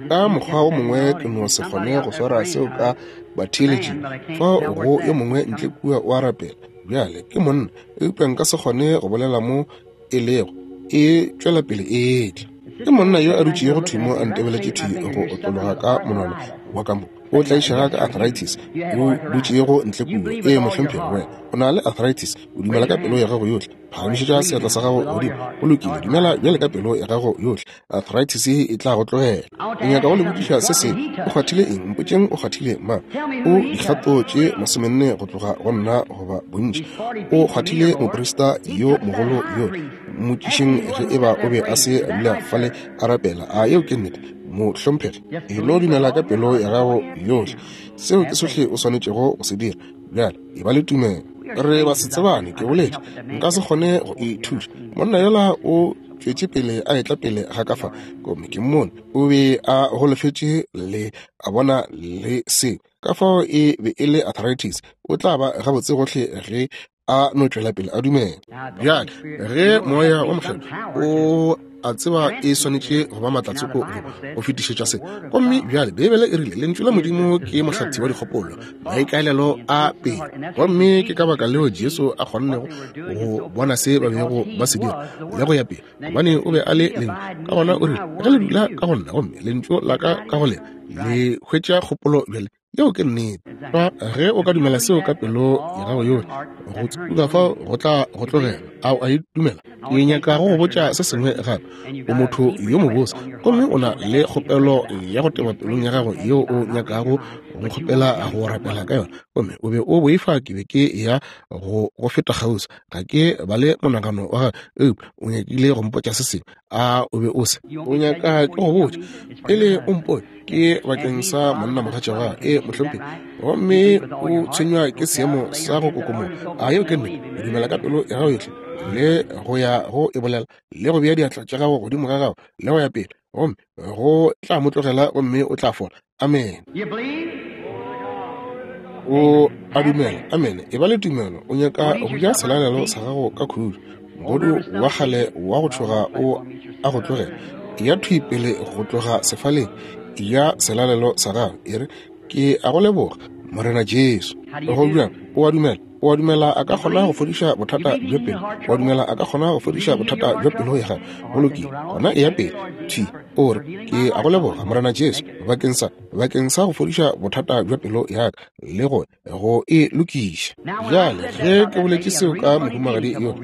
Ka mokgwa wo mongwe ke no se kgone go swara seo ka batheeletšing. Fao go yo mongwe ntle kua o a rapela. Bjale ke monna, eupša nka se kgone go bolela mo e lego. E tšwela pele e etla. Ke monna yo a dutšego thwi mo a ntebeletše thwi go otlologa ka monwana wa ka mo. O tlaišega ka arthritis. O dutšego ntle kua. Ee, mohlomphegi, wena o na le arthritis. O dumela ka pelo ya gago yohle. Phagamišetša seatla sa gago godimo. Go lokile, dumela bjale ka pelo ya gago yohle. Arthritis e tla go tlogela. Ke nyaka go le botšiša se sengwe. O kgwathile eng? Mpotšeng o kgwathile mang. O dikgato tše 40 go tloga go nna goba bontši. O kgwathile moprista yo mogolo yo. Mmotšišeng ge e ba o be a se a dula fale a rapela. A yeo ke nnete, mohlomphegi? E no dumela ka pelo ya gago yohle. Seo ke sohle o swanetšego go se dira. Bjale, e ba le tumelo. Re ba se tsebane, ke boletše. Nka se kgone go e thuša. Monna yola o tšwetše pele a etla pele ga ka fa, gomme ke mmone o be a golofetše le a bona le seo. Ka fao e be e le arthritis. O tla ba gabotse gohle ge a no tšwela pele a dumela. Bjale ge Moya wa Mokgethwa o a tseba e swanetše go ba matlatsoko go fetišetša se. Gomme bjale Beibele e rile Lentšu la Modimo ke mohlathi wa dikgopolo, maikaelelo a pele. Gomme ke ka baka leo Jesu a kgonnego go bona se ba bego ba se dira le go ya pele, gobane o be a le Lentšu. Ka gona o rile, ge le dula ka go nna gomme Lentšu la ka ka go lena, le hwetša kgopolo bjale. Yeo ke nnete. Fa ge o ka dumela seo ka pelo ya gago yohle, go tsuka fao go tla go tlogela. A o a e dumela? Ke nyaka go go botša se sengwe gape. O motho yo mobose, gomme o na le kgopelo ya go teba pelong ya gago yeo o nyakago go nkgopela go rapela ka yona, gomme o be o boifa ke be ke ya go go feta kgauswi. Ga ke bale monagano wa gago, eupša o nyakile go mpotša se sengwe. A o be o se? O nyaka ke go botša pele o mpone? Ke bakeng sa monna mogatša wa e mohlomphegi, gomme o tshwenywa ke seemo sa go kokomoga. A yeo ke nnete? O dumela ka pelo ya gago yohle le go ya go e bolela le go bea diatla tša gago godimo ga gago le go ya pele, gomme go tla mo tlogela gomme o tla fola. Amen. O a dumela. Amen. E ba le tumelo. O nyaka go ja selalelo sa gago ka khutšo. Mogodu wa kgale wa go tšhoga o a go tlogela. Ya thwi pele go tloga sefaleng. Ya selalelo sa gago. E re, Ke a go leboga, Morena Jesu. Go bjang? O a dumela. O a dumela a ka kgona go fodiša bothata bja pelo? O a dumela a ka kgona go fodiša bothata bja pelo ya gago? Go lokile, gona eya pele thwi, o re, Ke a go leboga, Morena Jesu, bakeng sa, bakeng sa go fodiša bothata bja pelo ya ka le go, go e lokiša. Bjale, ge ke boletše seo ka mohumagadi yola,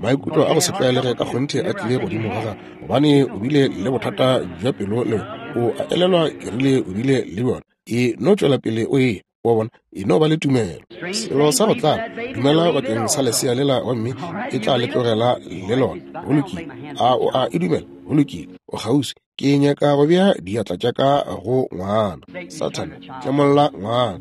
maikutlo a go se tlwaelege ka kgonthe a tlile godimo ga gagwe, gobane o bile le bothata bja pelo le o a elelwa ke rile o bile le bjona. E no tšwela pele o eya. Wa bona, e no ba le tumelo. Selo sa go tlaba, dumela bakeng sa lesea lela gomme e tla le tlogela le lona. Go lokile. A o a e dumela? Go lokile. O kgauswi. Ke nyaka go bea diatla tša ka go ngwana. Sathane, tlemolla ngwana.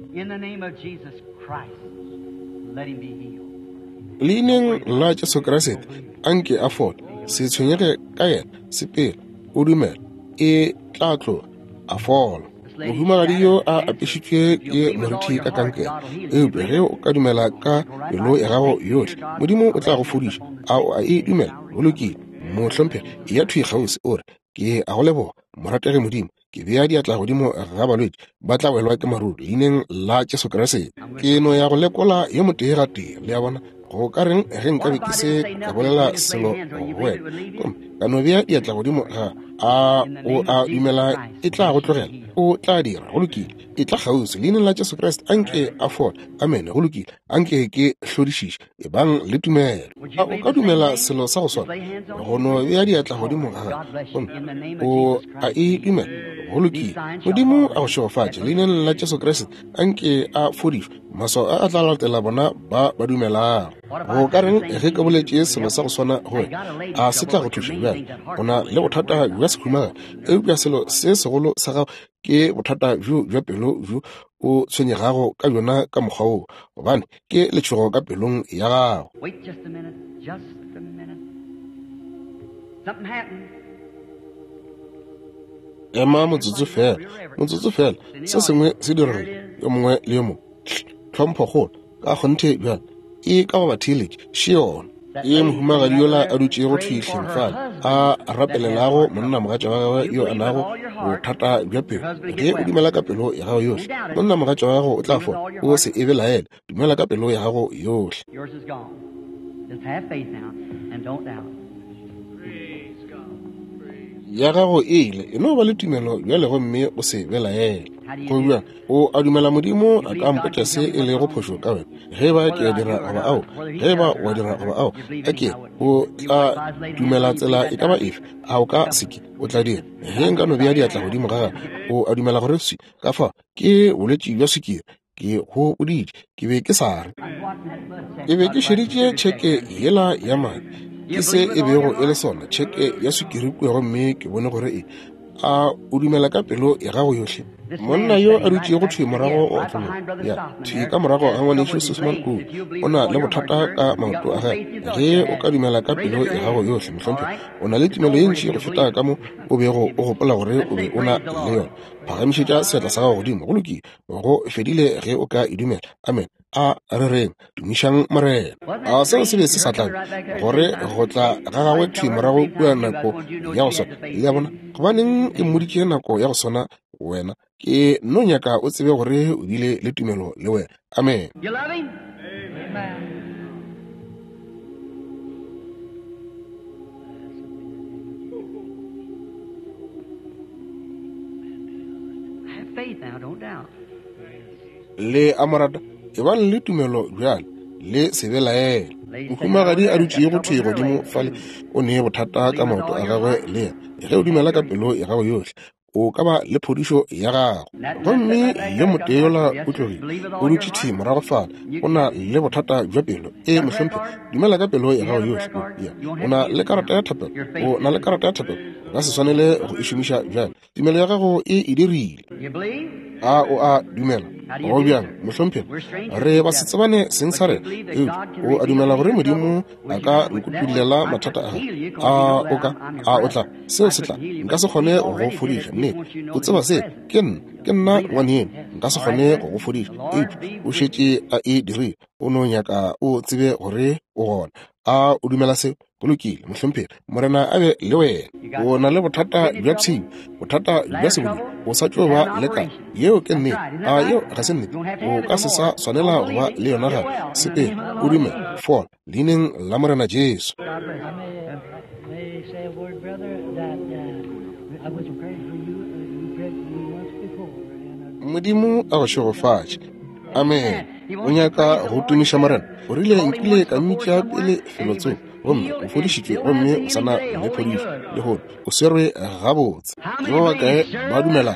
Leineng la Jesu Kriste, anke a fole. Se tshwenyege ka yena, sepela, o dumela, e tla tloga, a fola. Mohumagadi yo a apešitšwe ke morithi ka kankere, eupša ge o ka dumela ka pelo ya gago yohle, Modimo o tla go fodiša. A o a e dumela? Go lokile, mohlomphegi, eya thwi kgauswi, o re, Ke a go leboga, morategi Modimo. Ke bea diatla godimo ga balwetši, ba tla welwa ke maruru leineng la Jesu Kriste. Ke no ya go lekola yo motee gatee, le a bona. Go ka reng ge nkabe ke se ka bolela selo go wena, gomme ka no bea diatla godimo ga a o a dumela e tla go tlogela? O tla dira. Go lokile. E tla kgauswi leineng la Jesu Kriste, anke a fole. Amene. Go lokile. Anke ke hlodišiše. Ebang le tumelo. A o ka dumela selo sa go swana? Go no bea diatla godimo ga gagwe, gomme o a e dumela. Go lokile. Modimo a go šegofatše. Leineng la Jesu Kriste, anke a fodišwe. Maswao a a tla latela bona ba ba dumelago. Go ka reng ge ke boletše selo sa go swana go wena? A se tla go thuša bjale? O na le bothata bja sehumaga, eupša selo se segolo sa gago ke bothata bjo bja pelo bjo o tshwenyegago ka bjona ka mokgwa woo, gobane ke letšhogo ka pelong ya gago. Wait just a minute, just a minute. Something happened. Ema motsotso fela, motsotso fela, se sengwe se diregile, yo mongwe le yo mongwe. Tlhomphokgolo, ka kgonthe bjale, e ka go batheeletši, še yona. Ke mohumagadi yola a dutšego thwi hleng fale, a rapelelago monnamogatša wa gagwe yo a nago bothata bja pelo. Ge o dumela ka pelo ya gago yohle, monnamogatša wa gago o tla fola. O se e belaele, dumela ka pelo ya gago yohle. Yours is gone. Just have faith now and don't doubt. Ya gago e ile, e no ba le tumelo bjale gomme o se belaele. Go bjang? O a dumela Modimo a ka mpotša se e lego phošo ka wena? Ge ba ke a dira goba ao, ge ba wa dira goba ao, a ke o tla dumela tsela e ka ba efe? A o ka se ke? O tla dira. Ge nka no bea diatla godimo ga gagwe, o a dumela gore swi ka fa ke bolwetši bja swikiri. Ke go boditše, ke be ke sa re. Ke be ke šeditše tšheke yela ya madi, ke se e bego e le sona, tšheke ya swikiri kua, gomme ke bone gore e. A o dumela ka pelo ya gago yohle? Monna yo a dutšego thwi morago go otlologa, ya, thwi ka morago ga ngwanešu Susman kua, o na le bothata ka maoto a gagwe. Ge o ka dumela ka pelo ya gago yohle, mohlomphegi, o na le tumelo ye ntši go feta ka mo o bego o gopola gore o be o na le yona. Phagamišetša seatla sa gago godimo. Go lokile. Go fedile ge o ka e dumela. Amen. A re reng, tumišang Morena. A seo se be se sa tlabe gore go tla ga gagwe thwi morago kua nako ya go swana? Le a bona? Gobaneng ke mmoditše nako ya go swana wena? Ke no nyaka o tsebe gore o bile le tumelo le wena. Amen. You love him? Amen. Have faith now, don't doubt. Le a mo rata? Ebang le tumelo bjale, le se belaele. Mohumagadi a dutšego thwi godimo fale o ne bothata ka maoto a gagwe le yena. Ge o dumela ka pelo ya gago yohle, o ka ba le phodišo ya gago. Gomme yo motee yola o tlogile, o dutše thwi morago fale, o na le bothata bja pelo. Ee, mohlomphegi, dumela ka pelo ya gago yohle. Ya, o na le karata ya thapelo, o na le karata ya thapelo, o ka se swanele go e šomiša bjale. Tumelo ya gago e e dirile. A o a dumela? Go bjang, mohlomphegi? Re ba se tsebane seng sa rena, eupša o a dumela gore Modimo a ka nkutullela mathata a gago? A o ka? A o tla? Seo se tla. Nka se kgone go go fodiša. Nnete. O tseba se? Ke nna. Ke nna ngwaneno. Nka se kgone go go fodiša, eupša o šetše a e dirile. O no nyaka o tsebe gore o gona. A o dumela seo? Go lokile, mohlomphegi. Morena a be le wena. O na le bothata bja pshio, bothata bja sebodu. O sa tšo ba le ka. Yeo ke nnete. A yeo ga se nnete? O ka se sa swanela go ba le yona gape. Sepela, o dumele, fola, leineng la Morena Jesu. Modimo a go šegofatše. Amen. O nyaka go tumiša Morena? O rile nkile ka mmitša pele felotsoko, gomme o fodišitšwe, gomme o sa na le phodišo lehono. O swerwe gabotse. Ke ba bakae ba dumela?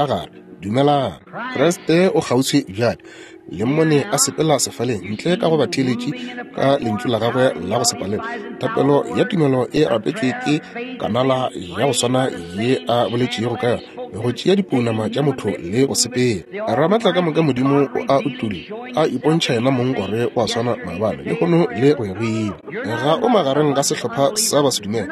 ka gare. Dumelang. Kriste o kgauswi bjale. Le mmone a sepela sefaleng ntle ka go batheeletši ka lentšu la gagwe la go se palelwe. Thapelo ya tumelo e rapetšwe ke kanala ya go swana ye a boletšego ka yona, go tšea dipounama tša motho le go sepela. Ramatla ka moka Modimo o a utolla, a ipontšha yena mong gore o a swana maabane, lehono le go ya go ile. Ga o magareng ga sehlopha sa basedumele,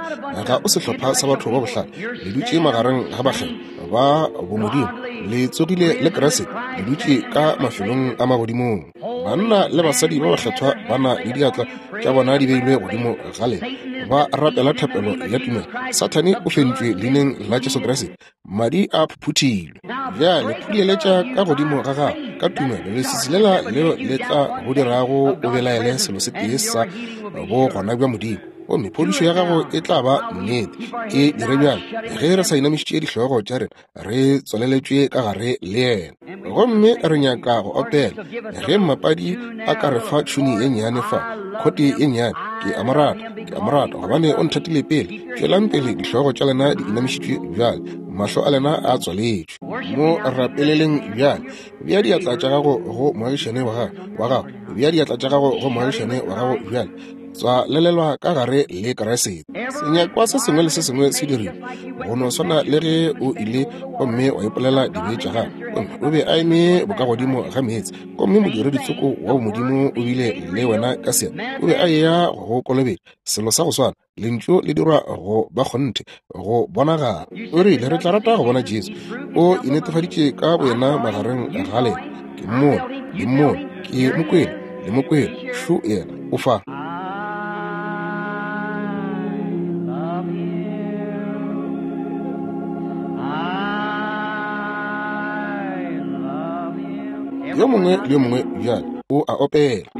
ga o sehlopha sa batho ba bohlale, le dutše magareng ga bakgethwa ba bomodimo, le tsogile le Kriste, le dutše ka mafelong a magodimong. Banna le basadi ba bakgethwa ba na le diatla tša bona di beilwe godimo ga lena, ba rapela thapelo ya tumelo. Sathane o fentšwe leineng la Jesu Kriste, madi a phuphuthilwe. Bjale phuleletša ka godimo ga gago ka tumelo, leswiswi lela leo le tla go dirago o belaele selo se tee sa bogona bja Modimo, gomme phodišo ya gago e tla ba nnete. E dire bjale ge re sa inamišitše dihlogo tša rena, re tswaleletšwe ka gare le yena. Gomme re nyaka go opela ge mmapadi a ka re fa tšhuni ye nnyane fa, khote ye nnyane, ke a mo rata, ke a mo rata, gobane o nthatile pele. Tšwelang pele, dihlogo tša lena di inamišitšwe bjale, mahlo a lena a tswaletšwe. Mo rapeleleng bjale. Bea diatla tša gago go moagišane wa gago, bea diatla tša gago go moagišane wa gago bjale. Tswalelelwa ka gare le Kriste. Senyakwa se sengwe le se sengwe se dirilwe go no swana le ge o ile gomme wa ipolela dibe tša gago, gomme o be a eme bokagodimo ga meetse, gomme modireditsoko wa bomodimo o bile le wena ka seatla, o be a eya go go kolobetša. Selo sa go swana, lentšu le dirwa go ba kgonthe, go bonagala. O rile, re tla rata go bona Jesu. O inetefaditše ka boyena magareng ga lena. Ke mmone, le mmone, ke mo kwele, le mo kwele. Šo yena, o fa. Yo mongwe le yo mongwe bjale o a opela.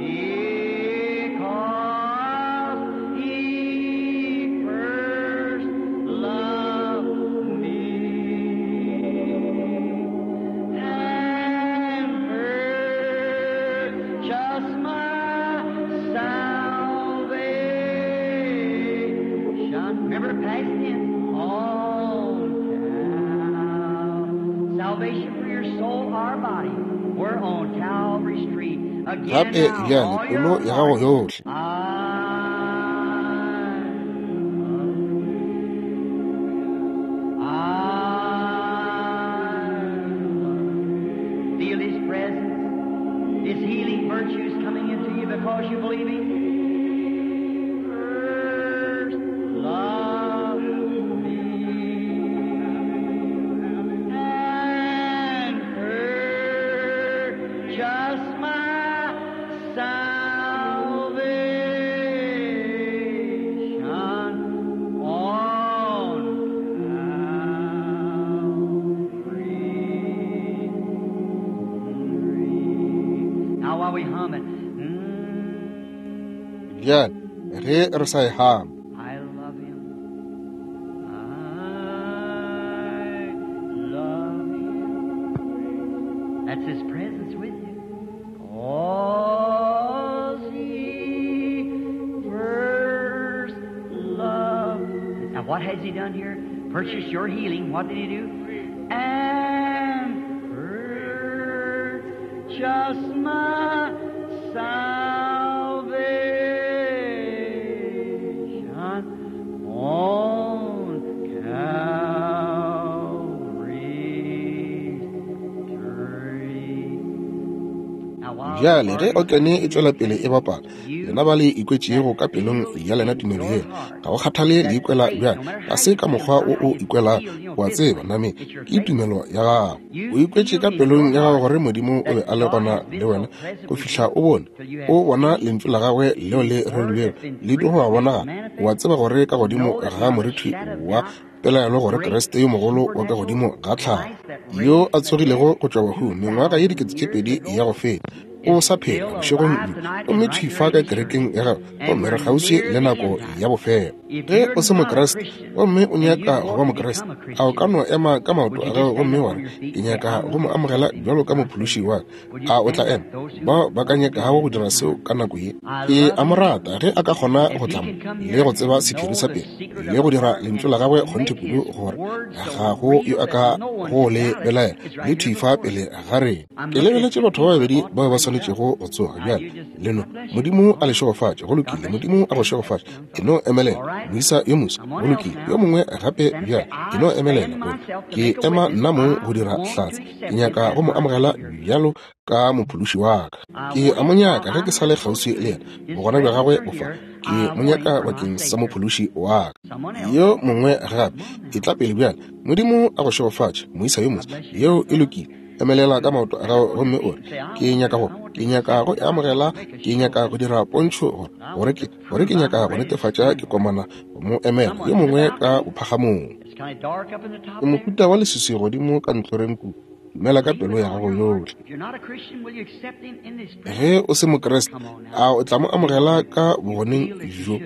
Gape bjale pelo ya gago yohle. Feel His presence, His healing virtues coming into you because you believe Him. First love me and purchase my salvation on Calvary. Now while we hum it, Bjale ge re sa e hama, I love him. I love him. That's his presence with you. 'Cause he first loved. Now what has he done here? Purchased your healing. What did he do? And purchased my salvation on Calvary's tree. Now, while bjale ge okene e tšwela pele e bapala, lena ba le ikwetšego ka pelong ya lena tumelo yela, ga go kgathale le ikwela bjang, ga se ka mokgwa o o ikwelago, o a tseba, nameng ke tumelo ya gago. O ikwetše ka pelong ya gago gore Modimo o be a le gona le wena go fihla o bone, o bona lentšu la gagwe leo le rerilwego le dirwa go bonagala. O a tseba gore ka godimo ga moriti wa pelaelo gore Kriste yo mogolo wa ka godimo ga tlhago, yo a tsogilego go tšwa bahung mengwaga ye 2000 ya go feta, o sa phela bošegong bjo, gomme thwi fa ka kerekeng ya gagwe, gomme re kgauswi le nako ya bofelo. Ge o se Mokriste gomme o nyaka go ba Mokriste, a o ka no ema ka maoto a gago gomme wa re, ke nyaka go mo amogela bjalo ka mophološi wa ka? A o tla ema? Bao ba ka nyakago go dira seo ka nako ye, ke a mo rata ge a ka kgona go tla mo le go tseba sephiri sa pele le go dira lentšu la gagwe kgonthe kudu gore ga go yo a ka go le belaela, le thwi fa pele ga rena. Ke lebeletše batho ba babedi bao ba swanetšego go tsoga bjale. Le no, Modimo a le šegofatše. Go lokile. Modimo a go šegofatše. E no emelela, moisa yo moswa. Go lokile. Yo mongwe gape bjale. E no emelela. Ke ema nna mong go dira hlatse. Ke nyaka go mo amogela bjalo ka mophološi wa ka. Ke a mo nyaka ge ke sa le kgauswi le yena. Bogona bja gagwe bo fa. Ke mo nyaka bakeng sa mophološi wa ka. Yo mongwe gape. E tla pele bjale. Modimo a go šegofatše, moisa yo moswa. Yeo e lokile. Emelela ka maoto a gago gomme o re, Ke nyaka go, ke nyaka go e amogela. Ke nyaka go dira pontšho gore, gore ke, gore ke nyaka go netefatša ke komana go mo emela yo mongwe ka bophagamong. Ke mohuta wa leswiswi godimo ka ntlhoreng kua. Dumela ka pelo ya gago yohle. Ge o se Mokriste, a o tla mo amogela ka bogoneng bjo?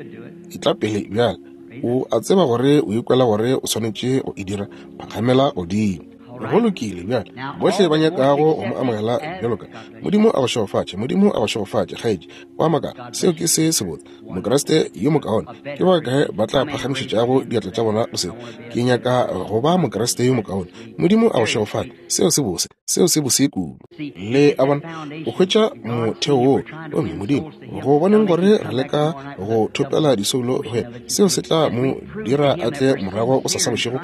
Etla pele bjale. O a tseba gore o ikwela gore o swanetše go e dira. Phagamela godimo. Go lokile bjale. Bohle ba nyakago go mo amogela bjalo ka Modimo a go šegofatše. Modimo a go šegofatše, kgaetši. Wa makala, seo ke se sebotse. Mokriste yo mokaone. Ke ba kae ba tla phagamišetšago diatla tša bona go seo? Ke nyaka go ba Mokriste yo mokaone. Modimo a go šegofatše. Seo se bose. Seo se bose kudu. Le a bona, o hwetša motheo woo. Gomme Modimo, go boneng gore re leka go thopela disoulo go yena, seo se tla mo dira a tle morago go sasa bošego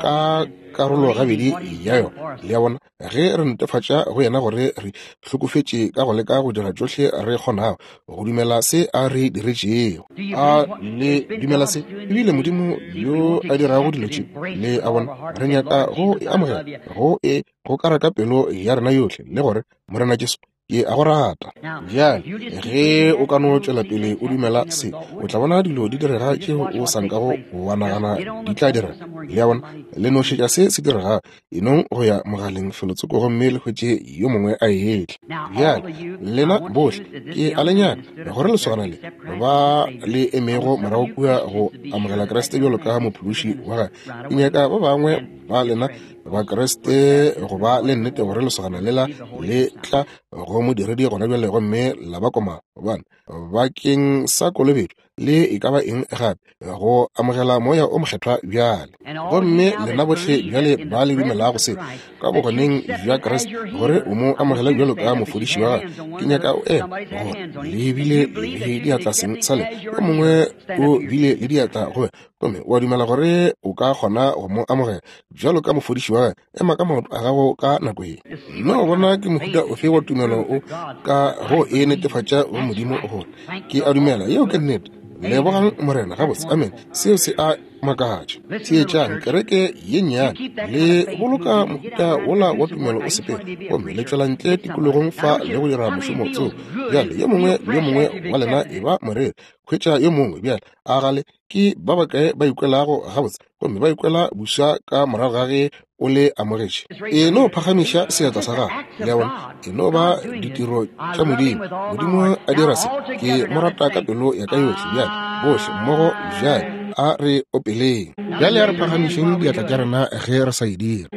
ka karolo gabedi ya yona. Le a bona? Ge re netefatša go yena gore re hlokofetše ka go leka go dira tšohle re kgonago go dumela se a re diretšego. A le dumela se? Ebile Modimo yo a dirago dilo tše, le a bona, re nyaka go e amogela, go e gokara ka pelo ya rena yohle, le gore, Morena Jesu, ke a go rata. Bjale, ge o ka no tšwela pele o dumela se, o tla bona dilo di direga tšeo o sa nkago wa nagana di tla direga. Le a bona? Le no šetša se se diregago. E nong go ya mogaleng felotsoko gomme le hwetše yo mongwe a etla. Bjale, lena bohle, ke a le nyaka gore lesogana le ba le emego morago kua go amogela Kriste bjalo ka mophološi wa gagwe. Ke nyaka ba bangwe ba lena Bakriste go ba le nnete gore lesogana lela le tla go modiredi gona bjale gomme la ba koma, gobane bakeng sa kolobetšo le e ka ba eng gape go amogela moya o mokgethwa bjale. Gomme lena bohle bjale ba le dumelago se ka bogoneng bja Kriste gore o mo amogele bjalo ka mofodiši wa gagwe, ke nyaka o ema gore le bile le diatla seng sa le yo mongwe o bile le diatla go gomme wa dumela gore o ka kgona go mo amogela bjalo ka mofodiši wa gagwe. Ema ka maoto a gago ka nako ye. Nna bona ke mohuta ofe wa tumelo o ka go e netefatša go Modimo gore ke a dumela. Yeo ke nnete. Lebogang Morena. Gabotse. Amen. Seo se a makatša. Theetšang, kereke ye nnyane, le boloka mohuta wola wa tumelo o sepela, gomme le tšwela ntle tikologong fa le go dira mošomo tseo. Bjale, yo mongwe le yo mongwe wa lena e ba moreri. Hwetša yo mongwe bjale. A gale ke ba bakae ba ikwelago gabotse gomme ba ikwela buša ka morago ga ge o le amogetše? E no phagamiša seatla sa gago. Le a bona, e no ba ditiro tša Modimo. Modimo a dira se. Ke mo rata ka pelo ya ka yohle. Bjale bohle mmogo bjale a re opeleng. Bjale a re phagamišeng diatla tša rena ge re sa e dira.